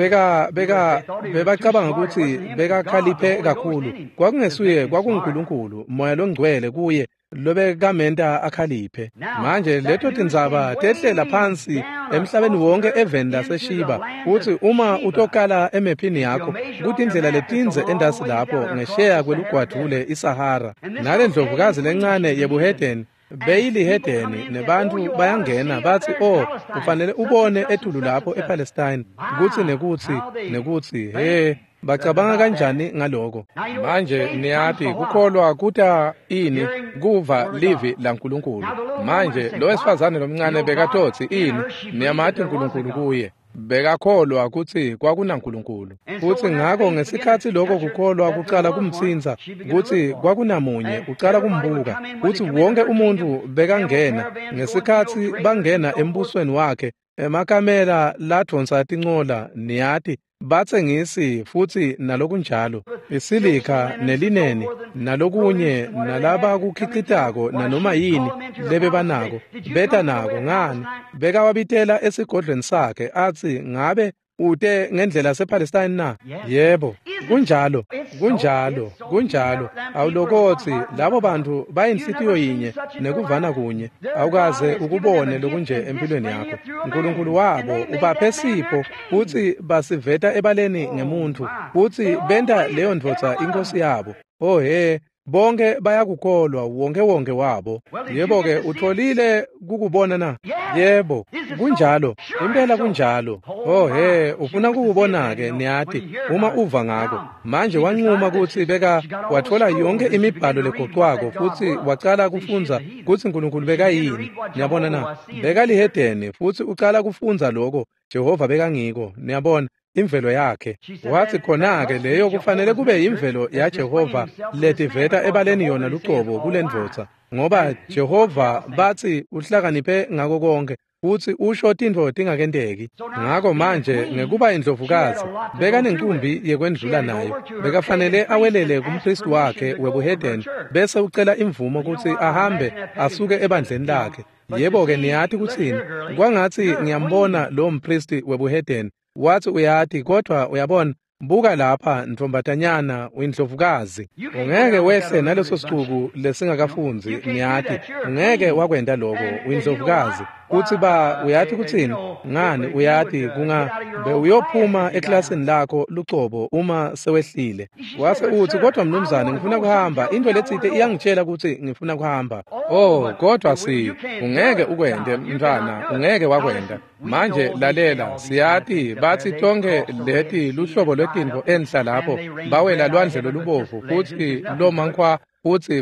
bebacabanga kutsi bekakhaliphe kakhulu. Kwakungesuye, kwakunguNkulunkulu, Moya loNgcwele kuye lobekamenta akhaliphe. Manje leto tindzaba tehlela phansi emhlabeni wonke eveni laseShiba. Utsi uma utokala emephini yakho, kutindlela letindze endasi lapho ngesheya kwelugwadvule iSahara. Nalendlovukazi lencane yebuhedeni beyilihedeni, nebantfu bayangena bathi, oh ufanele ubone etulu lapho ePalestine, kutsi nekutsi nekutsi. He, bacabanga kanjani ngaloko? Manje niyati kukholwa kuta ini? Kuva livi laNkulunkulu. Manje lo wesifazane lomncane bekatotsi ini? Niyamati uNkulunkulu kuye. Bekakholwa kutsi kwakunaNkulunkulu. Futsi ngako ngesikhatsi lokho kukholwa kucala kumtsintsa kutsi kwakunamunye ucala kumbuka, kutsi wonke umuntfu bekangena ngesikhatsi bangena embusweni wakhe, emakamela ladvonsa tincola, niyati, batsengisi futsi nalokunjalo, isilika nelineni nalokunye nalabakukhicitako nanoma yini lebebanako beta nako. Ngani, bekawabitela esigodlweni sakhe atsi, ngabe ute ngendlela sePalestine na? Yebo, kunjalo, kunjalo, kunjalo. Awulokotsi labo bantu bayinhlitiyo yinye nekuvana kunye. Awukaze ukubone lokunje empilweni yakho. Nkulunkulu wabo ubaphe sipho futsi basiveta ebaleni ngemuntfu, futsi benta leyo ndvodza inkosi yabo. Oh he, bonke bayakukholwa, wonke wonke wabo. Yebo-ke, utholile kukubona na? Yebo, kunjalo, impela kunjalo. Oh he, ufuna kukubona-ke, niyati, uma uva ngako. Manje wanquma kutsi beka watfola yonke imibhalo legocwako futsi wacala kufundza kutsi Nkulunkulu bekayini. Niyabona na? Bekalihedeni futsi ucala kufundza lokho Jehova bekangiko. Niyabona? Imvelo yakhe. Wathi khona-ke leyo kufanele kube imvelo yaJehova letiveta ebaleni yona lucobo kulendvodza, ngoba Jehova bathi uhlakaniphe ngako konke futsi usho tintfo tingakenteki. Ngako manje ngekuba indlovukazi bekanenkumbi yekwendlula nayo, bekafanele awelele kumpristi wakhe webuhedeni bese ucela imvumo kutsi ahambe asuke ebandleni lakhe. Yebo-ke, niyati kutsini, kwangatsi ngiyambona lo mpristi webuhedeni. Wathi uyati, kodwa uyabona, buka lapha ntombatanyana, uyindlovukazi. Ungeke wehle naleso sicuku lesingakafundzi, niyati. Ungeke wakwenta lokho, uyindlovukazi. Kutsi ba uyati kutsini? Ngani, uyati kunga bewuyophuma eklasini lakho lucobo uma sewehlile. Wase uthi, kodwa mnumzane, ngifuna kuhamba. Into letsite iyangitshela kutsi ngifuna kuhamba. Oh, kodwa si ungeke ukwente mntwana, ungeke wakwenta. Manje lalela, siyati bathi tonke leti luhlobo lwetintfo enhla lapho bawela lwandle lolubovu futsi lomankhwa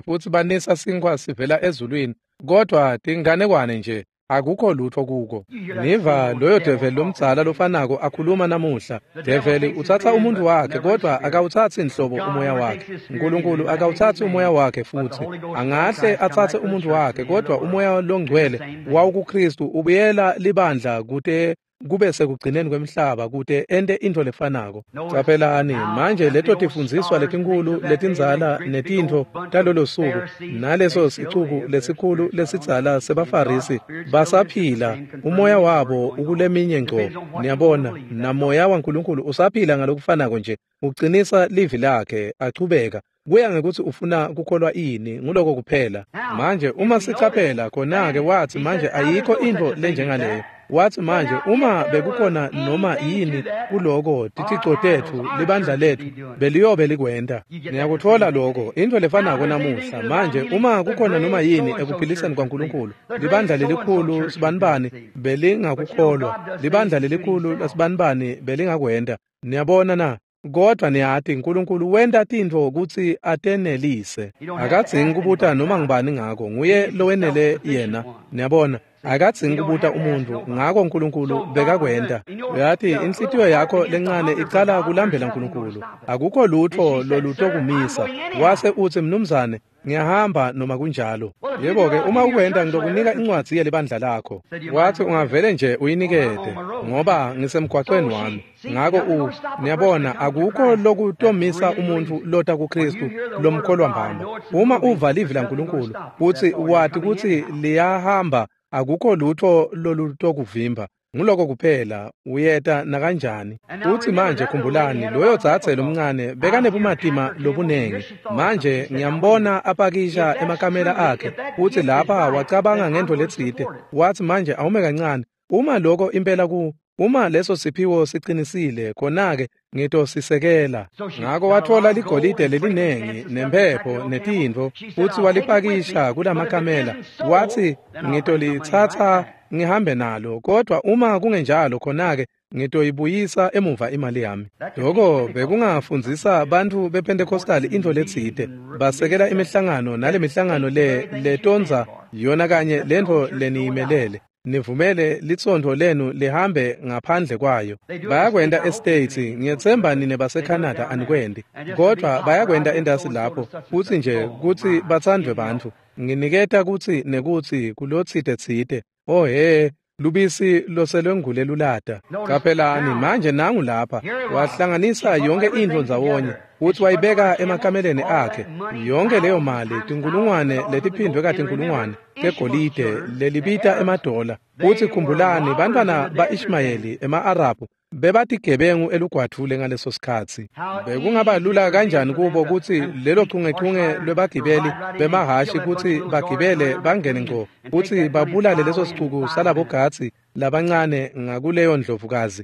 futsi banisa sinkhwa sivela ezulwini, kodwa tinganekwane nje, akukho lutho kuko. Niva loyo develi lomdzala lofanako akhuluma namuhla. Develi utsatsa umuntu wakhe, kodwa akawutsatsi nhlobo umoya wakhe. Nkulunkulu akawutsatsi umoya wakhe futsi. Angahle atsatse umuntu wakhe, kodwa umoya longcwele wawukuKristu ubuyela libandla kute kube sekugcineni kwemhlaba kute ente intfo lefanako. Caphelani manje leto tifundziswa letinkulu letindzala netintfo talolo suku naleso sicuku lesikhulu lesidzala sebaFarisi basaphila, umoya wabo ukuleminye ngco. Niyabona, namoya waNkulunkulu usaphila ngalokufanako nje, uqinisa livi lakhe achubeka. Kuya ngekuthi ufuna kukholwa ini, nguloko kuphela. Manje uma sicaphela khona-ke wathi manje ayikho intfo lenjengaleyo. Wathi manje uma bekukhona noma yini kuloko, tithico tetfu, libandla letfu beliyobe likwenta. Niyakutfola lokho, intfo lefanako namuhla. Manje uma kukhona noma yini ekuphiliseni kwaNkulunkulu, libandla lelikhulu sibanibani belingakukholwa, libandla lelikhulu lasibanibani belingakwenta. Niyabona na? Kodwa niyati uNkulunkulu wenta tintfo kutsi atenelise. Akadzingi kubuta noma ngubani ngako, nguye lowenele yena. Niyabona, akadzingi kubuta umuntu ngako, uNkulunkulu bekakwenta. Uyati inhlitiyo yakho lencane icala kulambela uNkulunkulu. Akukho lutho lolutokumisa. Wase uthi, mnumzane, ngiyahamba noma kunjalo. Yebo-ke, uma ukwenta ngitokunika incwadzi yelibandla lakho. Wathi ungavele nje uyinikete ngoba ngisemgwaqweni wami. Ngako niyabona, akukho lokutomisa umuntfu lota kuKristu lomkholwa mbamba. Uma uva livi laNkulunkulu utsi wati kutsi liyahamba, akukho lutho lolutokuvimba. Nguloko kuphela, uyeta nakanjani. Uthi manje khumbulani, loyo dzadze lomncane bekanebumatima lobunengi. Manje ngiyambona apakisha emakamela akhe, uthi lapha wacabanga ngento letsite. Wathi manje awume kancane, uma lokho impela uma leso siphiwo siqinisile, khona-ke ngitosisekela. Ngako watfola ligolide lelinengi nempepho netintfo, futsi walipakisha kulamakamela. Wathi ngitolitsatsa ngihambe nalo, kodwa uma kungenjalo khona-ke ngitoyibuyisa emuva imali yami. Lokho bekungafundzisa bantfu bePentecostal intfo letsite, basekela imihlangano nalemihlangano le letondza yona kanye lentfo leniyimelele. Nivumele litsontfo lenu lihambe ngaphandle kwayo. Bayakwenta eStates, ngiyetsemba nine baseCanada anikwenti, kodvwa bayakwenta entasi lapho, futsi nje kutsi batsandvwe bantfu. Nginiketa kutsi nekutsi kulotsite-tsite. Oh he, lubisi loselwengule lulata. Caphelani manje nangu lapha, wahlanganisa yonke intfo ndzawonye, futsi wayibeka emakameleni akhe. Yonke leyo mali, tinkulungwane letiphindwe katinkulungwane tegolide lelibita emadola. Futsi khumbulani, bantfwana ba-Ishmayeli ema-Arabhu bebatigebengu elugwadvule ngaleso sikhatsi. Bekungaba lula kanjani kubo kutsi lelo chungechunge lwebagibeli bemahhashi kutsi bagibele bangene ngco futsi babulale leso sicuku salabogadzi labancane ngakuleyo ndlovukazi,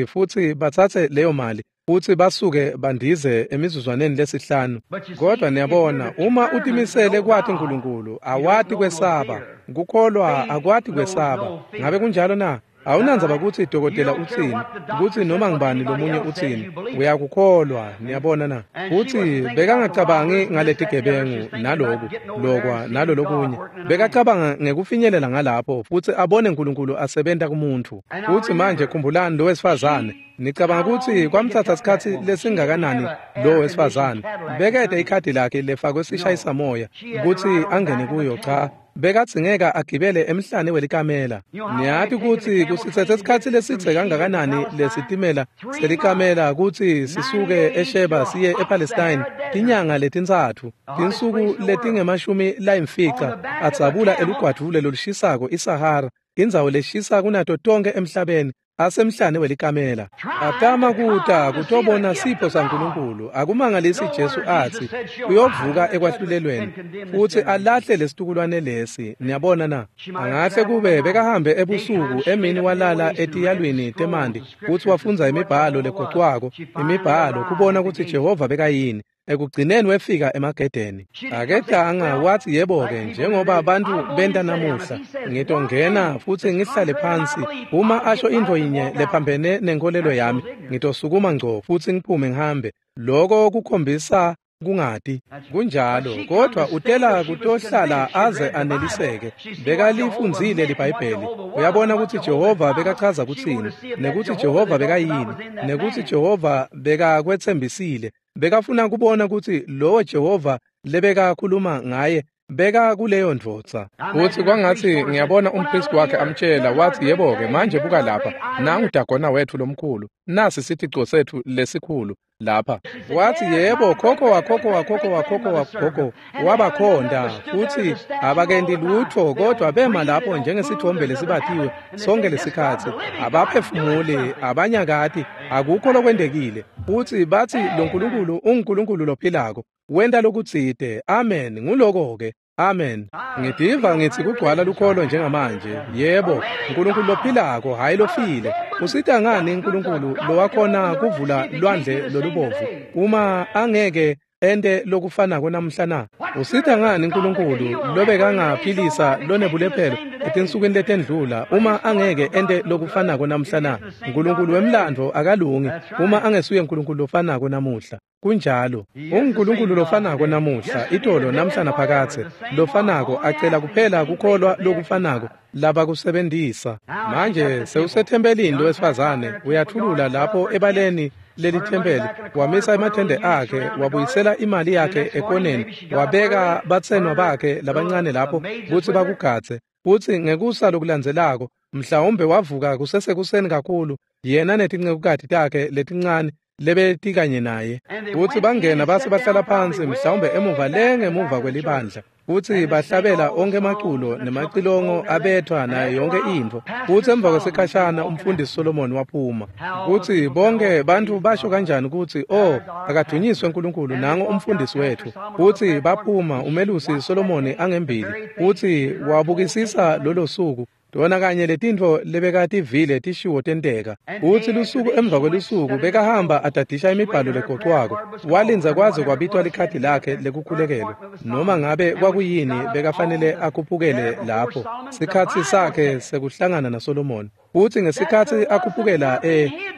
futsi batsatse leyo mali futsi basuke bandize emizuzwaneni lesihlanu. Kodwa niyabona, uma utimisele kwati Nkulunkulu, awati kwesaba. Kukholwa akwati kwesaba. Ngabe kunjalo na? Awunandzaba kutsi dokotela utsini, kutsi noma ngubani lomunye utsini, uyakukholwa, niyabona na? Futsi bekangacabangi ngaletigebengu naloku, lokwa nalolokunye. Bekacabanga ngekufinyelela ngalapho futsi abone Nkulunkulu asebenta kumuntfu. Futsi manje khumbulani lo wesifazane, nicabanga kutsi kwamtsatsa sikhatsi lesingakanani lo wesifazane? Bekete ikhadi lakhe lefakwe sishayisamoya kutsi angene kuyo. Cha, bekadzingeka agibele emhlane welikamela. Niyati kutsi kusitsetse sikhatsi lesidze kangakanani lesitimela selikamela kutsi sisuke eSheba siye ePalestine? Tinyanga letintsatfu, tinsuku letingama-50, adzabula elugwadvule lolushisako iSahara, indzawo leshisa kunato tonke emhlabeni, asemhlane welikamela. Atama kuta kutobona sipho saNkulunkulu. Akumangalisi Jesu atsi uyovuka ekwahlulelweni futsi alahle lesitukulwane lesi. Niyabona na? Angahle kube bekahambe ebusuku, emini walala etiyalwini temanti futsi wafundza imibhalo legocwako, imibhalo kubona kutsi Jehova bekayini. Ekugcineni wefika emagedeni. Aketanga watsi yebo-ke, njengoba bantfu benta namuhla, ngitongena futsi ngihlale phansi. Uma asho intfo yinye lephambene nenkolelo yami, ngitosukuma ngco futsi ngiphume ngihambe. Loko kukhombisa kungati. Kunjalo, kodwa utela kutohlala aze aneliseke. Bekalifundzile liBhayibheli. Uyabona kutsi Jehova bekachaza kutsini, nekutsi Jehova bekayini, nekutsi Jehova bekakwetsembisile. Bekafuna kubona kutsi lowo Jehova lebekakhuluma ngaye beka kuleyo ndvodza. Futsi kwangatsi ngiyabona umpristi wakhe amtshela, watsi yebo-ke manje buka lapha, nangu Dagona wetfu lomkhulu, nasi sithico setfu lesikhulu lapha. Watsi yebo, khokho wakhokho wakhokho wakhokho wagogo wabakhonda, futsi abakenti lutfo kodwa bema lapho njengesithombe lesibatiwe sonke lesikhatsi, abaphefumuli, abanyakati, akukho lokwentekile. Futsi batsi lo Nkulunkulu unguNkulunkulu lophilako, wenta lokutsite. Amen. Nguloko-ke. Amen. Ngitiva ngitsi kugcwala lukholo njengamanje. Yebo, Nkulunkulu lophilako, hhayi lofile. Usita ngani Nkulunkulu lowakhona kuvula lwandle lolubovu uma angeke ente lokufanako namuhla na? Usita ngani Nkulunkulu lobekangaphilisa lonebulephelo etinsukwini letendlula uma angeke ente lokufanako namuhla na? Nkulunkulu wemlandvo akalungi uma angesuye Nkulunkulu lofanako namuhla. Kunjalo, unguNkulunkulu lofanako namuhla, itolo namhla naphakadze, lofanako, acela kuphela kukholwa lokufanako labakusebentisa. Manje sewusethempelini lowesifazane, uyathulula lapho ebaleni lelithempeli, wamisa emathende akhe, wabuyisela imali yakhe ekoneni, wabeka batsenwa bakhe labancane lapho kutsi bakugadze. Futsi ngekusa lokulandzelako, mhlawumbe wavuka kusesekuseni kakhulu, yena netincekukati takhe letincane lebetikanye naye. Futsi bangena base bahlala phansi, mhlawumbe emuva lengemuva kwelibandla, futsi bahlabela onke emaculo nemacilongo abethwa nayo yonke intfo. Futsi emva kwesikhashana umfundisi Solomon waphuma. Kutsi bonke bantfu basho kanjani kutsi, oh, akadunyiswe Nkulunkulu, nango umfundisi wetfu. Futsi baphuma, umelusi Solomon angembili, futsi wabukisisa lolo suku. Tona kanye letintfo lebekativile tishiwo tenteka. Futsi lusuku emva kwelusuku bekahamba adadisha imibhalo legocwako. Walindza kwaze kwabitwa likhadi lakhe lekukhulekelwa. Noma ngabe kwakuyini bekafanele akhuphukele lapho. Sikhatsi sakhe sekuhlangana naSolomon. Futsi ngesikhatsi akhuphukela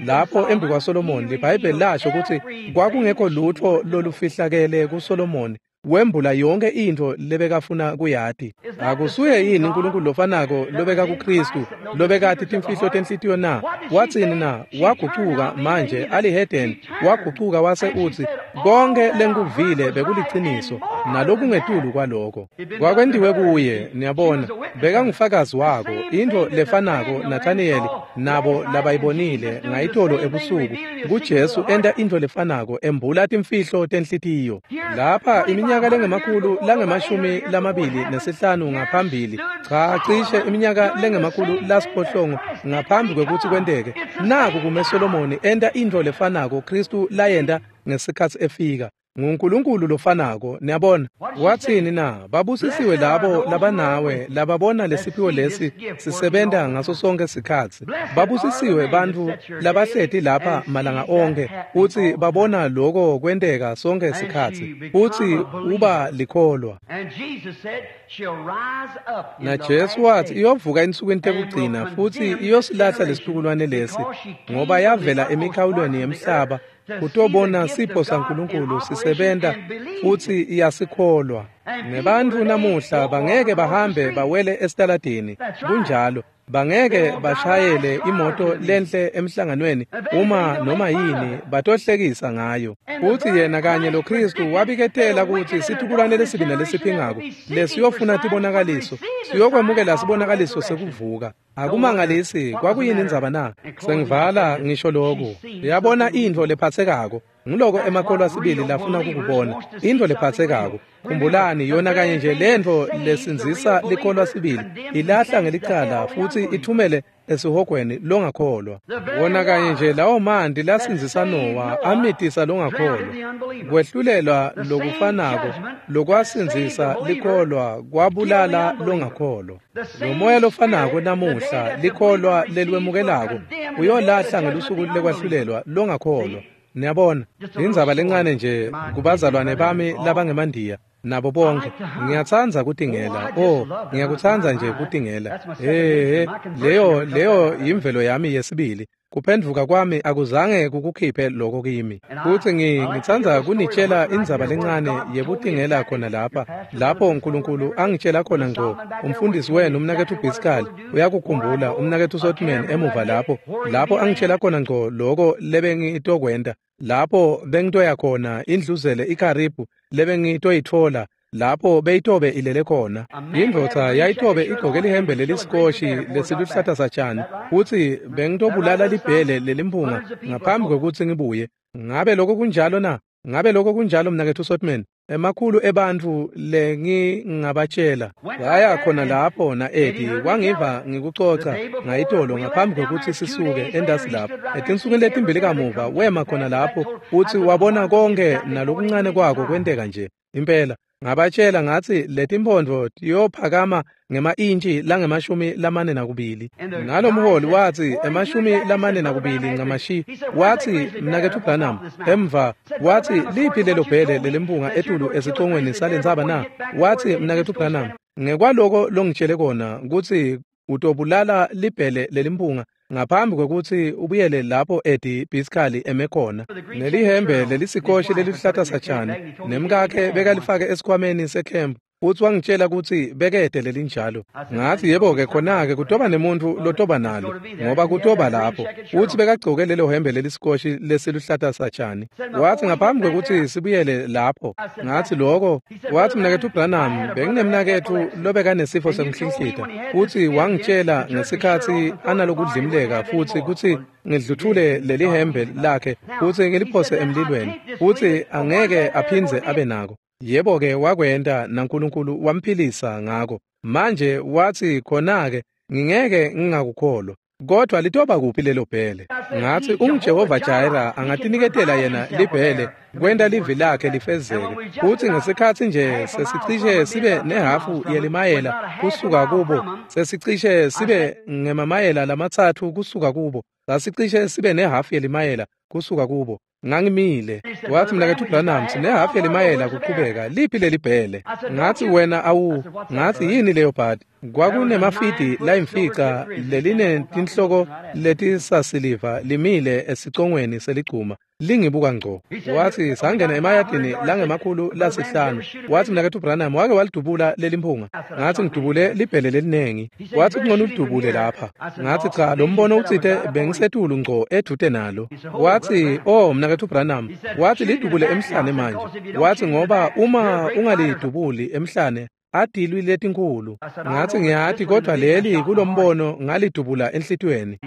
lapho embi kwaSolomon, liBhayibheli lasho kutsi kwakungekho lutfo lolufihlakele kuSolomon. Wembula yonke intfo lebekafuna kuyati. Akusuye yini uNkulunkulu lofanako lobeka kuKristu lobekati timfihlo tenhlitiyo na? Watsini na? Wagucuka manje alihedeni, wagucuka wase utsi konke lengikuvile bekuliciniso nalokungetulu kwaloko. Kwakwentiwe kuye, niyabona, bekangufakazi wako. Intfo lefanako Nathaniyeli nabo labayibonile ngayitolo ebusuku kuJesu enta intfo lefanako embula timfihlo tenhlitiyo. Lapha iminyaka lengemakhulu langemashumi lamabili nesihlanu ngaphambili, cha cishe iminyaka lengemakhulu lasiphohlongo ngaphambi kwekutsi kwenteke, naku kume Solomoni enta intfo lefanako Kristu layenta ngesikhatsi efika. NguNkulunkulu lofanako, niyabona. Watsini na? Babusisiwe labo labanawe lababona lesiphiwo lesi sisebenta ngaso sonke sikhatsi. Babusisiwe bantfu labahleti lapha malanga onkhe futsi babona loko kwenteka sonke sikhatsi, futsi uba likholwa. Na Jesu watsi iyovuka ensukwini tekugcina futsi iyosilahla lesitukulwane lesi, ngoba yavela emikhawulweni yemhlaba kutobona sipho saNkulunkulu sisebenta futsi iyasikholwa. Nebantfu namuhla bangeke bahambe bawele esitaladini, kunjalo, bangeke bashayele imoto lenhle emhlanganweni uma noma yini batohlekisa ngayo. Futsi yena kanye lo Kristu wabiketela kutsi situkulwane lesibi nalesiphingako lesiyofuna tibonakaliso siyokwemukela sibonakaliso sekuvuka. Akumangalisi kwakuyini indzaba na? Sengivala ngisho lokhu. Uyabona intfo lephatsekako. Nguloko emakholwa sibili lafuna kukubona, intfo lephatsekako. Khumbulani yona kanye nje lentfo lesindzisa likholwa sibili ilahla ngelicala futsi ithumele esihogweni longakholwa. Wona kanye nje lawo manti lasindzisa Nowa amitisa longakholwa. Kwehlulelwa lokufanako lokwasindzisa likholwa kwabulala longakholwa. Lo moya lofanako namuhla likholwa leliwemukelako uyolahla ngelusuku lekwahlulelwa longakholwa. Niyabona, indzaba lencane nje kubazalwane bami labangemandiya nabo bonke. Ngiyatsandza kutingela. Oh, ngiyakutsandza nje kutingela. Leyo yimvelo yami yesibili. Kuphendvuka kwami akuzange kukukhiphe lokho kimi. Futsi ngitsandza kunitshela indzaba lencane yekutingela khona lapha, lapho uNkulunkulu angitshela khona ngco. Umfundisi wenu umnaketfu Biskali uyakukhumbula, umnaketfu Sotman emuva lapho, lapho angitshela khona ngco loko lebengitokwenta, lapho bengitoya khona indluzele iKaribhu lebengitoyitfola, lapho beyitobe ilele khona. Indvodza yayitobe igcoke lihembe leliskoshi lesiluhlata satshani, futsi bengitobulala libhele lelimpunga ngaphambi kwekutsi ngibuye. Ngabe lokho kunjalo na? Ngabe lokho kunjalo mnaketfu Sotman? Emakhulu ebantfu lengingabatshela waya khona lapho na Eddie wangiva ngikucoca ngayitolo ngaphambi kwekutsi sisuke endasi lapho. Etinsukwini letimbili kamuva wema khona lapho futsi wabona konke nalokuncane kwako kwenteka nje impela. Ngabatshela ngatsi letimphondvo tiyophakama ngema-intshi langemashumi lamane nakubili. Nalomholi watsi emashumi lamane nakubili ncamashi. Watsi mnaketfu Branham emva watsi liphi lelo bhele lelimpunga etulu esicongweni salentsaba na? Watsi mnaketfu Branham ngekwaloko longitshele kona kutsi utobulala libhele lelimpunga ngaphambi kwekutsi ubuyele lapho Eddie Biskali eme khona. Nelihembe lelisikoshi leliluhlata satshani nemkakhe bekalifake esikhwameni sekhempu, futsi wangitshela kutsi bekede lelinjalo. Ngatsi yebo-ke khona-ke kutoba nemuntfu lotoba nalo ngoba kutoba lapho. Futsi bekagcoke lelo hembe lelisikoshi lesiluhlata satshani. Watsi ngaphambi kwekutsi sibuyele lapho, ngatsi loko. Watsi mnaketfu Branham benginemnaketfu lobekanesifo sekuhlinhlita, futsi wangitshela ngesikhatsi analokudlimleka futsi kutsi ngidluthule lelihembe lakhe futsi ngiliphose emlilweni, futsi angeke aphindze abe nako. Yebo-ke wakwenta naNkulunkulu wamphilisa ngako. Manje watsi khona-ke ngingeke ngingakukholwa, kodwa litoba kuphi lelo bhele? Ngatsi unguJehova Jireh angatiniketela yena libhele kwenta livi lakhe lifezeke. Futsi ngesikhatsi nje sesicishe sibe nehafu yelimayela kusuka kubo, sesicishe sibe ngemamayela lamatsatfu kusuka kubo, sasicishe sibe nehafu yelimayela kusuka kubo. Ngangimile. Watsi mnaketfu Branham sinehafu yelimayela kuqhubeka, liphi lelibhele? Ngatsi wena awu. Ngatsi yini leyo bhadi? Kwakunemafidi layimfica lelinetinhloko letisasiliva limile esicongweni seligcuma. Lingibuka ngco. Wathi sangena emayadini langemakhulu lasihlanu. Wathi mnaketfu Branham wake walidubula lelimphunga. Ngathi ngidubule libhele lelinengi. Wathi kungcono ulidubule lapha. Ngathi cha, lo mbono utsite bengisetulu ngco edvute nalo. Wathi oh mnaketfu Branham, wathi lidubule emhlane manje. Wathi ngoba uma ungalidubuli emhlane adilwi letinkulu. Ngathi ngiyati kodwa leli kulombono ngalidubula enhlitiyweni.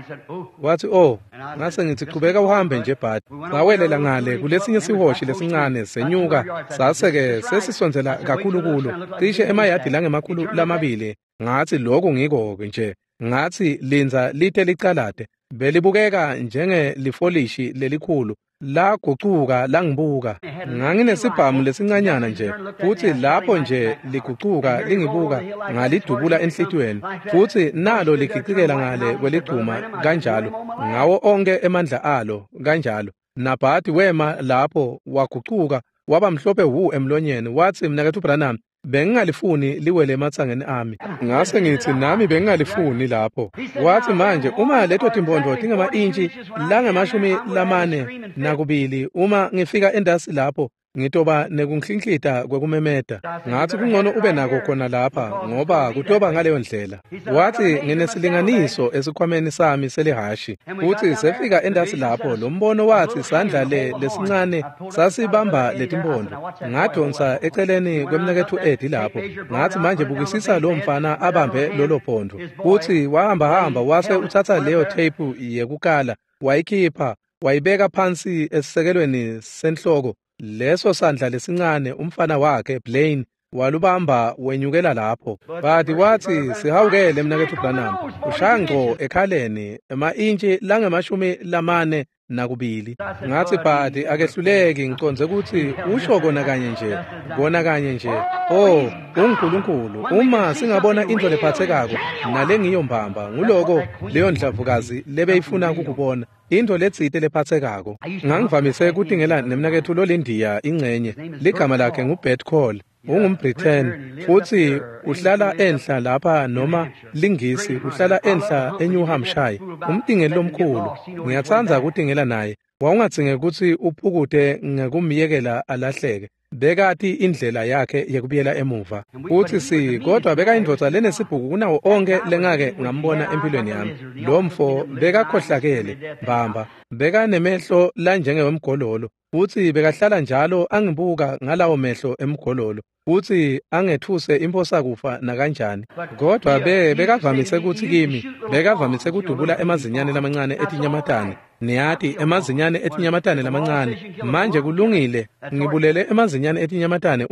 Wathi oh, ngase ngithi qhubeka uhambe nje bhadi. Ngawelela ngale kulesinye sihoshi lesincane senyuka sase-ke sesisondzela kakhulu kulo cishe emayadi langemakhulu lamabili. Ngathi lokhu ngiko-ke nje. Ngathi lindza lite licalate. Belibukeka njengelifolishi lelikhulu lagucuka langibuka. Nganginesibhamu lesincanyana nje futhi lapho nje ligucuka lingibuka ngalidubula enhlitiyweni futhi nalo ligicikela ngale kweligcuma kanjalo ngawo onke emandla alo kanjalo. Nabhadi wema lapho wagucuka waba mhlophe wu emlonyeni. Wathi mnaketfu Branham, bengingalifuni liwele ematsangeni ami. Ngase ngithi nami bengingalifuni lapho. Wathi manje uma leto timpondo tingama-intshi langamashumi lamane nakubili, uma ngifika endasi lapho ngitoba nekunhlinhlita kwekumemeta. Ngathi kungcono ube nako khona lapha ngoba kutoba ngaleyo ndlela. Wathi nginesilinganiso esikhwameni sami selihashi. Futhi sefika endasi lapho lo mbono wathi sandla le lesincane sasibamba letimpondo. Ngadonsa eceleni kwemnaketfu Eddie lapho. Ngathi manje bukisisa lo mfana abambe lolo phondo. Futhi wahamba hamba wase uthatha leyo tape yekukala wayikhipha wayibeka phansi esisekelweni senhloko. Leso sandla lesincane umfana wakhe Blaine walubamba wenyukela lapho. Bathi wathi sihawukele mnaketfu Branham, ushaya ngco ekhaleni ema-intshi langemashumi lamane nakubili. Ngathi Bhadi akehluleki, ngicondze ukuthi usho kona kanye nje, kona kanye nje. Oh, uNkulunkulu, uma singabona into lephathekako nalengiyo mbamba, nguloko leyo ndlavukazi lebeyifuna kukubona. Into letsite lephathekako. Ngangivamise kutingela nemnaketfu lolindiya ingcenye. Ligama lakhe nguBert Call. UngumBritain futhi uhlala enhla lapha noma lingisi uhlala enhla eNew Hampshire. Umtingeli lomkhulu. Ngiyatsandza kutingela naye. Wawungadzinge kutsi uphukute ngekumyekela alahleke. Bekati indlela yakhe yekubuyela emuva. Futhi kodwa bekayindvodza lenesibhuku kunawo onke lengake ngambona empilweni yami. Lo mfo bekakhohlakele mbamba, bekanemehlo lanjengewemgololo futhi bekahlala njalo angibuka ngalawo mehlo emgololo futhi angethuse imphosakufa nakanjani. Kodwa bekavamise kutsi kimi, bekavamise kudubula emazinyane lamancane etinyamatane. Niyati emazinyane etinyamatane lamancane. Manje kulungile, ngibulele emazinyane etinyamatane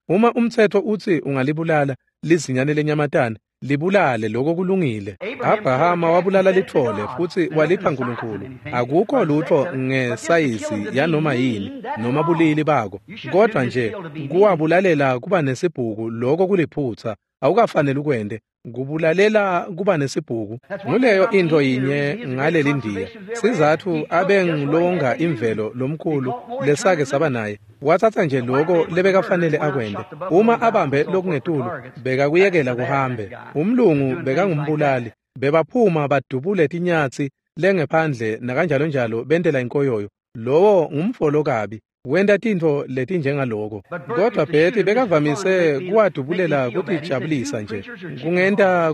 uma umthetho utsi ungalibulala lizinyane lenyamatane, libulale, lokho kulungile. Abrahama wabulala lithole futhi walipha uNkulunkulu. Akukho lutho ngesayizi yanoma yini noma bulili bako, kodwa nje kuwabulalela kuba nesibhuku, lokho kuliphutha. Awukafanele ukwente kubulalela kuba nesibhuku. Nguleyo into yinye ngaleli ndiya. Sizathu abengilonga imvelo lomkhulu lesake saba naye. Wathatha nje lokho lebekafanele akwente. Uma abambe lokungetulu bekakuyekela kuhambe. Umlungu bekangumbulali. Bebaphuma badubule tinyatsi lengephandle nakanjalo njalo bentela inkoyoyo. Lowo ngumfolo kabi. Wenta tintfo letinjengaloko. Kodwa Betty bekavamise kuwadubulela kutijabulisa nje.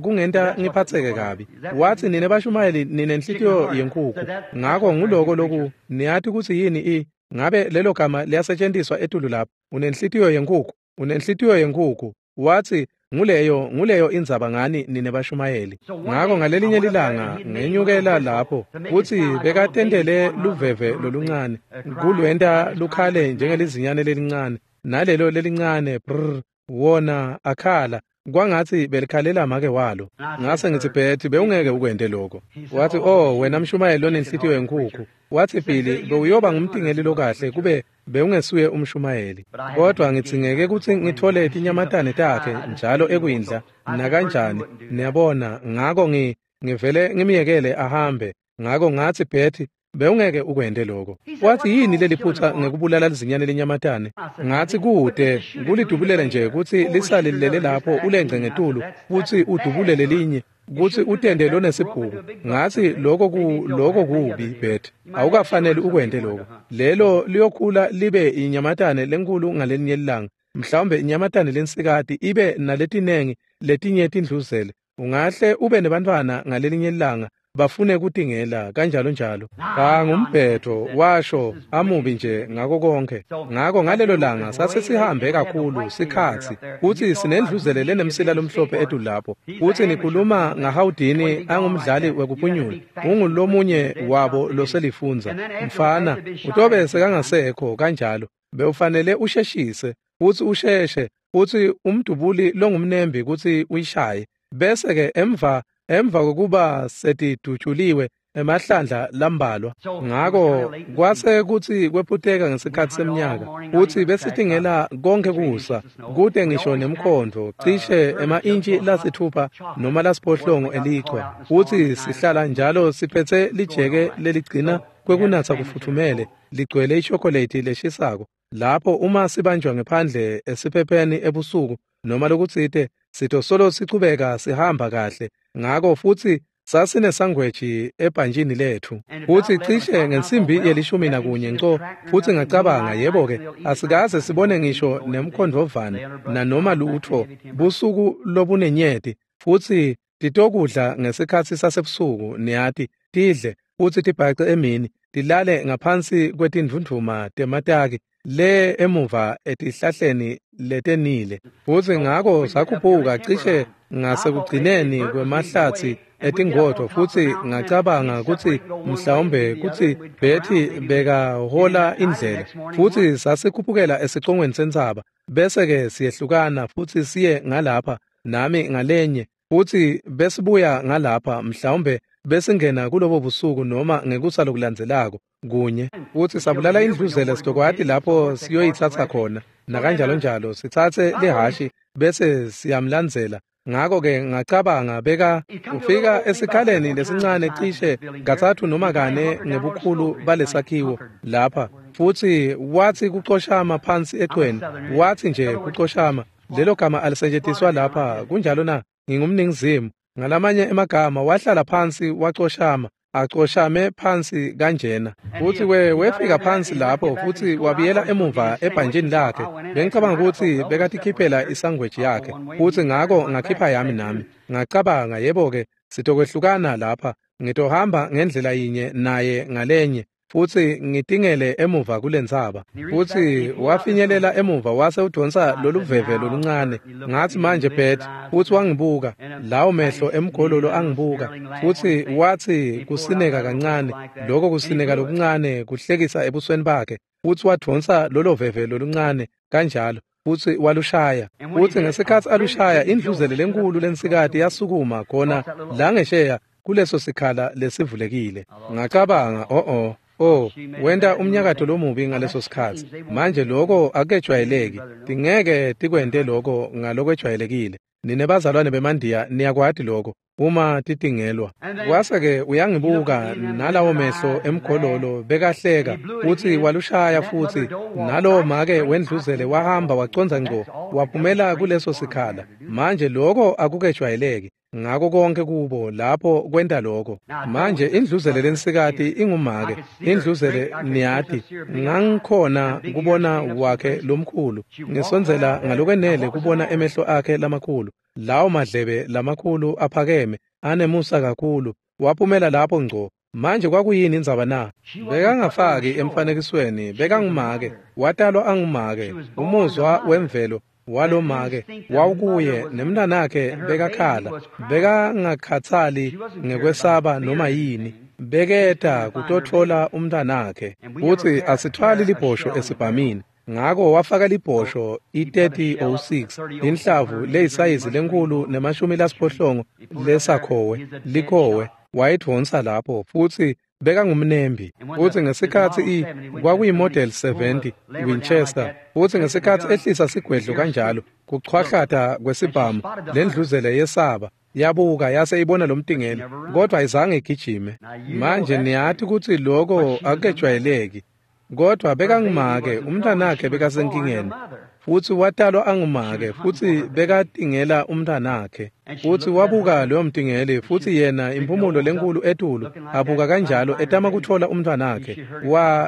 Kungenta ngiphatseke kabi. Wathi nine bashumayeli ninenhlitiyo yenkukhu. Ngako nguloko loku niyati kutsi yini ngabe lelo gama liyasetshenziswa etulu lapho. Unenhlitiyo yenkukhu, unenhlitiyo yenkukhu. Wathi nguleyo indzaba ngani nine bashumayeli. Ngako ngalelinye lilanga ngenyukela lapho futhi bekatendele luveve loluncane kulwenta lukhale njengelizinyane lelincane nalelo lelincane brr wona akhala kwangathi belikhalela make walo. Ngase ngithi Betty bewungeke ukwente lokho. Wathi oh wena mshumayeli lonenhlitiyo yenkukhu. Wathi Billy bewuyoba ngumtingeli lokahle kube bewungesuye umshumayeli. Kodwa ngitsingeke kutsi ngithole tinyamatane takhe njalo ekwindla nakanjani niyabona. Ngako ngivele ngimyekele ahambe. Ngako ngathi Betty bewungeke ukwente lokho. Wathi yini leliphutha ngekubulala lizinyane lenyamatane? Ngathi kude kulidubulela nje kutsi lisale lilele lapho ulengce ngetulu futhi udubulele linye. kutsi utende lonesibhuku. Ngatsi lokho kubi Bert, awukafanele ukwente lokho. Lelo liyokhula libe inyamatane lenkulu ngalelinye ilanga, mhlawumbe inyamatane lensikati ibe naletinengi letinye tindluzele. Ungahle ube nebantfwana ngalelinye ilanga bafune kutingela kanjalo njalo. Cha, ngumbhetho, washo amubi nje ngako konke. Ngako ngalelo langa sase sihambe kakhulu sikhatsi kutsi sinendluzele lenemsila lomhlophe etulu lapho. Kutsi nikhuluma ngaHawudini angumdlali wekuphunyula, ungulomunye wabo loselifundza. Mfana, utobe sekangasekho kanjalo. Bewufanele usheshise, futsi usheshe, futsi umdubuli longumnembi kutsi uyishaye. Bese-ke emva kokuba setidutshuliwe emahlandla lambalwa. Ngako kwase kutsi kwephuteka ngesikhatsi semnyaka kutsi besitingela konke kusa kute ngisho nemkhondvo cishe ema-intshi lasithupha noma lasiphohlongo elichwa, kutsi sihlala njalo siphetse lijeke leligcina kwekunatsa kufutfumele ligcwele ishokoleti leshisako. Lapho uma sibanjwa ngephandle esiphepheni ebusuku noma lokutsite, sitosolo sichubeka sihamba kahle. Ngako futsi sasinesangweji ebhantshini lethu, futsi cishe ngensimbi ye-11 nco, futsi ngacabanga, yebo-ke, asikaze sibone ngisho nemkhondvovane nanoma lutfo busuku lobunenyeti, futsi titokudla ngesikhatsi sasebusuku, niyati, tidle futsi tibhace emini, tilale ngaphansi kwetindvundvuma temataki le emuva etihlahleni letenile. Futsi ngako sakhuphuka cishe ngasekugcineni kwemahlatsi etingodvo, futsi ngacabanga kutsi mhlawumbe kutsi Betty bekahola indlela, futsi sasikhuphukela esicongweni sentsaba, bese-ke siyehlukana futsi siye ngalapha nami ngalenye, futsi besibuya ngalapha, mhlawumbe besingena kulobo busuku noma ngekusa lokulandzelako kunye. Futsi sabulala indluzele sitokwati lapho siyoyitsatsa khona nakanjalo njalo, sitsatse lihashi bese siyamlandzela. Ngako-ke ngacabanga beka ufika esikhaleni lesincane cishe 3 noma 4 ngebukhulu balesakhiwo lapha, futsi watsi kucoshama phansi echweni, watsi nje kucoshama. Lelo gama alisetjentiswa lapha, kunjalo na? Ngingumningizimu. Ngalamanye emagama wahlala phansi wacoshama, acoshame phansi kanjena. Futsi wefika phansi lapho futsi wabuyela emuva ebhantshini lakhe. Bengicabanga kutsi bekatikhiphela isangweji yakhe, futsi ngako ngakhipha yami nami. Ngacabanga, yebo-ke, sitokwehlukana lapha, ngitohamba ngendlela yinye naye ngalenye, futsi ngitingele emuva kulentsaba. Futsi wafinyelela emuva wase udonsa loluveve loluncane. Ngatsi, manje Bert, futsi wangibuka, lawo mehlo emgololo angibuka, futsi watsi kusineka kancane, lokho kusineka lokuncane kuhlekisa ebusweni bakhe, futsi wadonsa lolo veve loluncane kanjalo, futsi walushaya. Futsi ngesikhatsi alushaya, indluzele lenkulu lensikati yasukuma khona la ngesheya kuleso sikhala lesivulekile. Ngacabanga, oh, wenta umnyakato lomubi ngaleso sikhatsi. Manje lokho akejwayeleki, tingeke tikwente lokho ngalokwejwayelekile. Nine bazalwane bemandiya niyakwati lokho uma titingelwa. Kwase-ke uyangibuka nalawo mehlo emgololo bekahleka, futsi walushaya futsi, nalowo make wendluzele wahamba wacondza ngco waphumela kuleso sikhala. Manje lokho akukejwayeleki ngako konke kubo lapho kwenta lokho. Manje indluzele lensikati ingumake, indluzele niyati, ngangikhona kubona wakhe lomkhulu, ngisondzela ngalokwenele kubona emehlo akhe lamakhulu, lawo madlebe lamakhulu aphakeme anemusa kakhulu, waphumela lapho ngco. Manje kwakuyini indzaba na? Bekangafaki emfanekisweni, bekangumake, watalwa angumake, umuzwa wemvelo walomake wawukuye, nemntanakhe bekakhala, bekangakhatsali ngekwesaba noma yini, beketa kutotfola umntanakhe. Futsi asithwali libhosho esibhamini, ngako wafaka libhosho i-3006, inhlavu leyisayizi lenkulu ne-80 lesakhowe likhowe, wayidvonsa lapho, futsi bekangumnembi. Futsi ngesikhatsi kwakuyimodel 70 Winchester, futsi ngesikhatsi ehlisa sigwedlo kanjalo kuchwahlata kwesibhamu, lendluzele yesaba yabuka yase ibona lomtingeli, kodwa ayizange igijime. Manje niyati kutsi lokho akujwayeleki, kodwa bekangumake, umntanakhe bekasenkingeni, Futsi watalwa angumake, futsi bekatingela umntanakhe. Futsi wabuka loyo mtingeli, futsi yena impumulo lenkulu etulu, abuka kanjalo etama kutfola umntwanakhe.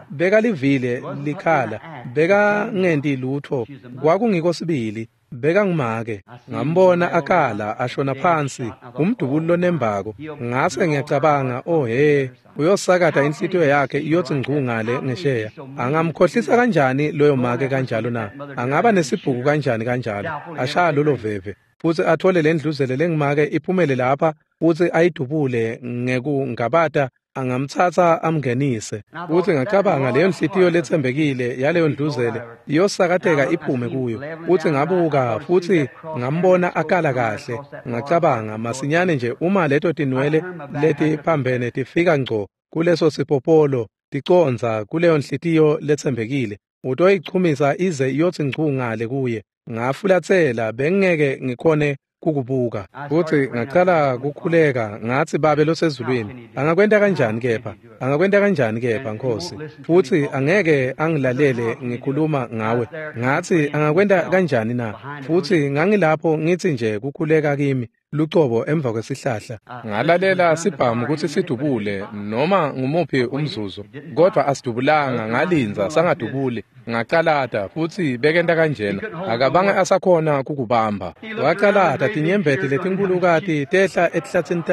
Bekalivile likhala, bekangenti lutfo, kwakungiko sibili. Bekangumake. Ngambona akhala ashona phansi, umdubuli lonembako. Ngase ngiyacabanga, oh he, uyosakata inhlitiyo yakhe iyotsi ngcu ngale ngesheya. Angamkhohlisa kanjani loyo make kanjalo na? Angaba nesibhuku kanjani kanjalo? Ashaya lolo veve, futsi athole lendluzele lengumake iphumele lapha, futsi ayidubule ngekungabata, angamtsatsa amngenise. Futsi ngacabanga leyo nhliziyo letsembekile yaleyo ndluzele iyosakateka iphume kuyo. Futsi ngabuka, futsi ngambona akala kahle. Ngacabanga masinyane nje uma leto tinwele letiphambene tifika ngco kuleso sipopolo ticondza kuleyo nhliziyo letsembekile, utoyichumisa ize iyotsi ngcu ngale kuye. Ngafulatsela, bengeke ngikhone kukubuka. Futsi ngacala kukhuleka, ngatsi, Babe losezulwini, angakwenta kanjani kepha? Angakwenta kanjani kepha, Nkosi? Futsi angeke angilalele ngikhuluma ngawe. Ngatsi, angakwenta kanjani na? Futsi ngangilapho ngitsi nje kukhuleka kimi lucobo emva kwesihlahla. Ngalalela sibhamu kutsi sidubule noma ngumuphi umzuzu, kodwa asidubulanga. Ngalinza sangadubuli. Ngacalata, futsi bekenta kanjena, akabange asakhona kukubamba. Wacalata, tinyembeti letinkhulukati tehla etihlatsini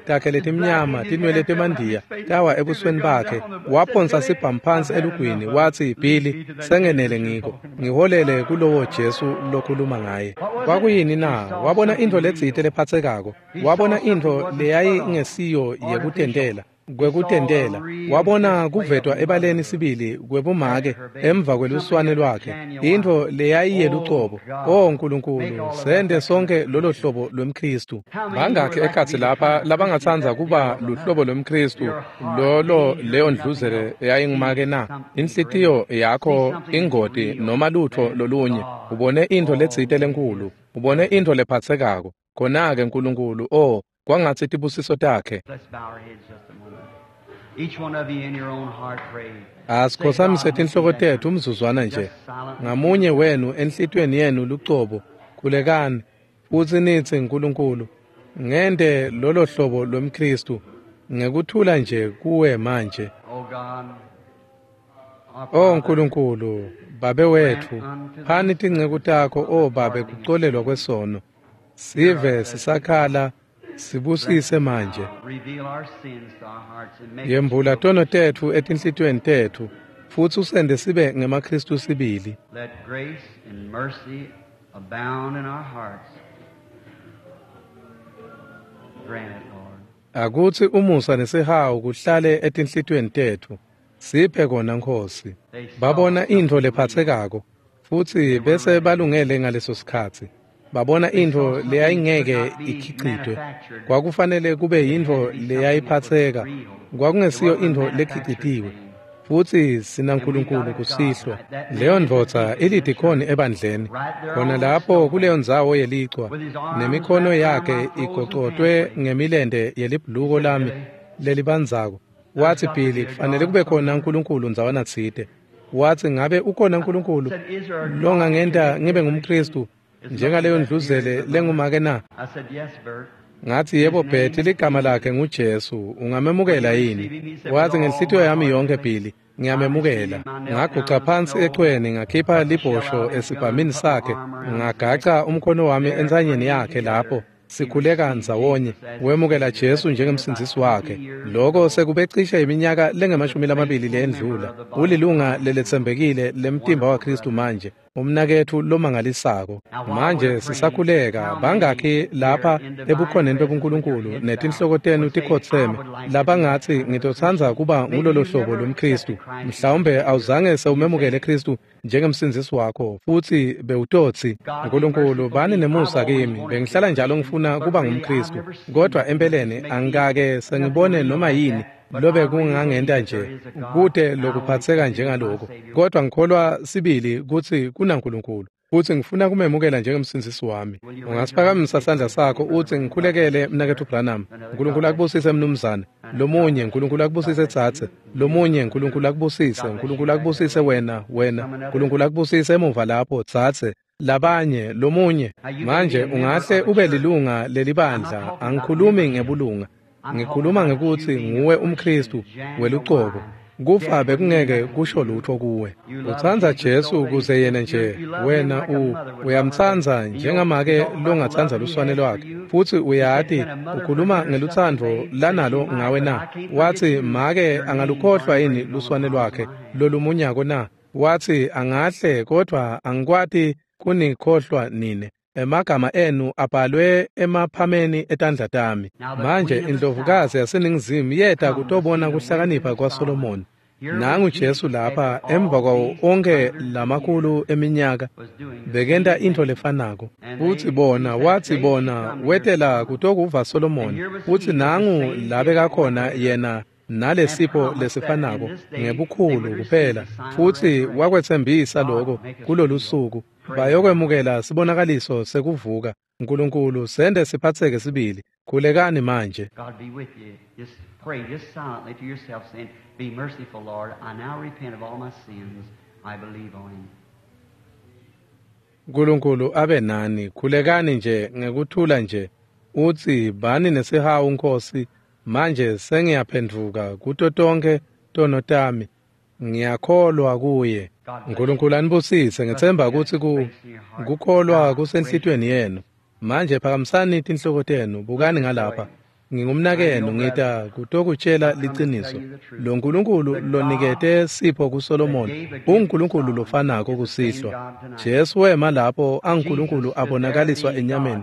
takhe letimnyama, tinwele temandiya tawa ebusweni bakhe. Waphonsa sibhamu phansi elugwini, watsi, Billy, sengenele ngiko, ngiholele kulowo Jesu lokhuluma ngaye. Kwakuyini na? Wabona intfo letsite lephatsekako, wabona intfo leyayingesiyo yekutentela kwekutentela. Wabona kuvetwa ebaleni sibili kwebumake emva kweluswane lwakhe, intfo leyayiyelucobo. O Nkulunkulu, sente sonke lolo hlobo lwemKhristu. Bangakhi ekhatsi lapha labangatsandza kuba luhlobo lwemKhristu lolo leyo ndluzele eyayingumake na? Inhlitiyo yakho ingoti noma lutfo lolunye, ubone intfo letsite lenkulu, ubone intfo lephatsekako. Khona-ke Nkulunkulu, oh, kwangatsi tibusiso takhe. Let's bow our heads just a moment. Each one of you in your own heart pray. Asikhotsamise tinhloko tetfu umzuzwana nje. Ngamunye wenu enhlitiyweni yenu lucobo, khulekani, futsi nitsi, Nkulunkulu, ngente lolo hlobo lwemKhristu ngekuthula nje kuwe manje. Oh God, our O Father, Nkulunkulu, Babe wetfu, phani tinceku takho, o Babe, kucolelwa kwesono. Sive sisakhala, sibusise manje. reveal our sins to our hearts and make us Yembula real. tono tetfu etinhlitiyweni tetfu, futsi usende sibe ngemaKhristu sibili. Let grace and mercy abound in our hearts. Grant it, Lord. Akutsi umusa nesihawu kuhlale etinhlitiyweni tetfu. Siphe kona, Nkosi. Babona intfo lephatsekako, futsi bese balungele ngaleso sikhatsi. Babona intfo leyayingeke ikhicitwe. Kwakufanele kube yintfo leyayiphatseka, kwakungesiyo intfo lekhicitiwe. Futsi sinaNkulunkulu kusihlwa. Leyo ndvodza ilidikhoni ebandleni, khona lapho kuleyo ndzawo yelichwa, nemikhono yakhe igocotwe ngemilente yelibhuluko lami lelibandzako. Watsi, Billy, kufanele kube khona uNkulunkulu ndzawana tsite. Watsi, ngabe ukhona uNkulunkulu longangenta ngibe ngumKhristu njengaleyo ndluzele lengumake na? I said, yes, Bert. Ngathi, yebo Bert, ligama lakhe nguJesu, ungamemukela yini? Wathi, ngenhlitiyo yami yonke Billy, ngiyamemukela. Ngaguca phansi echweni, ngakhipha libhosho esibhamini sakhe, ngagaca umkhono wami entsanyeni yakhe lapho sikhuleka ndzawonye. Wemukela Jesu njengemsindzisi wakhe. Loko sekube cishe iminyaka lengamashumi lamabili leyendlula. Ulilunga leletsembekile lemtimba waKhristu manje, umnaketfu lomangalisako. Manje sisakhuleka, bangakhi lapha ebukhoneni bebuNkulunkulu netinhloko tenu tikhotseme labangatsi, ngitotsandza kuba ngulolo hlobo lwemKhristu? Mhlawumbe awuzange sewumemukele Khristu njengemsindzisi wakho, futsi bewutotsi, Nkulunkulu, bani nemusa kimi, bengihlala njalo ngifuna kuba ngumKhristu, kodwa empeleni angikake sengibone noma yini lobe kungangenta nje kute lokuphatseka njengaloko, kodwa ngikholwa sibili kutsi kunaNkulunkulu, futsi ngifuna kumemukela njengemsindzisi wami. Ungasiphakamisa sandla sakho utsi, ngikhulekele, mnaketfu Branham? Nkulunkulu akubusise, mnumzane. Lomunye, uNkulunkulu akubusise tsatse. Lomunye, uNkulunkulu akubusise. uNkulunkulu akubusise wena, wena. uNkulunkulu akubusise emuva lapho tsatse. Labanye, lomunye. Manje ungahle ube lilunga lelibandla. Angikhulumi ngebulunga. Ngikhuluma ngekuthi nguwe umKristu welucobo. Kufa bekungeke kusho lutho kuwe. Utsandza Jesu kuze yena nje wena uyamtsandza njengamake longatsandza luswane lwakhe. Futsi uyati ukhuluma ngelutsandvo lanalo ngawe na. Watsi make angalukhohlwa yini luswane lwakhe lolumunyako na? Watsi angahle kodvwa angikwati kunikhohlwa nine. Emagama enu abhalwe emaphameni etandla tami. Manje indlovukazi yaseNingizimu yeta kutobona kuhlakanipha kwaSolomoni. Nangu Jesu lapha emva kwawo onke lamakhulu eminyaka bekenta intfo lefanako. Futsi bona watsi bona wetela kutokuva Solomoni. Futsi nangu labekakhona yena nalesipho lesifanako ngebukhulu kuphela. Futsi wakwetsembisa lokho kulolusuku. Bayokwemukela sibonakaliso sekuvuka. uNkulunkulu sende siphatseke sibili. Khulekani manje. God be with you. Just pray just silently to yourself, saying, Be merciful, Lord. I now repent of all my sins. I believe on him. uNkulunkulu abe nani. Khulekani nje ngekuthula nje. Utsi bani nesihawu Nkosi. Manje sengiyaphendvuka kuto tonke tono tami. Ngiyakholwa kuye. uNkulunkulu anibusise. Ngitsemba kutsi kukholwa kusenhlitiyweni yenu. Manje phakamisani tinhloko tenu, bukani ngalapha. Ngingumnakenu, ngita kutokutshela liciniso. Lo nkulunkulu lonikete sipho kuSolomoni unguNkulunkulu lofanako kusihlwa. Jesu wema lapho anguNkulunkulu abonakaliswa enyameni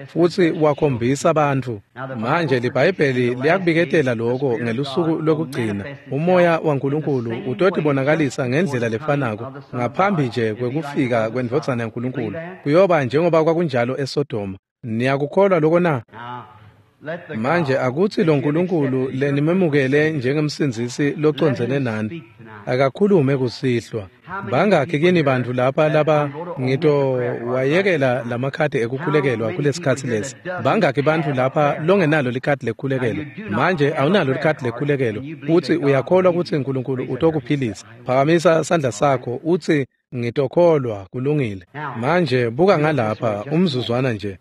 futsi wakhombisa bantfu. Manje liBhayibheli liyakubiketela lokho ngelusuku lokugcina. Umoya waNkulunkulu utotibonakalisa ngendlela lefanako ngaphambi nje kwekufika kwendvodzana yaNkulunkulu. Kuyoba njengoba kwakunjalo eSodoma. Niyakukholwa lokho na? Manje akutsi lo nkulunkulu lenimemukele njengemsindzisi locondzene nani akakhulume kusihlwa. Bangakhi kini bantfu lapha laba ngitowayekela lamakhadi ekukhulekelwa kulesikhatsi lesi? Bangakhi bantfu lapha longenalo likhadi lekukhulekelwa? Manje awunalo likhadi lekukhulekelwa utsi uyakholwa kutsi uNkulunkulu utokuphilisa. Phakamisa sandla sakho utsi ngitokholwa, kulungile. Manje buka ngalapha umzuzwana nje.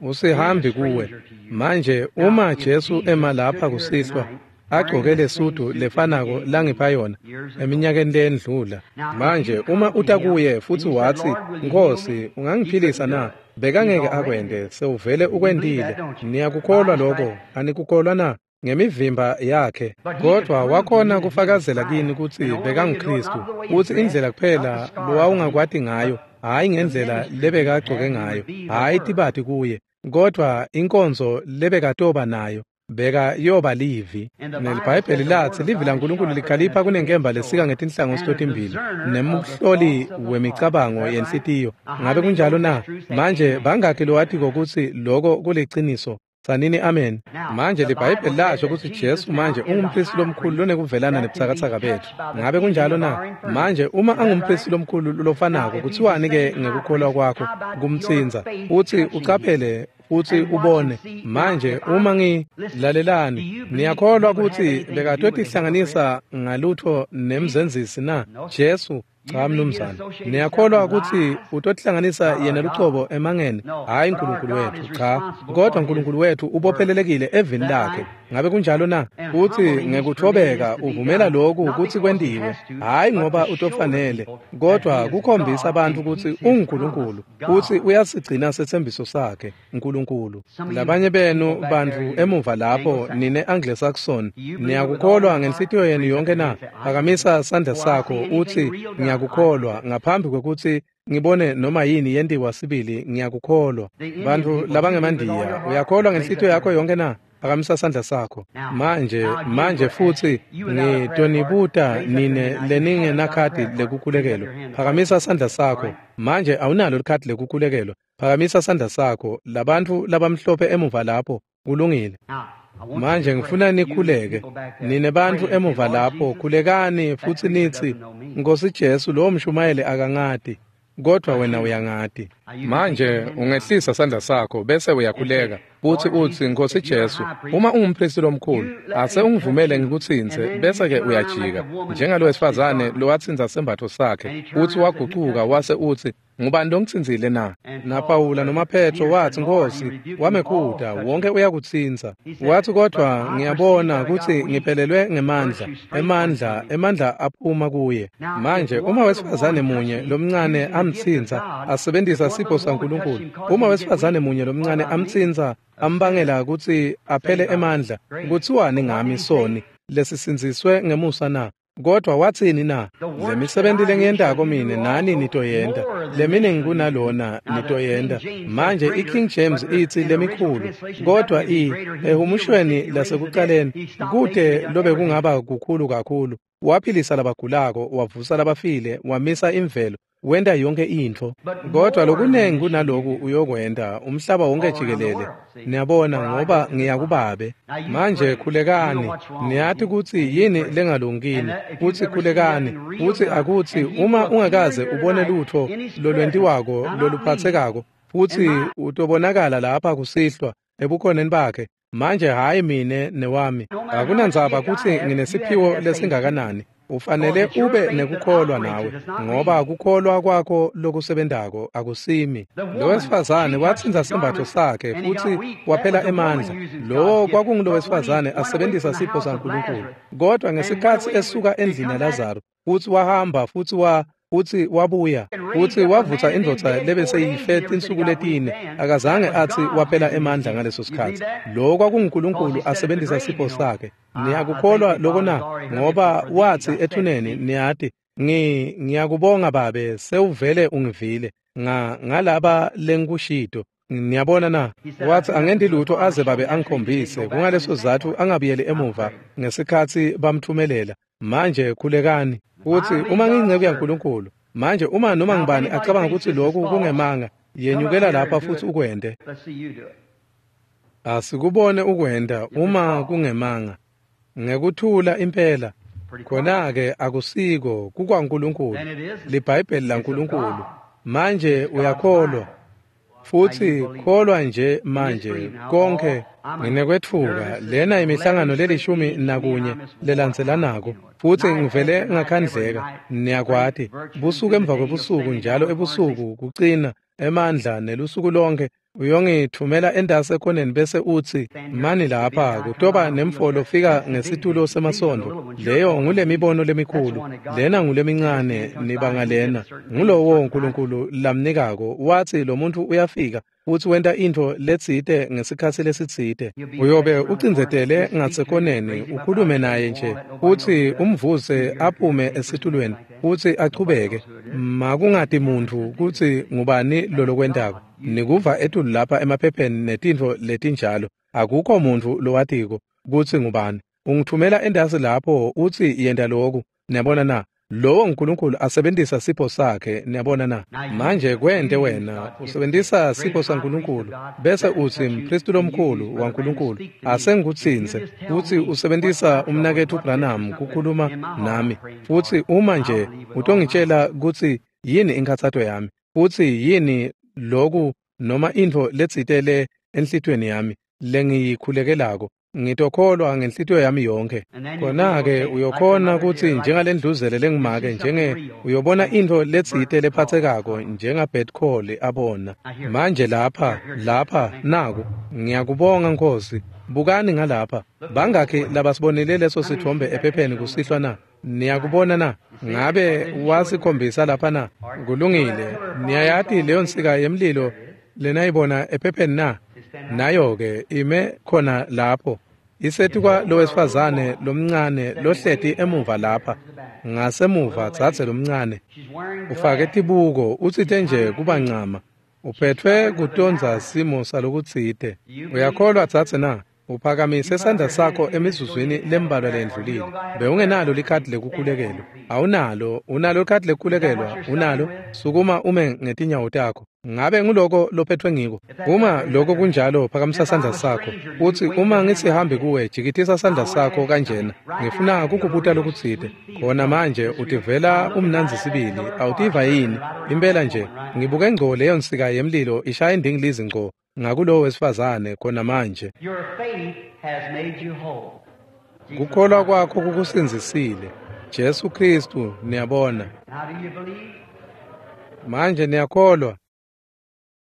Usihambi kuwe. Manje uma Jesu ema lapha kusihlwa agcoke lesudu lefanako langipha yona eminyakeni lendlula. Manje uma uta kuye futsi watsi Nkosi ungangiphilisa na? Bekangeke akwente, sewuvele ukwentile. Niyakukholwa lokho? Anikukholwa na? Ngemivimba yakhe. Kodwa wakhona kufakazela kini kutsi bekanguKristu, kutsi indlela kuphela lowawungakwati ngayo, hhayi ngendlela lebekagcoke ngayo, hhayi tibati kuye, kodwa inkonzo lebekatoba nayo beka yoba livi. NeliBhayibheli latsi livi laNkulunkulu likhalipha kunenkemba lesika ngetinhlangothi totimbili nemhloli wemicabango yenhlitiyo. Ngabe kunjalo na? Manje bangakhi lowatiko kutsi loko kuliciniso? Tsanini amen. Manje liBhayibheli lasho kutsi Jesu manje ungumpristi lomkhulu lonekuvelana nebutsakatsaka betfu. Ngabe kunjalo na? Manje uma angumpristi lomkhulu lofanako, kutsiwani-ke ngekukholwa kwakho kumtsintsa? Utsi ucaphele futsi ubone. Manje uma ngilalelani, niyakholwa kutsi bekatotihlanganisa ngalutho nemzenzisi na? Jesu cha mnumzane. Niyakholwa kutsi utotihlanganisa yena lucobo emangeni? Hhayi uNkulunkulu wethu, cha. Kodwa uNkulunkulu wethu ubophelelekile evini lakhe. Ngabe kunjalo na? Futsi ngekuthobeka uvumela lokhu kutsi kwentiwe, hhayi ngoba utofanele, kodwa kukhombisa abantu kutsi unguNkulunkulu futsi uyasigcina setsembiso sakhe, uNkulunkulu. Labanye benu bantfu emuva lapho nine Anglo-Saxon, niyakukholwa ngenhlitiyo yenu yonke na? Phakamisa sandla sakho utsi ngiyakukholwa ngaphambi kwekutsi ngibone noma yini yentiwa sibili, ngiyakukholwa. Bantfu labangemandiya, uyakholwa ngenhlitiyo yakho yonke na? Phakamisa sandla sakho. Manje futsi ngitonibuta nine leningenakhadi lekukhulekelwa. Phakamisa sandla sakho. Manje awunalo likhadi lekukhulekelwa. Phakamisa sandla sakho. Labantfu labamhlophe emuva lapho, kulungile. Manje ngifuna nikhuleke. Nine bantfu emuva lapho, khulekani futsi nitsi, Nkosi Jesu, lowo mshumayeli akangati, kodwa wena uyangati. Manje ungehlisa sandla sakho bese uyakhuleka futhi uthi, Nkosi Jesu, uma ungumpristi lomkhulu, ase ungivumele ngikutsintse, bese-ke uyajika. Njengalo wesifazane lowatsintsa sembatfo sakhe, uthi wagucuka wase utsi, ngubani longitsintsile na? NaPawula noma Petro watsi, Nkosi, wamekhuta, wonke uyakutsintsa. Wathi, kodwa ngiyabona kutsi ngiphelelwe ngemandla, emandla aphuma kuye. Manje uma wesifazane munye lomncane amtsintsa, asebenzisa sipho saNkulunkulu, uma wesifazane munye lomncane amtsintsa, ambangela kutsi aphele emandla, kutsiwani ngami soni lesisindziswe ngemusa na? Kodwa watsini na? Lemisebenti lengiyentako mine nani nitoyenta, leminingi kunalona nitoyenta. Manje iKing James itsi lemikhulu, kodwa ehumushweni lasekuqaleni kute lobe kungaba kukhulu kakhulu. Waphilisa labagulako, wavusa labafile, wamisa imvelo, wenta yonke intfo. Kodwa lokunengi kunaloku uyokwenta umhlaba wonke jikelele. Niyabona, ngoba ngiyakubabe. Manje khulekani, niyati kutsi yini lengalungini, kutsi khulekani, kutsi akutsi uma ungakaze ubone lutfo lolwentiwako loluphatsekako, futsi utobonakala lapha kusihlwa ebukhoneni bakhe. Manje hhayi mine newami, akunandzaba kutsi nginesiphiwo lesingakanani. Ufanele ube nekukholwa nawe, ngoba kukholwa kwakho lokusebentako akusimi. Lo wesifazane watsintsa sembatfo sakhe futsi waphela emandla. Lowo kwakungulo wesifazane asebenzisa sipho saNkulunkulu. Kodwa ngesikhatsi esuka endlini yaLazaro, futsi wahamba futsi futsi wabuya, futsi wavutsa indvodza lebeseyife tinsuku letine, akazange atsi waphela emandla ngaleso sikhatsi. Lo kwakunguNkulunkulu asebenzisa sipho sakhe. Niyakukholwa loko na? Ngoba watsi ethuneni, niyati, ngiyakubonga Babe, sewuvele ungivile ngalaba lengikushito. Niyabona na? Wathi angendi lutho aze Babe angikhombise. Kungaleso sizatfu angabuyeli emuva ngesikhatsi bamthumelela. Manje khulekani. Uthi uma ngiyinceku yaNkulunkulu, manje uma noma ngibani acabanga kutsi lokhu kungemanga, yenyukela lapha futhi ukwente. Asikubone ukwenta uma kungemanga. Ngekuthula impela. Khona-ke akusiko kukwaNkulunkulu, liBhayibheli laNkulunkulu. Manje uyakholwa. Futsi kholwa nje manje konke nginekwetfuka. Lena imihlangano lelishumi nakunye lelandzelanako, futsi ngivele ngakhandleka. Niyakwati, busuku emva kwebusuku, njalo ebusuku kucina emandla nelusuku lonke uyongithumela endase ekhoneni bese utsi, mani lapha kutoba nemfolo fika ngesitulo semasondo. Leyo ngulemibono lemikhulu, lena ngulemincane, nibanga lena. Ngulowo uNkulunkulu lamnikako. Watsi lo muntu uyafika futsi wenta intfo letsite ngesikhatsi lesitsite. Uyobe ucindzetele ngasekhoneni, ukhulume naye nje, futsi umvuse aphume esitulweni futsi achubeke. Makungati muntfu kutsi ngubani lolokwentako. Nikuva etulu lapha emaphepheni netintfo letinjalo. Akukho muntfu lowatiko kutsi ngubani. Ungithumela endasi lapho utsi yenta loku. Niyabona na? Lowo uNkulunkulu asebenzisa sipho sakhe. Niyabona na? Manje kwente wena usebenzisa sipho saNkulunkulu bese utsi mpristi lomkhulu waNkulunkulu asengikutsintse, futsi usebenzisa umnaketfu Branham kukhuluma nami, futsi uma nje utongitshela kutsi yini inkhatsato yami, futsi yini loku noma intfo letsite le enhlitiyweni yami lengiyikhulekelako, ngitokholwa ngenhlitiyo yami yonke. Khona-ke uyokhona kutsi njengalendluzele lengimake, njenge uyobona intfo letsite lephatsekako njengaBert Cole abona. Manje lapha naku, ngiyakubonga Nkosi. Bukani ngalapha, bangakhi labasibonile leso sithombe ephepheni kusihlwa na? Niyakubona na? Ngabe wasikhombisa lapha na? Kulungile. Niyayati leyo nsika yemlilo lenayibona ephepheni na? Nayo-ke ime khona lapho, isetikwa lowesifazane lomncane lohleti emuva lapha, ngasemuva dzadze lomncane. Ufake tibuko, utsite nje kuba ncama. Uphetfwe kutondza simo salokutsite. Uyakholwa dzadze na? Uphakamise sandla sakho emizuzwini lembalwa lendlulile. Bewungenalo likhadi lekukhulekelwa. Awunalo, unalo likhadi lekukhulekelwa, unalo. Sukuma ume ngetinyawo takho. Ngabe nguloko lophethwe ngiko? Uma lokho kunjalo, phakamisa sandla sakho. Uthi uma ngisihambi kuwe, jikitisa sandla sakho kanjena. Ngifuna kukubuta lokutsite. Khona manje utivela umnandzi sibili, awutiva yini? Impela nje, ngibuke ngco leyo nsika yemlilo ishaya indingilizi ngco ngakulowo wesifazane khona manje. Your faith has made you whole. Kukholwa kwakho kukusindzisile. Jesu Kristu, niyabona. Now do you believe? Manje niyakholwa.